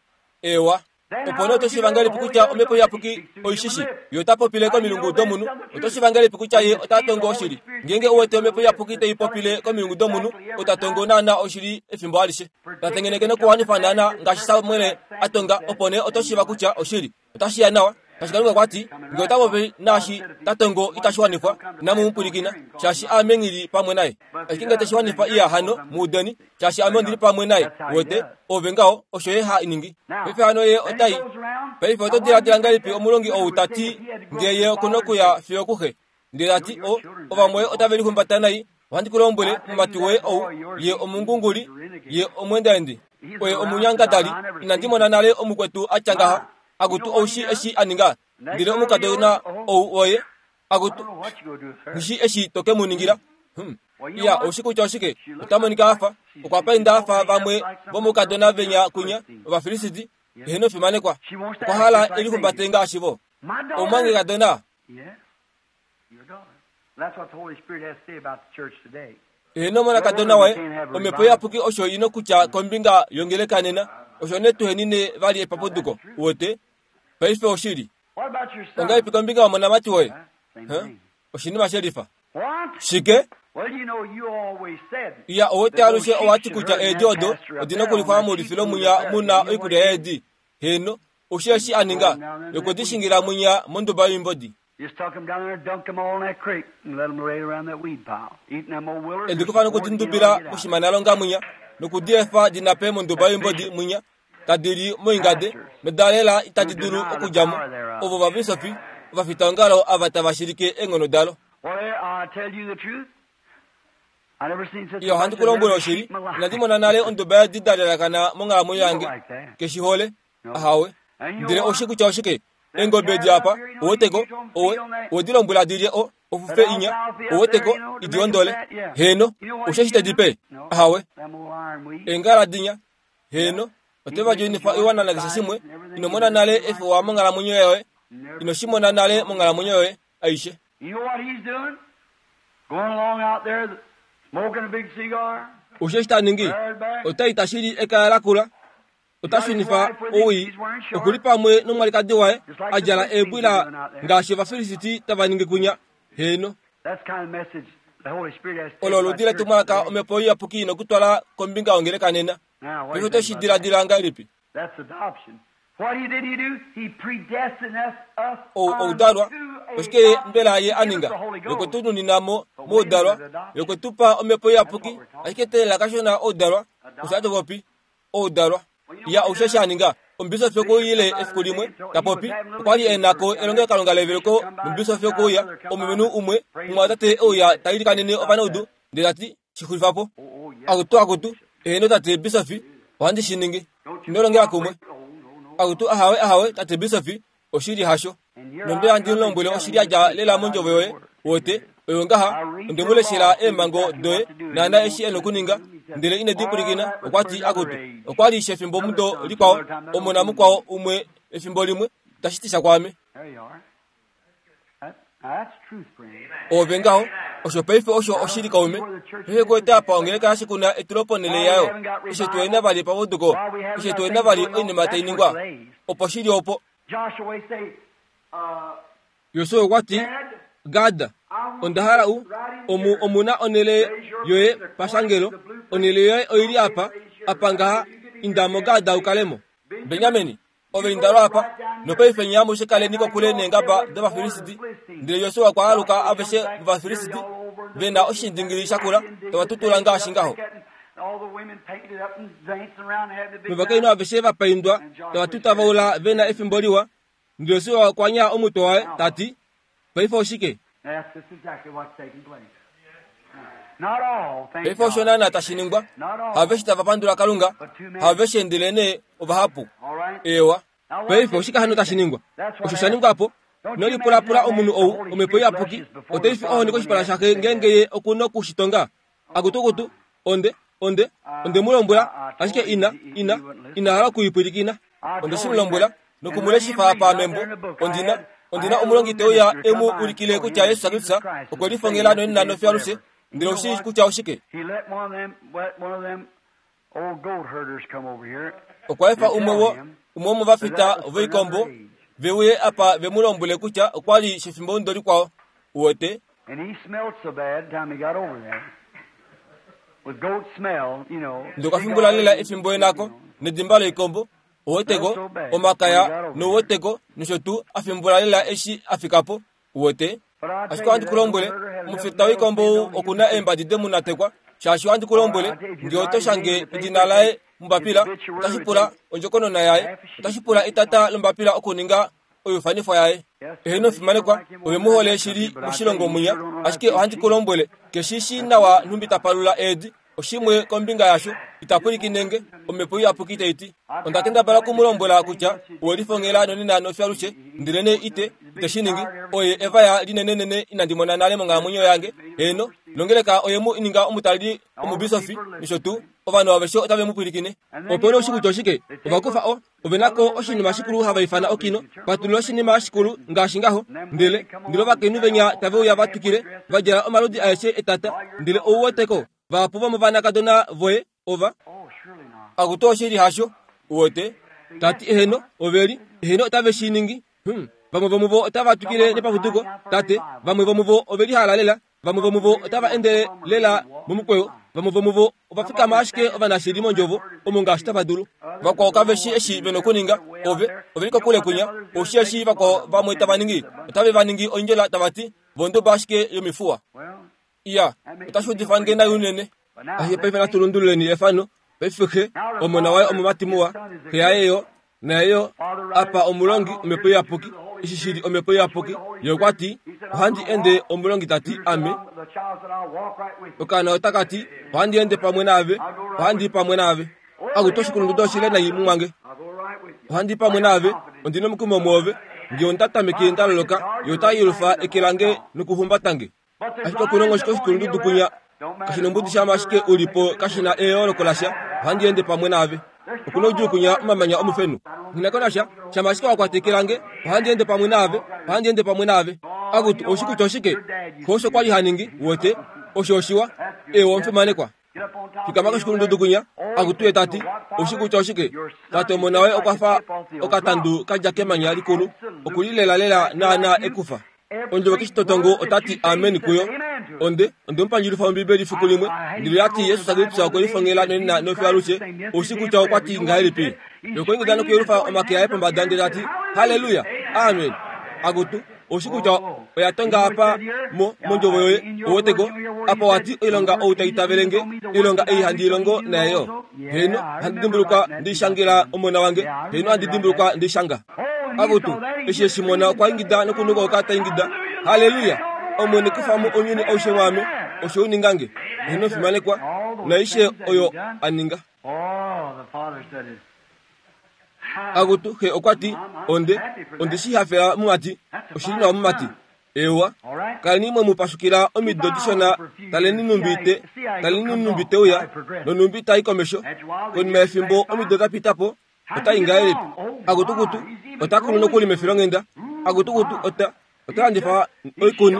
ewa. Opo nee oto shiiva ngahelipi kutya omhepo iyapuki oishishi, ye ota popile komilungu domunhu? Oto shiiva ngahelipi kutya ye ota tongo oshili? Ngeenge uwete omhepo iyapuki tai popile komilungu domunhu, ota tongo naana oshili efimbo alishe. Ta tengeneke nokuwanifa naana ngaashi Samuel a tonga, opo nee oto shiiva kutya oshili. Otashi ya nawa, shaashi Kalunga okwa ti, ngee ota popi naashi ta tongo itashi wanifwa, inamu mu pwilikina, shaashi ame nghi li pamwe naye. Ashike ngee teshi wanifa iya hano, mu udeni, shaashi ame ondi li pamwe naye. Uwete, ove ngaho, osho ye ha ningi. Paife hano ye otai. Paife oto diladila ngahelipi omulongi ou ta ti, ngee ye oku nokuya fiyo kuxe? Ndele ta ti, o, ovamwoye otave lihumbata nai, ohandi ku lombwele, omumati woye ou, ye omungunguli, ye omweendaendi, oye omunyangadali, inandi mona nale omukwetu a tya ngaha. Akutu oushi eshi a ninga? Ndele omukadona ou oye akutu Nghi eshi to ke mu ningila. Iya, oushi kutya oshike? Ota monika a fa okwa painda a fa vamwe vomoukadona venya kunya Ovafilisiti. Eheno fimanekwa. Okwa hala e lihumbate ngaashi vo. Omumwangekadona. Eheno omonakadona waye, Omhepo Iyapuki osho i nokutya kombinga yongeleka nena, osho nee tuhenine vali epapuduko. Uwete? Paife oshili. Ongahelipi kombinga yomonamati woye? Huh? Oshinima shelifa. Shike? Iya, ouwete alushe owa ti kutya eedi odo odi na okulifwa moulifilo mwinya mu na oikulya yeedi. Heeno, oushi eshi a ninga, okwe di shingila mwinya monduba yoimbodi. E di kufa noku di ndubila moshimanalonga mwinya, noku di efa di nape monduba yoimbodi mwinya, tadi li moingade, noda lela itadi dulu okudja mo. Ovo ovabisofi, ovafitaongalo ava tava shilike eenghono dalo. Iya, ohandi ku lombwele oshili, inandi mona nale onduba yeedi da lelakana monghalamwenyo yange. Ke shi hole. Ahawe. Ndele ou shii kutya oshike? Eengobe edi apa, ou weteko, owe, owe di lombwela di lye o, ofufe inya, ou weteko, idi ondole. Heeno, ou shii eshi te di pe? Ahawe. Eengala dinya, Heeno, ote va djoinifa oiwana nakeshe shimwe. Ino mona nale efewa monghalamwenyo yoye. Ino shi mona nale monghalamwenyo yoye aishe. Osho eshi ta ningi, ota i ta shili ekaya lakula, ota shunifa owii, oku li pamwe nomwalikadi waye, a djala eebwila ngaashi Ovafilisiti tava ningi kunya. Heeno. Olo oludi letumwalaka Omhepo Iyapuki nokutwala kombinga yongeleka nena. Paife oto shi diladila ngahelipi? Ou oudalwa. Oshike Ye mbela Ye a ninga? Ye okwe tu nunina mo moudalwa. Ye okwe tu pa Omhepo Iyapuki. Ashike teelela kashona oudalwa. Osho hatu popi. Oudalwa. Ya osho sha ninga omubisofi okuyile efiku limwe ta popi okwa li e na ko elongelokalunga leveluko nomubisofi okuuya omulumenhu umwe omumwatate e uya ta ilikanene ovanaudu ndele ta ti shi xulifa po akutu akutu eheno tate bisofi ohandi shi ningi ino longela kumwe akutu ahawe ahawe tate bisofi oshili hasho Nonde handi mu lombwele oshili ya dja lela mondjovo yoye, wote, oyo ngaha, onde mu leshela eemhango doye, naana eshi e nokuninga, ndele ine di pwilikina. Okwa ti, Akutu, okwa li shefimbomudo likwao, omona mukwao umwe efimbo limwe, tashi ti sha kwaame. Oove ngaho, osho paife osho oshili kaume. Paife kuwete apa ongeleka yashikuna etulo ponhele yayo. Eshi tuhe na vali epapuduko, eshi tuhe na vali oinima tai ningwa, opo shi li opo. Josua okwa ti, Gad, onda hala u, omu omu na onhele yoye pashangelo, onhele yoye oi li apa, apa ngaha, inda mo Gad u kale mo. Benjamin, ove inda lwaapa, nopaife nye amushe kaleni kokule neengaba dOvafilisiti. Ndele Josua okwa aluka aveshe vOvafilisiti ve na oshindingili shakula tava tutula ngaashi ngaho. Novakainhu aveshe va paindwa tava tutavaula ve na efimbo liwa. Ndele Josua okwa nyaa omutwe waye, ta ti, Paife oshike? Paife osho naana tashi ningwa. Haveshe tava pandula Kalunga, haveshe ndelenee ovahapu. Eewa. Paife oshike hano tashi ningwa? Osho sha ningwa po. Ino lipulapula omunhu ou, Omhepo Iyapuki otai fi ohoni koshipala shaxe ngeenge ye oku noku shi tonga. Akutukutu, onde, onde, onde mu lombwela, ashike ina, ina, ina hala oku i pwilikina. Onde shi mu lombwela, noku mu leshifa apa membo. Ondi na, ondi na omulongi te uya e mu ulikile kutya Jesus Kristus okwe lifongela nonena nofiyo alushe. Ndele ou shii kutya oshike? Okwa efa umwe wo, umwe womovafita voikombo ve uye apa ve mu lombwele kutya okwa li shefimbomudo likwao. Uwete? Ndele okwa fimbula lela efimbo enako nedimba loikombo, uweteko, omakaya, nouweteko, nosho tuu, a fimbula lela eshi a fika po. Uwete? Ashike ohandi ku lombwele, omufita woikombo ou oku na eembadi de mu natekwa, shaashi ohandi ku lombwele, nge oto shange edina laye mombapila, otashi pula ondjokonona yaye, otashi pula etata lombapila okuninga oiufanifwa yaye. Eheno fimanekwa, ove mu hole shili moshilongo mwinya, ashike ohandi ku lombwele, ke shi shii nawa nhumbi ta palula eedi. Oshimwe kombinga yasho, ita pwilikine nge, Omhepo Iyapuki tai ti. Onda kendabala oku mu lombwela kutya owe lifongela nonena nofyalushe, ndelenee ite, ite shi ningi. Oye evaya linenenene inandi mona nale monghalamwenyo yange. Heeno, nongeleka oye mu ninga omutaleli omubisofi nosho tuu. Ovanhu aveshe otave mu pwilikine. Opo nee oshikutu oshike? Ova kufa o, ove na ko oshinima shikulu hava ifana okino, patulula oshinima shikulu ngaashi ngaho. Ndele, ndele ovakainhu venya tave uya va twikile, va djala omaludi aeshe etata. Ndele ou wete ko, vahapu vomovanakadona voye ova. Akutu oshili hasho, uwete. Ta ti eheno, ove li, eheno otave shi ningi. Hum, vamwe vomuvo otava twikile nepapuduko, tate, vamwe vomuvo ove lihala lela, vamwe vomuvo otava endele lela momukweyo, vamwe vomuvo ova fikama ashike ovanashili mondjovo omo ngaashi tava dulu. Vakwao kave shi eshi ve nokuninga, ove, ove li kokule kwinya, ou shi eshi vakwao vamwe tava ningi, otave va ningi oindjola tava ti, Vonduba ashike yomifuwa. Iya, otashi udifa nge nai unene. Ashike paife natu lundululeni efano. Paife xe, omona waye omumati muwa, xe yaye yo, naye yo, apa omulongi Omhepo Iyapuki, eshi shi li Omhepo Iyapuki, ye okwa ti, Ohandi ende, omulongi ta ti, ame. Okaana otaka ti, Ohandi ende pamwe naave, ohandi i pamwe naave. Akutu oshikulundudu oshile nai mumwange. Ohandi i pamwe naave, ondi nomukumo mwoove. Nge onda tameke nda loloka, ye ota yelufa eke lange nokuhumbata nge. Ashike okulonga oshike oshikulundudu kwinya kashi nombudi shama ashike u li po kashi na eyooloko lasha, ohandi ende pamwe naave. Oku noudjuu kwinya omamanya omufenu. Nghi na ko nasha, shama ashike wa kwata eke lange, ohandi ende pamwe naave, ohandi ende pamwe naave. Akutu, oushi kutya oshike? Xo osho kwa li ha ningi, uwete. Osho oshiwa. Eewa omufimanekwa. Fikama koshikulundudu kwinya, akutu ye ta ti, Oushi kutya oshike? Tate omona woye okwa fa okatandu ka dja kemanya likulu, oku li lelalela naanaa ekufa. Ondjovo keshitotongo ota ti amen kuyo. Onde, onde mu pandjulifa Ombibeli fiku limwe, ndele ya ti Jesus Kristus okwe lifongela nonena nofiyo alushe. Oushi kutya okwa ti ngahelipi? Ye okwa ingida nokuyelufa omake aye pombada ndele ta ti, Halleluya! Amen! Akutu, oushi kutya oya tonga apa mo, mondjovo yoye, ouweteko, apa wa ti oilonga ou ta itavele nge, oilonga ei handi i longo naye yo. Heeno, ohandi dimbulukwa ndi shangela omona wange. Heeno, ohandi dimbulukwa ndi shanga. Akutu, eshi e shi mona okwa ingida nokunukauka ta ingida, Halleluya! Omwene kufa mo ounyuni aushe mwaame, osho u ninga nge. Heeno, fimanekwa, naaishe oyo a ninga. Akutu, xe okwa ti, Onde, onde shi hafela mumati. Oshi li nawa mumati. Eewa, kaleni mwe mu pashukila omido dishona, taleni nhumbi te, taleni nhumbi te uya, nonhumbi ta i komesho. Konima yefimbo omido da pita po, ota i ngahelipi? Akutukutu, ota kulu nokuli mefilonghenda. Akutukutu, ota, ota landifa oikuni.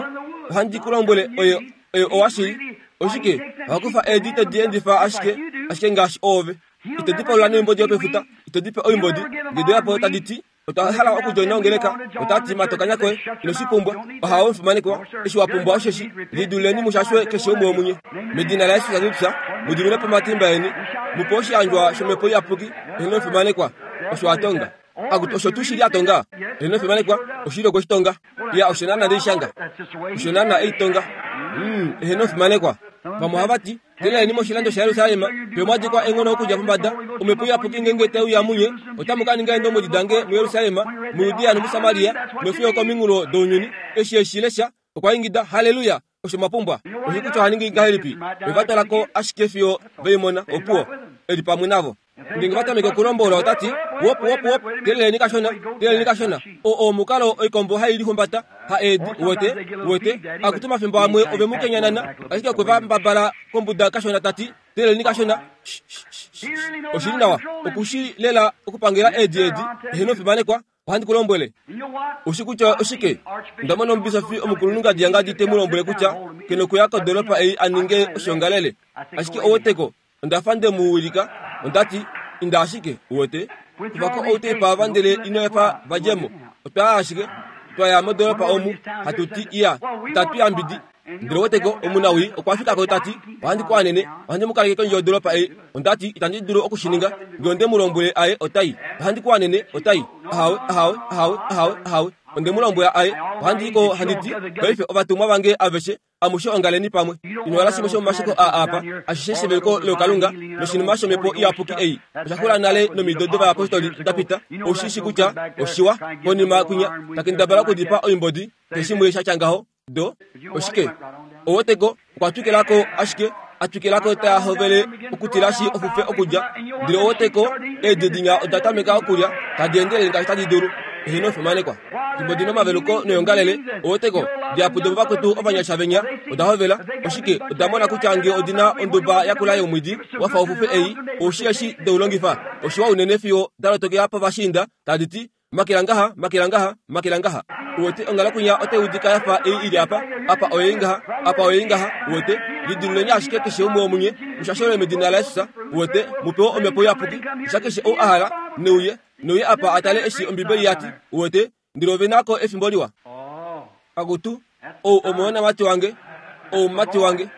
Ohandi ku lombwele, oye, oye owashili. Oshike? Oha kufa eedi te di endifa ashike, ashike ngaashi oove. Ite di palula noimbodi yopefuta, ite di pe oimbodi, nge de uya po tadi ti, Otwa hala okudjoina ongeleka. Ota ti, Mata okanya koye, ino shi pumbwa. Oha omufimanekwa, eshi wa pumbwa osheshi, liduleni mu shashwe keshe umwe womunye. Medina laJesus Kristus, mu diminwe po omatimba eni, mu pe oshiyandjwa shOmhepo Iyapuki, eheno omufimanekwa. Osho a tonga. Akutu, osho tuu shili a tonga? Eheno omufimanekwa, oshili okwe shi tonga. Iya, osho naana nde shi shanga. Osho naana e i tonga. Mm, eheno omufimanekwa. Vamwe ohava ti, Teeleleni moshilando shaJerusalem, fiyo mwa dikwa eenghono okudja pombada, Omhepo Iyapuki ngeenge tai uya munye, otamu ka ninga eendombwedi dange muJerusalem, muJudea nomuSamaria, nofiyo okominghulo dounyuni. Eshi e shi lesha, okwa ingida, Halleluya! Osho mwa pumbwa. Oshi kutya oha ningi ngahelipi? Ove va twala ko ashike fiyo ve i mona. Opuwo, e li pamwe navo. Ngeenge va tameke okulombola ota ti, Wop, wop, wop, teeleleni kashona, teeleleni kashona. O, oo omukalo oikombo hai lihumbata, ha eedi, uwete, uwete. Akutu omafimbo amwe ove mu kenyanana, ashike okwe va mbabala kombuda kashona ta ti, Teeleleni kashona. Sh, sh, sh, sh. Oshi li nawa. Oku shi lela okupangela eedi edi, eheno fimanekwa, Ohandi ku lombwele, ushi kutya oshike? Onda mona omubisofi omukulunhu ngadi yangadi te mu lombwele kutya ke nokuya kodoolopa ei a ninge oshiongalele. Ashike oweteko, onda fa nde mu wilika. Onda ti, Inda ashike, uwete. Kufa ko outeipa ava ndele ino efa va dje mo. Otwa ya ashike, twa ya modoolopa omu, hatu ti, Iya, itatu yambidi. Ndele weteko, omunawii okwa fika ko ta ti, Ohandi ku anene, ohandi mu kaleke kondje yodoolopa ei. Onda ti, Itandi dulu oku shi ninga. Nge onde mu lombwele aye, ota i. Ohandi ku anene, ota i. Ahawe, ahawe, ahawe, ahawe, ahawe. Onde mu lombwela aye. Ohandi i ko handi ti, Paife ovatumwa vange aveshe, amushe ongaleni pamwe. Ino hala shimwe shomomasheko aa apa, ashishe sheveluko lokalunga noshinima shOmhepo Iyapuki ei, osha xula nale nomido dovayapostoli da pita. Ou shi shi kutya oshiwa. Konima kwinya, ta kendabala okudipa oimbodi, keshimwe sha tya ngaho. Do, oshike? Oweteko, okwa twikila ko ashike. A twikila ko taa hovele okutilashi ofufe okulya. Ndele oweteko, eedi dinya oda tameka okulya, tadi endelele ngaashi tadi dulu. Eheno fimanekwa. Fimbo di nomaveluko noyongalele, oweteko, dihapu domuvakwetu ovanyasha venya oda hovela. Oshike? Oda mona kutya nge odi na onduba yakula yomwiidi wa fa ofufe ei, oushi eshi deu longifa, oshiwa unene fiyo da lotokela povashiinda, tadi ti, Makela ngaha, makela ngaha, makela ngaha. Uwete, onghalo kwinya otai udika ya fa ei i li apa. Apa oyei ngaha, apa oyei ngaha. Uwete, lidiluleni ashike keshe umwe womunye, mushashelwe medina laJesus, uwete, mu pewe Omhepo Iyapuki. Sha keshe ou a hala, ne uye, ne uye apa a tale eshi Ombibeli ya ti. Uwete, ndele ove na ko efimbo liwa. Akutu, ou omonamati wange, ou omumati wange.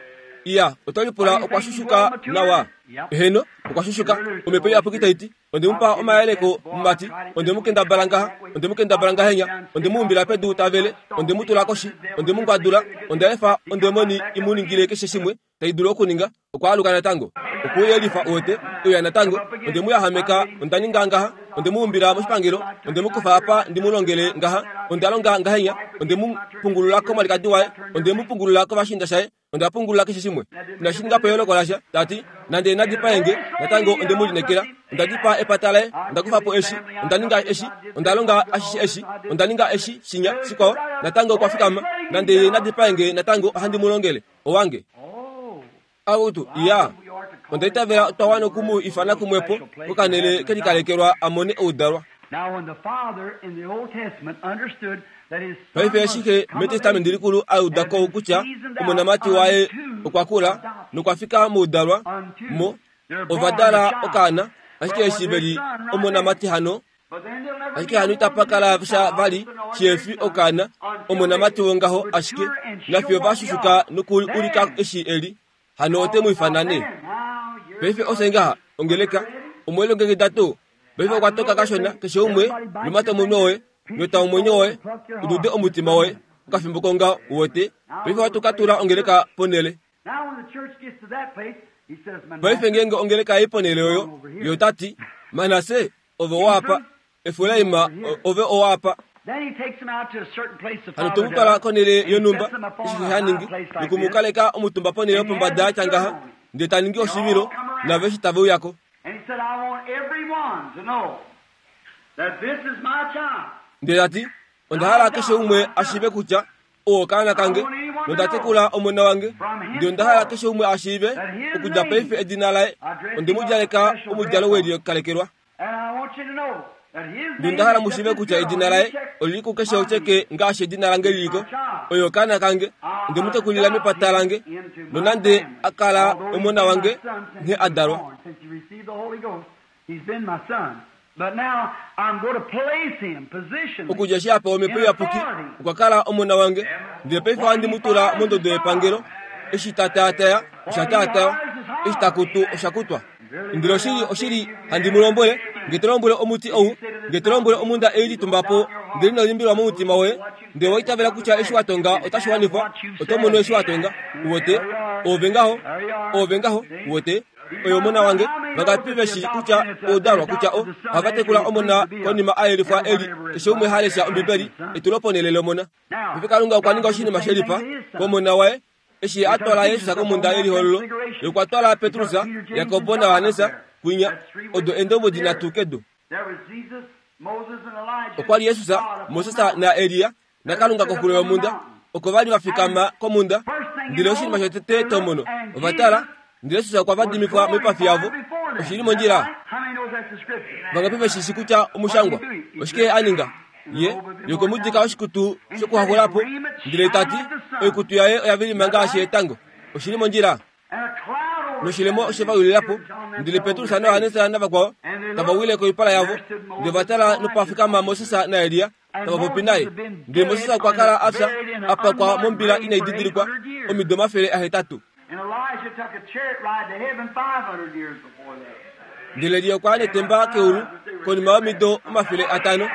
Iya, oto lipula okwa shushuka nawa? Eheno, okwa shushuka. Omhepo Iyapuki tai ti, Onde mu pa omayeleko, mumati. Onde mu kendabala ngaha, onde mu kendabala ngahenya, onde mu umbila pedu ta vele, onde mu tula koshi, onde mu ngwadula, onda efa ondemoni i mu ningile keshe shimwe tai dulu okuninga. Okwa aluka natango. Okwe uyelifa, uwete, uya natango. Onde mu yahameka, onda ninga ngaha, onde mu umbila moshipangelo, onde mu kufa apa ndi mu longele ngaha, onda longa ngahenya, onde mu pungulula komwalikadi waye, onde mu pungulula kovashiinda shaye, Onda pungulula keshe shimwe. Inashi ninga po eyooloko lasha. Ta ti, Nande na dipae nge, natango onde mu lineekela. Onda dipaa epata laye. Onda kufa po eshi. Onda ninga eshi. Onda longa ashishe eshi. Onda ninga eshi, shinya, shikwao. Natango okwa fikama. Nande ye na dipae nge, natango ohandi mu longele. Owange. Akutu, iya. Onda itavela otwa wana oku mu ifana kumwepo, kokanhele ke likalekelwa a mone oudalwa. Paife eshi xe mEtestamenti Likulu a uda ko kutya omonamati waye okwa kula nokwa fika moudalwa, mo ova dala okaana, ashike eshi ve li omonamati hano, ashike hano itapa kala sha vali shihefi okaana, omonamati wongaho ashike, nafiyo va shushuka nokuulika eshi e li, hano ote mu ifana nee. Paife ofye ngaha, ongeleka, omwe lilongekida tuu? Paife okwa toka kashona, keshe umwe, lumata omunwe woye, nyota omwenyo woye, udude omutima woye, okafimbo kongaho, uwete. Paife ohatu ka tula ongeleka ponhele. Paife ngeenge ongeleka yai ponhele oyo, ye ota ti, Manasse, ove owaapa. Efraim, ove owaapa. Hano te mu twala konhele yonhumba, eshi xe ha ningi, noku mu kaleka omutumba ponhele yopombada ya tya ngaha, ndele ta ningi oshivilo, navo eshi tave uya ko. Ndele ta ti, Onda hala keshe umwe a shiive kutya ou okaana kange, nonda tekula omona wange. Ndele onda hala keshe umwe a shiive, okudja paife edina laye, onde mu djaleka omudjalo we likalekelwa. Ndele onda hala mu shiive kutya edina laye oli li kukeshe otyeke ngaashi edina lange li li ko. Oye okaana kange, onde mu tekulila mepata lange, nonande a kala omona wange nghee a dalwa. Okudja eshi a pewa Omhepo Iyapuki, okwa kala omona wange, ndele paife ohandi mu tula mondodo yepangelo. Eshi ta taataya, osha taataywa, eshi ta kutu, osha kutwa. Ndele oshili, oshili, handi mu lombwele, nge to lombwele omuti ou, nge to lombwele omhunda ei litumba po, ndele ino limbilwa momutima woye, ndele owa itavela kutya eshi wa tonga otashi wanifwa, oto mono eshi wa tonga. Uwete? Oove ngaho. Oove ngaho. Uwete? Oye omona wange. Vangapi ve shii kutya oudalwa kutya o, ohava tekula omona konima a yelifwa e li keshe umwe ha lesha Ombibeli, etuloponhele lomona. Paife Kalunga okwa ninga oshinima she lifa komona waye Eshi a twala Jesus komhunda yelihololo, ye okwa twala Petrus, Jakob naJohannes kwinya, odo eendombwedi nhatu kedu. Okwa li Jesus, Moses naElia naKalunga koxulo yomhunda, oko va li va fikama komhunda. Ndele oshinima shotete to mono, ova tala, ndele Jesus okwa vadimifwa moipafi yavo. Oshi li mondjila? Vangapi ve shi shii kutya omushangwa? Oshike a ninga? Ye, ye okwe mu dika oshikutu shokuhakula po, ndele ta ti, Oikutu yaye oya vilima ngaashi etango. Oshi li mondjila? Noshilemo oshe va wilila po, ndele Petrus naJohannes navakwao tava wile koipala yavo, ndele va tala nopa fikama Moses naElia tava popi naye. Ndele Moses okwa kala a fya, a pakwa mombila inai didilikwa omido 800. Ndele Elia okwa ya netemba keulu konima yomido 500.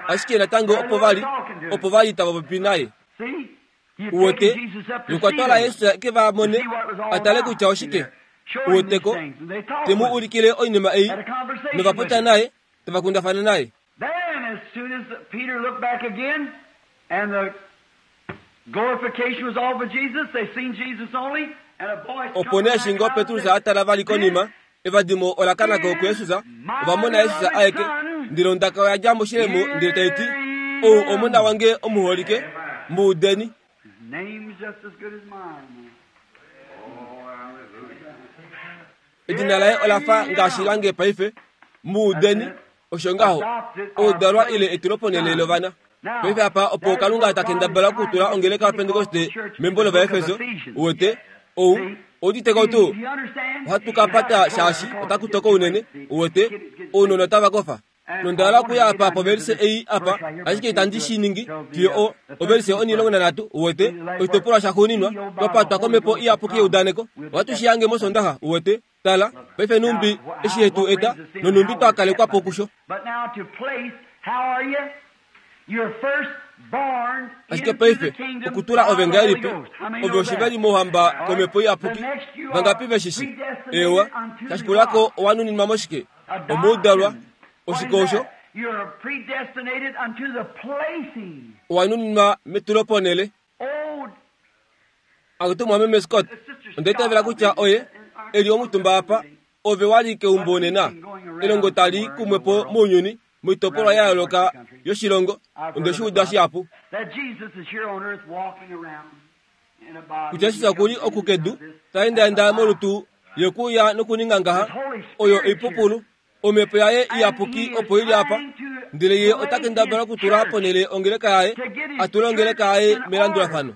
Ashike natango opo va li, opo va li tava popi naye. Uwete, nokwa twala Jesus ke va mone, a tale kutya oshike. Uweteko, te mu ulikile oinima ei, nova popya naye, tava kundafana naye. Opo nee eshi ngoo Petrus a tala vali konima, evadimo ola kana ko kuJesus, ova mona Jesus aeke. Ndele ondaka oya dja moshilemo ndele tai ti, Ou Omona wange omuholike, mu udeni. Edina laye ola fa ngaashi lange paife. Mu udeni. Osho ngaho, oudalwa ile etuloponhele lovana. Paife apa opo Kalunga ta kendabala okutula ongeleka yaPentekoste membo lOvaefeso, uwete, ou, oudite ko tuu? Ohatu ka pata shaashi otaku toko unene, uwete, ounona otava kofa. Nonda hala okuya apa povelise ei apa, ashike itandi shi ningi fiyo o, ovelise 13, uwete, oshitopolwa shaxuuninwa, twa patwa komhepo iyapuki yeudaneko. Ohatu shi hange mOsondaxa, uwete. Tala, paife nhumbi eshi he tu eta, nonhumbi twa kalekwa po kusho. Ashike paife, okutula ove ngahelipi? Ove oshiveli mouhamba komhepo iyapuki. Vangapi ve shi shi? Eewa. Shashikula ko owa nuninwa moshike? Omoudalwa. Oshike osho? Owa nuninwa metuloponhele. Akutu mwameme Scott, onda itavela kutya oye e li omutumba apa. Ove wa li keumbo nena. Elongo tali kumwe po mounyuni, moitopolwa ya yooloka yoshilongo. Onde shi uda shihapu. Kutya Jesus oku li oku kedu, ta endaenda molutu, ye kuuya nokuninga ngaha. Oyo oipupulu. Omhepo yaye iyapuki opo i li apa, ndele ye ota kendabala okutula ponhele ongeleka yaye, a tule ongeleka yaye melandulafano.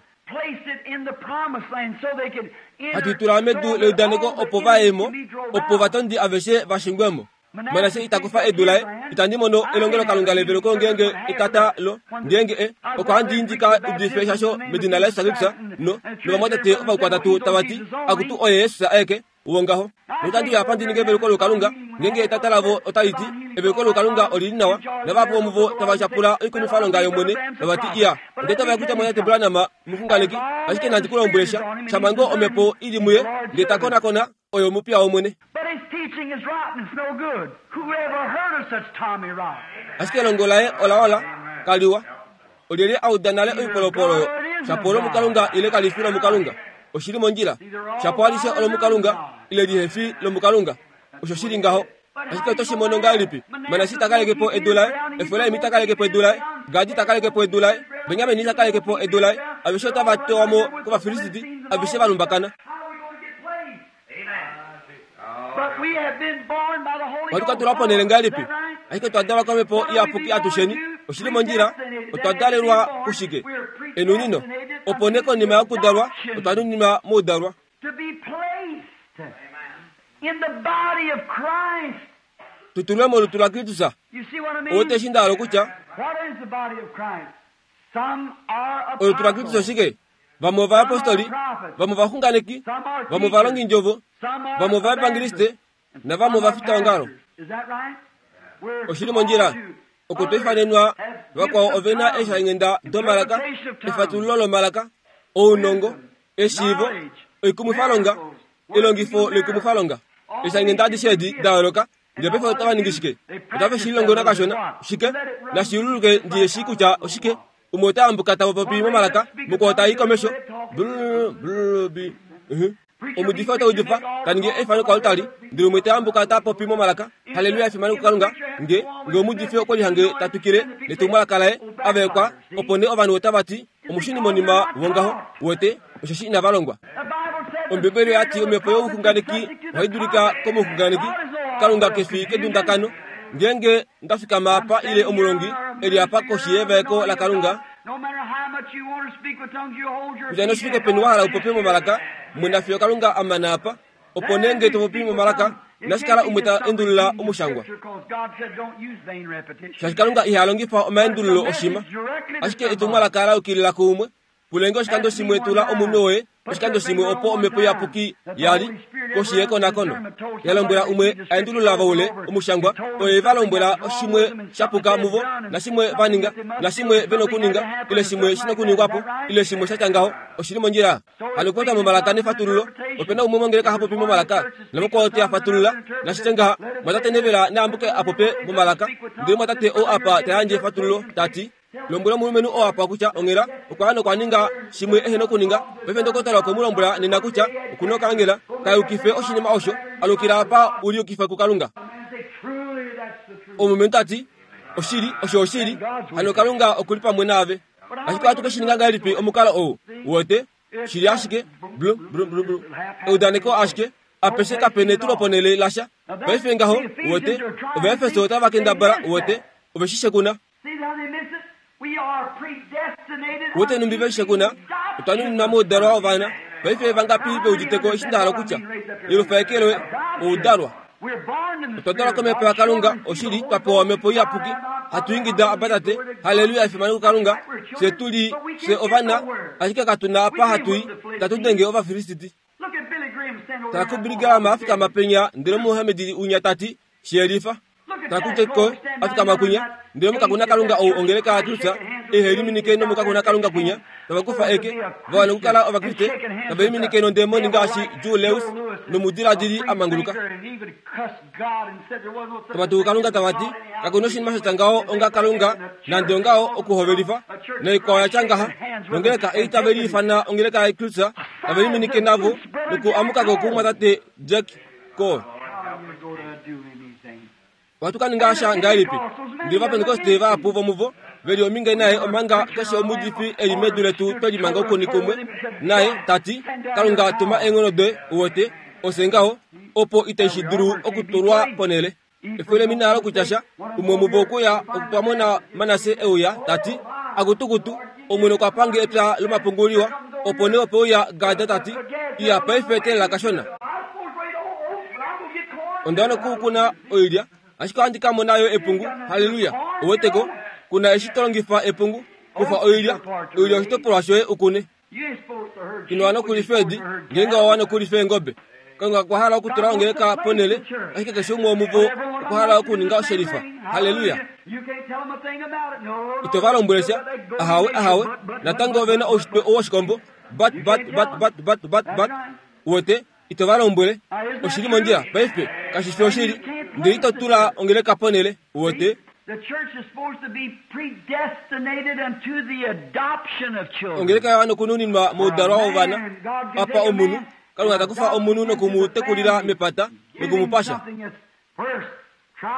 Hatu i tula medu leudaneko opo va ye mo, opo ovatondi aveshe va shingwe mo. Manasse ita kufa edu laye. Itandi mono elongelokalunga leveluko ngeenge etata lo, ngeenge e, okwa handi ndi ka udife shasho medina laJesus Kristus, no, novamwatate ovaukwatatu tava ti, Akutu oye Jesus aeke. Wongaho, notandi uya apa ndi ninge eveluko loukalunga, ngeenge etata lavo otali ti, Eveluko loukalunga oli li nawa, navahapu vomuvo tava tyapula oikumwifalonga yOmwene, tava ti, Iya, onda itavela kutya Mwatate Branham omuxunganeki, ashike nandi ku lombwele sha, shama ngoo Omhepo i li muye, ndele ta konakona, oye omupiya wOmwene. Ashike elongo laye ola ola, kaliwa. Olyelye a uda nale oipolopolo oyo, shapo olomukalunga ile kali fi lomukalunga? Oshi li mondjila. Shapo alishe olomukalunga ile lihe fi lomukalunga. Osho shi li ngaho. Ashike oto shi mono ngahelipi? Manasse ta kaleke po edu laye, Efraim ta kaleke po edu laye, Gadi ta kaleke po edu laye, Benjamin ta kaleke po edu laye. Aveshe otava tewa mo kOvafilisti, aveshe va lumbakana. Ohatu ka tulwa ponhele ngahelipi? Ashike otwa dalwa komhepo iyapuki atusheni. Oshi li mondjila. Otwa dalelwa kushike? Enunino. Opo nee konima yokudalwa, otwa nuninwa moudalwa. Tu tulwe molutu laKristus. Ou te shi nda hala okutya? Olutu laKristus oshike? Vamwe ovayapostoli, vamwe ovaxunganeki, vamwe ovalongindjovo, vamwe ovaevangeliste navamwe ovafitaongalo. Oshi li mondjila oku tu ifanenwa vakwao ove na eeshainghenda domalaka, efatululo lomalaka, ounongo, eshiivo, oikumwifalonga, elongifo loikumwifalonga. Eeshainghenda adishe edi da yooloka Ndele paife otava ningi shike? Otave shi lilongo nakashona. Shike? Nashi yululuke ndi ye shii kutya oshike. Umwe ota ambuka ta popi momalaka, mukwao ta i komesho. Brrr, brrr, bi. Uh-huh. Omuudifi ota udifa, ta ningi eifano koaltari, ndele umwe ta ambuka ta popi momalaka. Halleluya, efimano kuKalunga. Nge, nge omuudifi okwe lihange ta twikile netumwalaka laye, a vaekwa, opo nee ovanhu otava ti, Omushunimonima wongaho, uwete, osheshi inava longwa. Ombibeli oya ti omhepo youxunganeki ohai dulika komuxunganeki. Kalunga ke fi kedundakano. Ngeenge nda fikama apa ile omulongi e li apa koshi yevaeko laKalunga, kutya noshi fike peni wa hala u popye momalaka, mwena fiyo Kalunga a mana apa. Opo nee nge to popi momalaka, inashi kala umwe ta endulula omushangwa. Shaashi Kalunga iha longifa omaendululo oshima, ashike etumwalaka la yukilila kuumwe. Pulenge oshikando shimwe tula omunwe woye oshikando shimwe opo omhepo iyapuki ya li koshi yekonakono ya lombwela umwe a endulula voule omushangwa oye va lombwela shimwe sha puka muvo nashimwe va ninga nashimwe ve nokuninga ile shimwe shi nokuningwa po ile shimwe sha tya ngaho oshi li mondjila. Hano okupopya momalaka nefatululo. Ope na umwe mongeleka ha popi momalaka, namukwao te a fatulula. Nashitye ngaha, Mwatate Neville na ambuke a popye momalaka, ndele mwatate ou apa ta yandje efatululo, ta ti. Lombwela omulumenhu oo apa kutya onghela okwa ya nokwa ninga shimwe ehe nokuninga. Paife ndokotola okwe mu lombwela nena kutya oku na okaangela. Ka yukife oshinima osho. Alukila apa u liyukife kuKalunga. Omulumenhu ta ti, Oshili, osho oshili. Hano Kalunga oku li pamwe naave. Ashike ohatu ke shi ninga ngahelipi omukalo ou? Uwete? Shi li ashike, blu, blu, blu, blu. Eudaneko ashike, apeshe kape netuloponhele lasha. Paife ngaho, uwete, Ovaefeso otava kendabala, uwete, ove shi shekuna. Uwete nhumbi ve shi shekuna? Otwa nuninwa moudalwa wovana. Paife vangapi ve udite ko eshi nda hala okutya? Yelufa eke loye, oudalwa. Otwa dalwa kOmhepo yaKalunga, oshili, twa pewa Omhepo Iyapuki, hatu ingida, Abba, Tate, halleluya, efimano kuKalunga, fye tu li, fye ovana, ashike katu na apa hatu i, tatu denge Ovafilisiti. Tala kuBilly Graham a fikama penya, ndele Omuhamedi unya ta ti, Shi yelifa. Tala kuJack Coe a fikama kwinya, ndele omukakunakalunga ou ongeleka yaTulsa ihe liminike nomukakunakalunga kwinya, tava kufa eke, va wana okukala Ovakriste, tave liminike nondemoni ngaashi Joe Lewis nomudiladili a manguluka. Tava tuku Kalunga tava ti, Kaku noshinima sha tya ngaho onga Kalunga, nande ongaho okuhovelifa, naikwao ya tya ngaha. Nongeleka ei tave liifana ongeleka yaTulsa, tave liminike navo nokuamuka ko kumumwatate Jack Coe. Ohatu ka ninga sha ngahelipi? Ndele Ovapentekoste vahapu vomuvo ve li ominge naye omanga keshe omuudifi e li medu letu twe limanga oukuni kumwe naye, ta ti, Kalunga tuma eenghono doye, uwete, ofye ngaho, opo itai shi dulu okutulwa ponhele. Efyo lemina lokutya sha, umwe womuvo okwe uya okutwa mona Manasse e uya, ta ti, Akutukutu, Omwene okwa pange epya lomapungu liwa. Opo nee ope uya Gad ta ti, Iya, paife teelela kashona. Onda wana okukuna oilya, ashike ohandi ka mona yo epungu. Halleluya! Ouweteko? Ku na eshi to longifa epungu. Kufa oilya, oilya oshitopolwa shoye u kune. Ino wana okulifa eedi, ngeenge owa wana okulifa eengobe. Kalunga okwa hala okutula ongeleka ponhele, ashike keshe umwe womuvo okwa hala okuninga oshelifa. Halleluya! Ito va lombwele sha. Ahawe, ahawe. Natango ove na oushitwe woshikombo. Bat, bat, bat, bat, bat, bat, bat. Uwete? Ito va lombwele. Oshi li mondjila, paife. Kashi fi oshili. Ndele ito tula ongeleka ponhele. Uwete? Ongeleka ya wana okununinwa moudalwa wovana. Apa omunhu, Kalunga ta kufa omunhu noku mu tekulila mepata, noku mu pasha.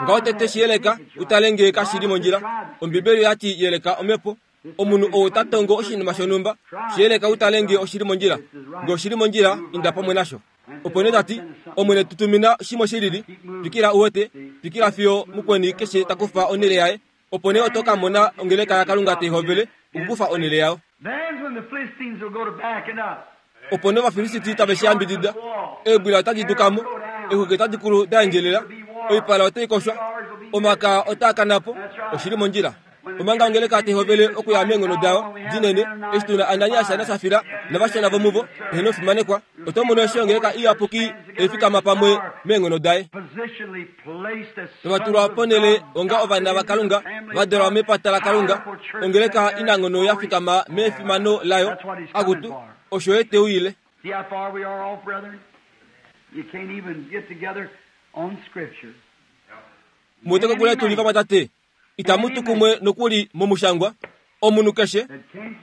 Ngaho tete shi yeleka u tale ngee kashi li mondjila. Ombibeli oya ti yeleka omhepo. Omunhu ou ta tongo oshinima shonhumba, shi yeleka u tale ngee oshi li mondjila. Ngee oshi li mondjila, inda pamwe nasho. Opo nee ta ti, Omwene tu tumina shimwe shi lili. Twikila u wete, twikila fiyo mukweni keshe ta kufa onhele yaye. Opo nee oto ka mona ongeleka yaKalunga tai hovele okukufa onhele yayo. Opo nee Ovafilisti tave shi yambidida. Eebwila otadi duka mo, eexwiki otadi kulu da endjelela, oipala otai koshwa, omakaa otaa kana po. Oshi li mondjila. Omanga ongeleka tai hovele okuya meenghono dayo dinene, eshi tu na Ananias naSafira navashona vomuvo, eheno fimanekwa, oto mono eshi ongeleka iyapuki tai fikama pamwe meenghono daye. Tava tulwa ponhele onga ovana vaKalunga, va dalwa mepata laKalunga, ongeleka inanghono ya fikama mefimano layo. Akutu, osho ye te uyile. Mu wete kokule tu li vamwatate? Itamu tu kumwe nokuli momushangwa. Omunhu keshe,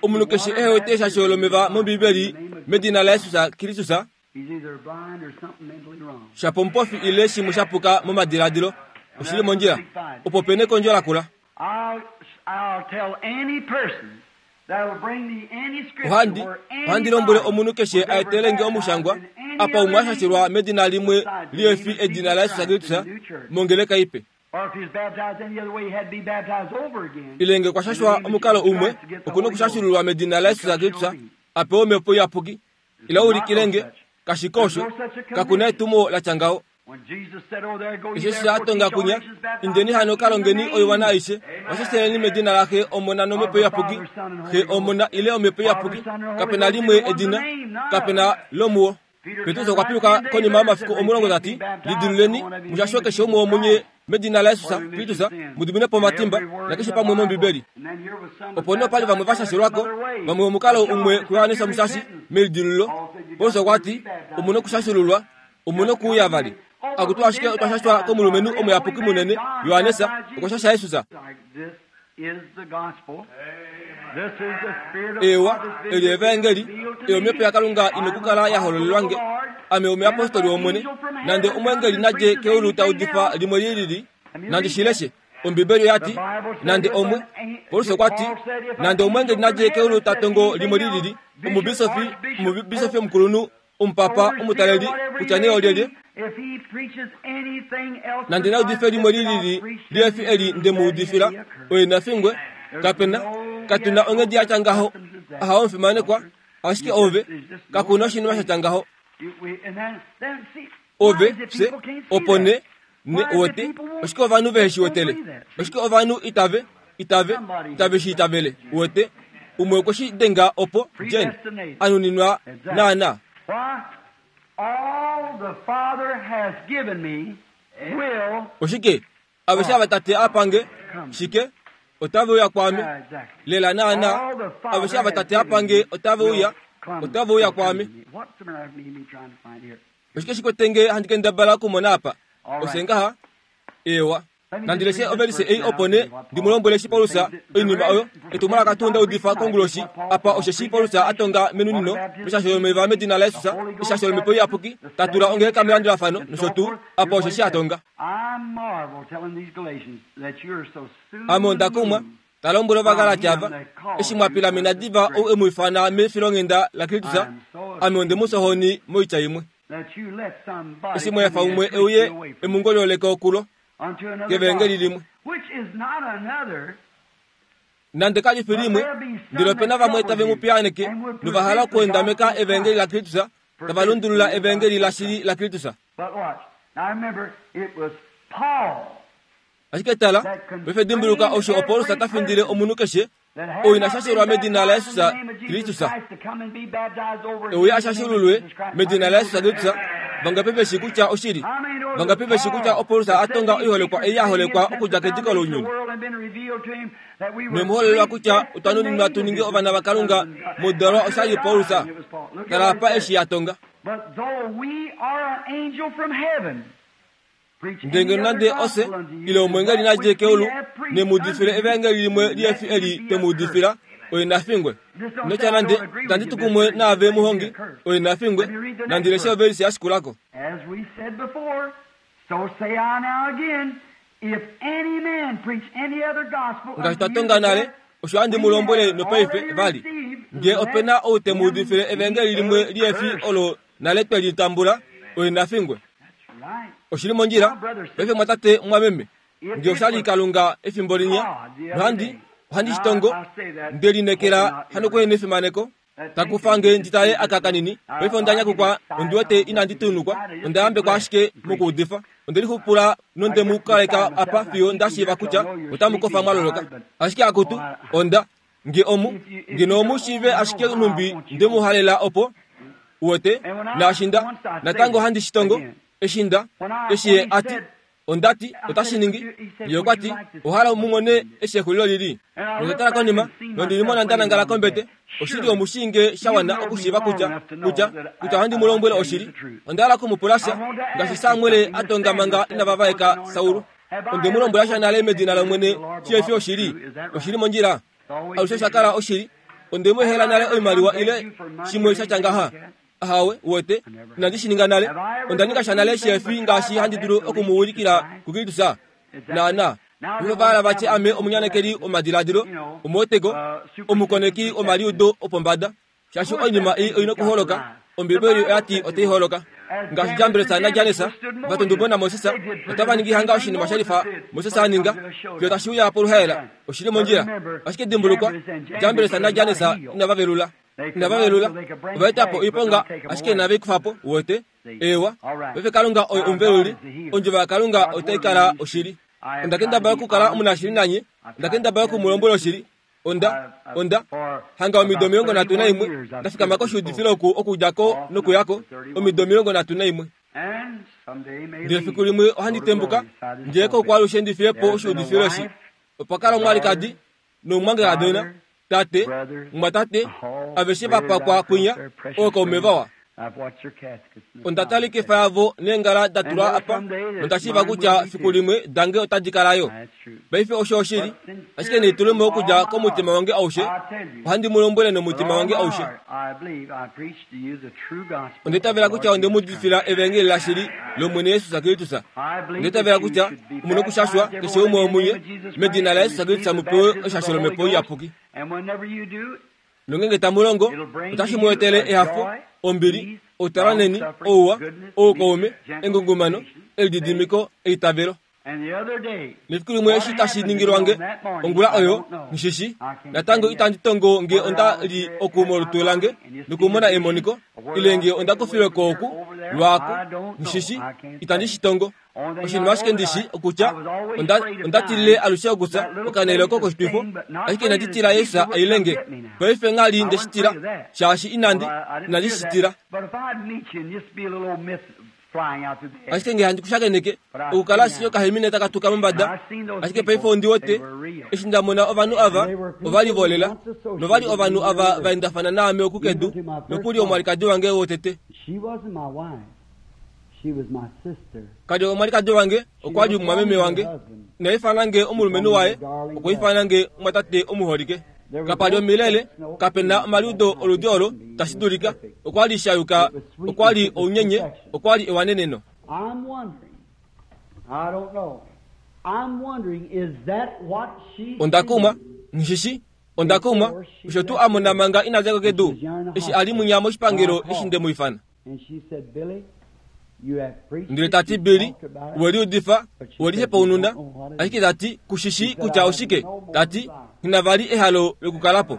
omunhu keshe ehe wete eshasho lomeva mOmbibeli medina laJesus Kristus, Shapo omupofi ile shimwe sha puka momadiladilo, oshi li mondjila. Opo pe nekondjo lakula. Ohandi, ohandi lombwele omunhu keshe a etele nge omushangwa apa umwe a shashelwa medina limwe lihe fi edina laJesus Kristus mongeleka ipe. Ile nge okwa shashwa omukalo umwe, oku nokushashululwa medina laJesus Kristus a pewe Omhepo Iyapuki. Ila u ulikile nge, kashike osho, kaku na etumo la tya ngaho. Eshi eshi a tonga kunya, indeni hano ka longeni oiwana aishe, vashaseleni medina laXe, Omona nOmhepo Iyapuki. Xe, Omona ile Omhepo Iyapuki, kape na limwe edina, kape na lomuwo. Petrus okwa piluka konima yomafiku omulongo ta ti, Lidiluleni, mu shashwe keshe umwe womunye medina laJesus Kristus, mu dimine po omatimba, nakeshe pamwe mOmbibeli. Opo nee opa li vamwe va shashelwa ko, vamwe omukalo umwe kuJohannes Omushashi melidilululo. Paulus okwa ti, Omu nokushashululwa, omu nokuuya vali. Akutu ashike otwa shashwa komulumenhu omuyapuki munene, Johannes, okwa shasha Jesus. Eewa, eli evaengeli, eyo omhepo yaKalunga ina okukala ya hololelwa nge. Ame omuyapostoli wOmwene, nande omweengeli nadje keulu ta udifa limwe li lili, nandi shi leshe. Ombibeli oya ti, nande omwe, Paulus okwa ti, nande omweengeli nadje keulu ta tongo limwe li lili, omubisofi, omubisofi omukulunhu, omupapa, omutaleli, kutya nee olyelye, nande na udife limwe li lili liefi eli nde mu udifila, oye na fingwe. Kape na, katu na onghedi ya tya ngaho. Ahawe omufimanekwa, ashike ove, kaku na oshinima sha tya ngaho. Ove, fye, opo ne, ne wete, oshike ovanhu vehe shi wetele? Oshike ovanhu itave, itave, itave shi itavele? Wete, umwe okwe shi denga opo, Jen, a nuninwa naana. Oshike? Aveshe ava Tate a pa nge, shike? Otave uya kwaame. Lela naana, aveshe ava Tate a pa nge otave uya, otave uya kwaame. Oshike shi kwete nge handi kendabala okumona apa? Oshe ngaha? Eewa. Nandi leshe ovelise ei opo nee ndi mu lombwele eshi Paulus oinima oyo etumwalaka tuu nda udifa konguloshi apa osheshi Paulus a tonga menunino meshasho lomeva medina laJesus, eshasho lOmhepo Iyapuki, ta tula ongeleka melandulafano nosho tuu, apa osheshi a tonga. Ame onda kumwa, ta lombwele Ovagalati ava, eshi mwa pilamena diva ou e mu ifana mefilonghenda laKristus, ame onde mu fya ohoni moitya imwe. Eshi mwa efa umwe e uye e mu ngolyooleke okulo kevengeli limwe. Nande kali fi limwe, ndele ope na vamwe tave mu piyaaneke nova hala okuendameka evengeli laKristus, tava lundulula evengeli lashili laKristus. Ashike tala, paife dimbuluka osho oPaulus ta findile omunhu keshe ou ina shashelwa medina laJesus Kristus. E uye a shashululwe medina laJesus Kristus. Vangapi ve shii kutya oshili? Vangapi ve shii kutya oPaulus a tonga oiholekwa ei ya holekwa okudja kediko lounyuni? Noe mu hololelwa kutya otwa nuninwa tu ninge ovana vaKalunga mudalwa oshali Paulus. Tala apa eshi a tonga. Ndele ngeno nande ofye, ile omweengeli na dje keulu, ne mu udifile evaengeli limwe liefi eli twe mu udifila, oye na fingwe. Ino tya nande, Itandi tu kumwe naave muhongi, oye na fingwe. Nandi leshe ovelise ya shikula ko. Ngaashi twa tonga nale, osho handi mu lombwele nopaife vali, Nge ope na ou te mu udifile evaengeli limwe liefi olo nale twe li tambula, oye na fingwe. Oshi li mondjila, paife mwatate mwameme, nge osha li Kalunga efimbo linya, nohandi, ohandi shi tongo, nde lineekela hano kuhena efimaneko, ta kufa nge ndi tale aka kanini. Paife onda nyakukwa, ondi wete inandi tunukwa, onda yambekwa ashike mokuudifa. Onde lixupula nonde mu kaleka apa fiyo nda shiiva kutya otamu kofa mwa loloka. Ashike akutu, onda, nge omu, ngeno omu shiive ashike nhumbi nde mu halela opo, Uwete, naashi nda, natango handi shi tongo, eshi nda, eshi ye a ti, onda ti, otashi ningi. Ye okwa ti, Owa hala mu mone eshi exulilo li li? Nonda tala konima, nondi limona nda nangala kombete. Oshili omu shii nge sha wana okushiiva kutya, kutya, kutya ohandi mu lombwele oshili. Onda hala oku mu pula sha, ngaashi Samuel a tonga manga inava vaeka Saul. Onde mu lombwela sha nale medina lOmwene shi efi oshili. Oshi li mondjila. Alushe osha kala oshili. Onde mu ehela nale oimaliwa ile shimwe sha tya ngaha. Ahawe, uwete, inandi shi ninga nale. Onda ninga sha nale shefi ngaashi handi dulu oku mu ulikila kuKristus. Naana. Ovo va hala va tye ame omunyanekeli womadiladilo, omuweteko, omukoneki womaliudo opombada. Shaashi oinima ei oi nokuholoka, Ombibeli oya ti otai holoka. Ngaashi Jambres naJanes va tundumbo naMoses, otava ningi hanga oshinima sha lifa Moses a ninga, fiyo tashi uya poluhaela. Oshi li mondjila. Ashike dimbulukwa, Jambres naJanes inava velula. Inava velula. Ova eta po oiponga, ashike inave i kufa po. Uwete? Eewa. Paife Kalunga oye omuveluli. Ondjovo yaKalunga otai kala oshili. Onda kendabala okukala omunashili nanye. Onda kendabala oku mu lombwela oshili. Onda, onda hanga omido 31, nda fikama koshuudifilo oku okudja ko nokuya ko, omido 31. Ndele fiku limwe ohandi tembuka, ndele koukwalushe ndi fiye po oshuudifilo eshi. Opa kala omwalikadi, nomumwangekadona, tate, mumwatate, aveshe va pakwa kwinya, ookaume vawa. Onda tala ikefa yavo neengala da tulwa apa, nonda shiiva kutya fiku limwe dange otadi kala yo. Paife osho oshili, ashike nelitulemo okudja komutima wange aushe, ohandi mu lombwele nomutima wange aushe. Onda itavela kutya onde mu udifila evangeli lashili lOmwene Jesus Kristus. Onda itavela kutya omu nokushashwa keshe umwe womunye medina laJesus Kristus mu pewe eshasho lOmhepo Iyapuki. Nongeenge tamu longo, otashi mu etele ehafo, ombili, outalanheni, ouwa, oukaume, engungumano, elididimiko, eitavelo. Nefiku limwe eshi tashi ningilwa nge, ongula oyo, nghi natango itandi tongo nge onda li oku molutu lange nokumona emoniko, ile nge onda kufilwe ko oku, lwaaku, nghi itandi shi tongo. Oshinima ashike ndi shi okutya, onda, onda tilile alushe okufya okanele oko koshitwifo, ashike inandi tila Jesus a ile nge. Paife ngha li nde shi tila, shaashi inandi, inandi shi tila. Ashike nge handi ku shakeneke, okukala ashike okahemine taka tuka mombada, ashike paife ondi wete, eshi nda mona ovanhu ava, ova li volela, nova li ovanhu ava va endafana naame oku kedu, nokuli omwalikadi wange wotete. Ka li omwalikadi wange, okwa li omumwameme wange. Ina ifana nge omulumenhu waye, okwa ifana nge omwatate omuholike. Kapa li omilele, kape na omaliudo oludi olo, tashi dulika. Okwa li sha yuka, okwa li ounyenye, okwa li ewaneneno. Onda kumwa, nghi shi Onda kumwa, osho tuu a mona manga ina dja ko kedu, eshi a li munya moshipangelo eshi nde mu ifana. Ndele ta ti, Billy, we liudifa, we lihepaununa, ashike ta ti, ku shi shii kutya oshike. Ta ti, Nghi na vali ehalo lokukala po.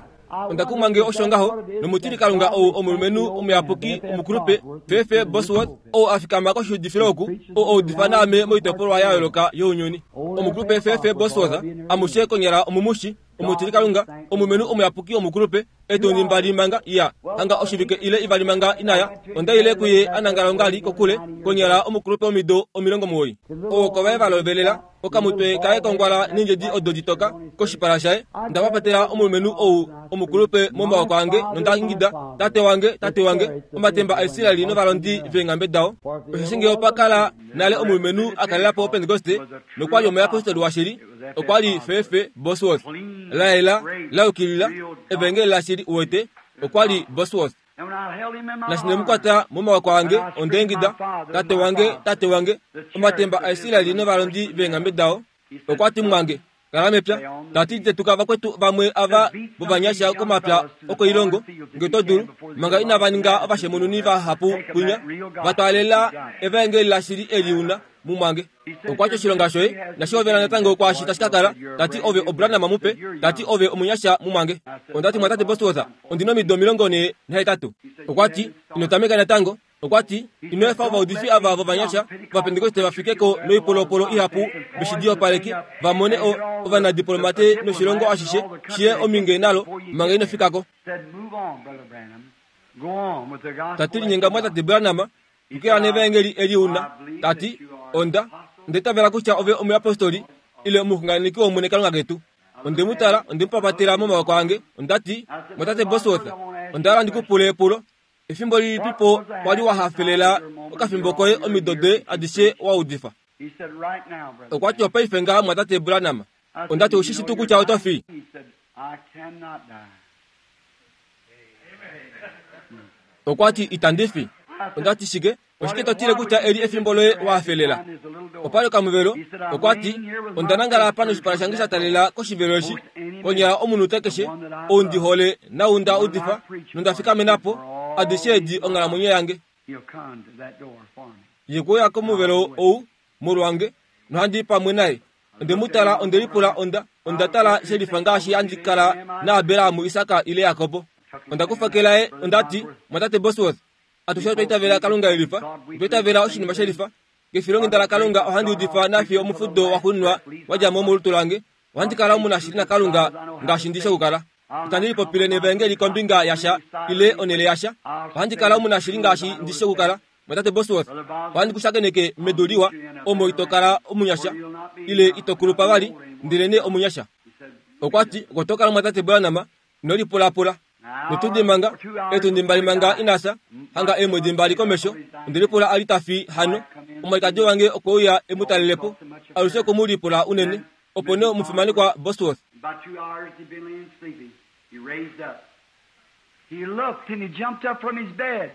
Onda kumwa nge osho ngaho, nomutilikalunga ou omulumenhu omuyapuki omukulupe, Fefe Bosworth, ou a fikama koshiudifilo oku, ou a udifa naame moitopolwa ya yooloka younyuni. Omukulupe Fefe Bosworth, amushe konyala omumushi, omutilikalunga, omulumenhu omuyapuki omukulupe, Etundi mbali manga ya hanga oshivike ile ivali manga inaya, onda ile kuye a nangala ongali kokule, konyala omukulupe womido 90. Owoko vaye va lovelela, okamutwe kaye kongwala neendjedi odo ditoka koshipala shaye. Onda papatela omulumenhu ou omukulupe momaoko ange nonda ingida, Tate wange, tate wange, omatemba aIsrael novalondi veenghambe dao! Osheshi nge opa kala nale omulumenhu a kalela po Opentekoste nokwa li omuyapostoli washili, okwa li Fefe Bosworth. La yela, la yukilila, evangeli lashili, uwete, okwa li Bosworth. Nashi nde mu kwata momawako ange, onda ingida, Tate wange, tate wange, omatemba aIsraeli novalondi veenghambe dao! Okwa ti, Mumwange, kala mepya. Ta ti, Tetuka vakwetu vamwe ava vovanyasha komapya okoilongo, nge to dulu, manga inava ninga ovashemununi vahapu kwinya, va twaalela evaengeli lashili eli u na, mumwange. Okwa ti, Oshilonga shoye inashi hovela natango kwaashi tashi ka kala. Ta ti, Ove oBranham mupe. Ta ti, Ove omunyasha, mumwange. Onda ti, Mwatate Bosworth, ondi nomido 48. Okwa ti, Ino tameka natango. Okwa ti, Ino efa ovaudifi ava vovanyasha Ovapentekoste va fike ko noipolopolo ihapu veshidiyopaleki, va mone o, ovanadiplomate noshilongo ashishe shi ye ominge nalo manga ino fika ko. Ta ti, Linyenga Mwatate Branham, twikila nevaengeli eli u na. Ta ti, Onda, onda itavela kutya ove omuyapostoli ile omuxunganeki wOmwene Kalunga ketu. Onde mu tala, onde mu papatela momawoko ange. Onda ti, Mwatate Bosworth, onda hala ndi ku pule epulo. Efimbo lilipi po wa li wa hafelela okafimbo koye omido doye adishe wa udifa? Okwa ti, Opaife ngaha Mumwatate Branham. Onda ti, Oushi shi tuu kutya oto fi? Okwa ti, Itandi fi. Onda ti, Shike? Oshike to tile kutya eli efimbo loye wa hafelela? Opa li okamuvelo. Okwa ti, Onda nangala apa noshipala shange sha talela koshivelo eshi. Konyala omunute keshe, ou ndi hole naau nda udifa nonda fikamena po, adishe edi onghalamwenyo yange. Ye okwe uya komuvelo ou molwange, nohandi i pamwe naye. Onde mu tala, onde lipula, onda, onda tala she lifa ngaashi handi kala naAbraham, Isak ile Jakob. Onda kufa ke laye, onda ti, Mwatate Bosworth, Atushe otwa itavela Kalunga e lifa. Otwa itavela oshinima she lifa. Kefilonghenda laKalunga ohandi udifa nafiyo omufudo waxuuninwa wa dja mo molutu lange. Ohandi kala omunashili naKalunga ngaashi ndi shi okukala. Itandi lipopile nevaengeli kombinga yasha ile onhele yasha. Ohandi kala omunashili ngaashi ndi shi okukala. Mwatate Bosworth, ohandi ku shakeneke medu liwa omo ito kala omunyasha ile ito kulupa vali, ndelenee omunyasha. Okwa ti, Oko to kala Mwatate Branham, ino lipulapula. Notundi manga, eetundi mbali manga ina fya, hanga eemwedi mbali komesho, onde lipula a li ta fi hano. Omwalikadi wange okwe uya e mu talele po, alushe oku mu lipula unene. Opo nee omufimanekwa Bosworth. About two hours he'd been laying sleeping. He raised up. He looked and he jumped up from his bed.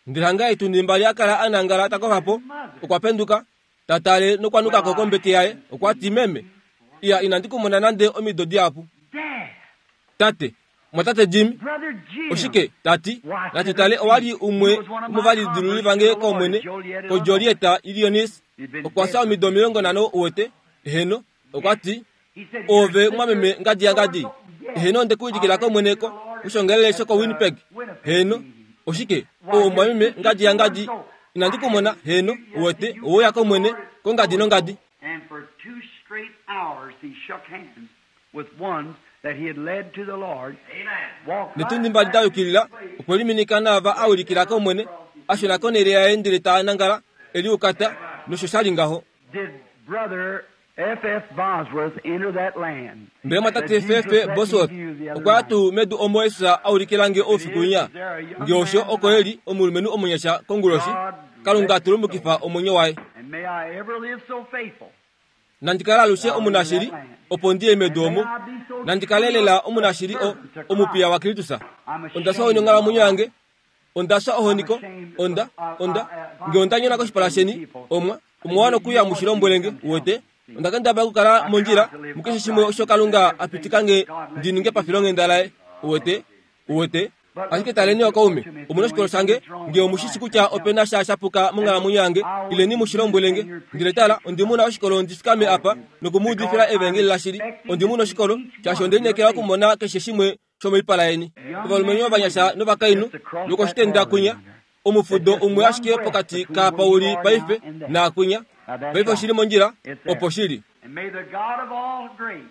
Ndele hanga eetundi mbali a kala a nangala ta kofa po, okwa penduka, ta tale nokwa nuka ko kombete yaye. Okwa ti, Meme, iya inandi ku mona nande omido dihapu. Dad, Tate, Mwatate Jim, Brother Jim. oshike, ta ti, natu tale owa li umwe womovalidiluli vange kOmwene, koJolieta, Illinois. Okwa fya omido 50 uwete. Eheno, okwa ti, He said, Ove mwameme ngadi yangadi. Eheno, onde ku ulikila kOmwene ko kushongelele shoko-Winnipeg. Heno, oshike, o mwameme ngadi yangadi, inandi ku mona, heno, uwete, ouya kOmwene, kongadi nongadi. And for two straight hours he shook hands with ones that he had led to the Lord. Walked Netundi right mbali back da yukilila, to his place. okwe liminika naava a ulikila kOmwene, a shuna konhele yaye ndele ta nangala, e liukata, nosho sha li ngaho. Did Brother F.F. Bosworth enter that land? Mbela mwatate that Jesus FF let me Bosworth view the other okwa ya night? tuu medu omo Jesus a ulikila nge oufiku winya? Nge osho oko e li omulumenhu omunyasha konguloshi, Kalunga tulumukifa omwenyo waye. And may I ever live so faithful. Nandi kale alushe omunashili, opo ndi ye medu omo. Nandi kale lela omunashili o, omupiya waKristus. Onda fya ohoni onghalamwenyo yange. Onda fya ohoni ko, onda, onda, nge onda nyona koshipala sheni, omwa, omwa wana okuya mu shi lombwele nge, uwete. Onda kendabala okukala mondjila mukeshe shimwe osho Kalunga a pitika nge ndi ninge pafilonghenda laye, uwete, uwete. Ashike taleni okaume, omu na oshikolo shange, nge omu shi shi kutya ope na sha shapuka monghalamwenyo yange, ileni mu shi lombwele nge. Ndele tala, ondi mu na oshikolo ndi fikame apa noku mu udifila evangeli lashili. Ondi mu na oshikolo, shaashi onde lineekela okumona keshe shimwe shomoipala yeni. Ovalumenhu ovanyasha novakainhu, nokoshitenda kwinya, omufudo umwe ashike pokati kaapa u li paife naakwinya. Paife oshi li mondjila, opo shi li. And may the God of all grace,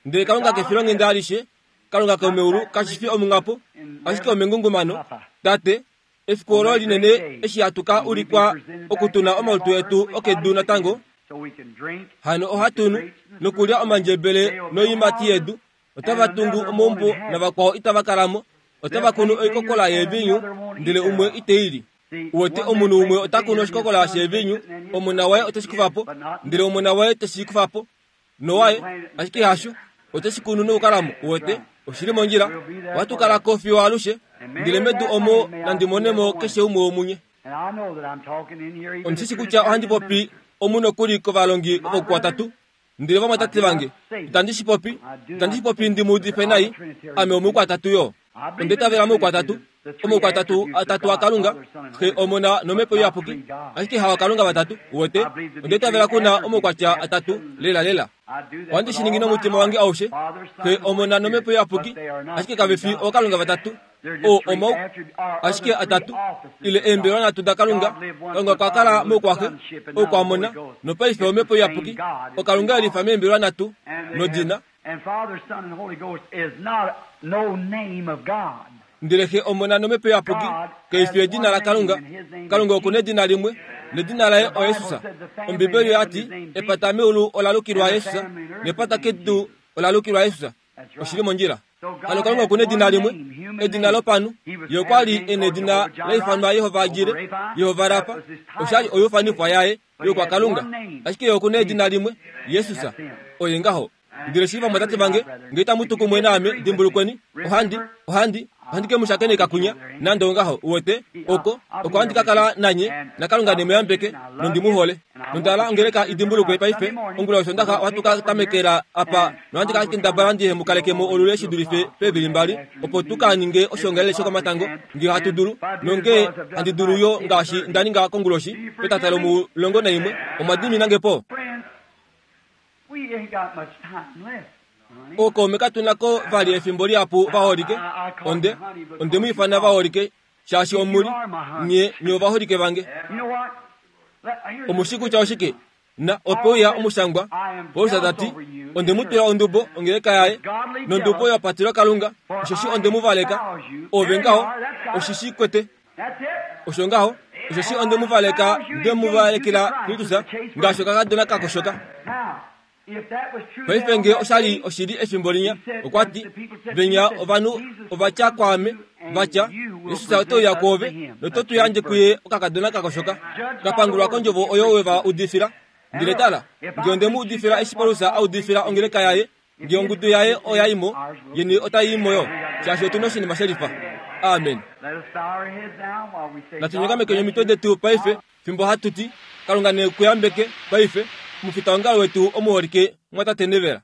Ndele Kalunga kefilonghenda alishe, Kalunga komeulu kashi fi omunghapo, ashike omengungumano. Tate, efiku olo linene eshi hatu ka ulikwa okutuna omalutu etu okedu natango, so we can drink hano ohatu nu nokulya omandjebele noiimati yedu. Otava tungu omaumbo navakwao itava kala mo, otava kunu oikokola yeevinyu, ndele umwe ite i li. Uwete, omunhu umwe ota kunu oshikokola sheevinyu, omona waye ote shi kufa po, ndele omona waye te shi kufa po, nowaye, ashike hasho, ote shi kunu nokukala mo. Uwete, oshi li mondjila. Ohatu kala ko fiyo alushe, ndele medu omo nandi mone mo keshe umwe womunye. And I know that I'm talking in here even Ondi shi to shi kutya ohandi popi omu nokuli kovalongi vokukwatatu, ndele vamwatate vange, itandi shi popi, itandi shi popi ndi mu udife nai, ame omukwatatu yo. Onda itavela moukwatatu, omoukwatatu atatu aKalunga, Xe, Omona nOmhepo Iyapuki, ashike hawaKalunga vatatu, uwete, onda itavela ku na omaukwatya atatu, lela lela. I do that Ohandi with shi ningi all my nomutima heart. wange aushe, Father, Son, Xe, and Holy Omona Spirit. nOmhepo Iyapuki, But they are not ashike kave three fi gods. ookalunga vatatu, They're just o three omau, attributes, or ashike other three atatu, offices ile of eembelwa God. nhatu daKalunga. God lived once Kalunga with okwa kala Father, moukwaxe, sonship, and now the oukwamona, Holy Ghost. nopaife It's the Omhepo same Iyapuki, God. It's oKalunga three e lifa meembelwa nhatu And they nodina. have, and Father, Son, and Holy Ghost is not no name of God. Ndele Xe, Omona nOmhepo Iyapuki kei fi edina laKalunga. Kalunga oku na edina limwe, nedina laye oJesus. Ombibeli oya ti, Epata meulu ola lukilwa Jesus, nepata kedu ola lukilwa Jesus. Oshi li mondjila. Hano Kalunga oku na edina limwe, edina lopanhu. Ye okwa li e na edina la ifanwa Yehova Jire, Yehova Rafa, osha li oyufanifwa yaye yokwakalunga. Ashike ye oku na edina limwe, Jesus. Oye ngaho. Ndele shili vamwatate vange, nge itamu tu kumwe naame, dimbulukweni, ohandi, ohandi, ohandi ke mu shakeneka kwinya, nande ongaho, uwete, oko, oko ohandi ka kala nanye, naKalunga ne mu yambeke, nondi mu hole. Nonda hala ongeleka i dimbulukwe paife, ongula yOshondaxa ohatu ka tamekela apa, nohandi ka kendabala ndihe mu kaleke mo olule shi dulife peevili mbali, opo tu ka ninge oshiongalele shokomatango, nge ohatu dulu, nonge handi dulu yo ngaashi nda ninga konguloshi, petata lomulongo naimwe, omwa dimina nge po. Friends, we ain't got much time left. honey. Ookaume katu na ko vali efimbo lihapu vaholike, onde, onde mu ifana vaholike, shaashi omu li, nye, nye ovaholike vange. You know what? Let, here's Omu shi kutya oshike? Na ope uya omushangwa, Paulus ta ti, onde mu twila ondubo ongeleka yaye, nondubo ya patilwa Kalunga, osheshi onde mu valeka. Ove ngaho, oshi shi kwete. That's it. Osho ngaho, osheshi onde mu valeka, nde mu valekela Kristus, ngaashi okakadona ka koshoka. Now, Paife nge osha li oshili efimbo linya, okwa ti, Venya ovanhu ova tya kwaame, va tya, Jesus ote uya kwoove, noto tu yandje kuye okakadona ka koshoka, ka pangulwa kondjovo oyo we va udifila. Ndele tala, nge onde mu udifila eshi Paulus a udifila ongeleka yaye, nge ongudu yaye oya i mo, yeni otai i mo yo, shaashi otu na oshinima she lifa. Amen. Natu nyongamekeni omitwe detu paife, fimbo hatu ti, Kalunga ne ku yambeke paife, omufitaongalo wetu omuholike, mwatate Nevera.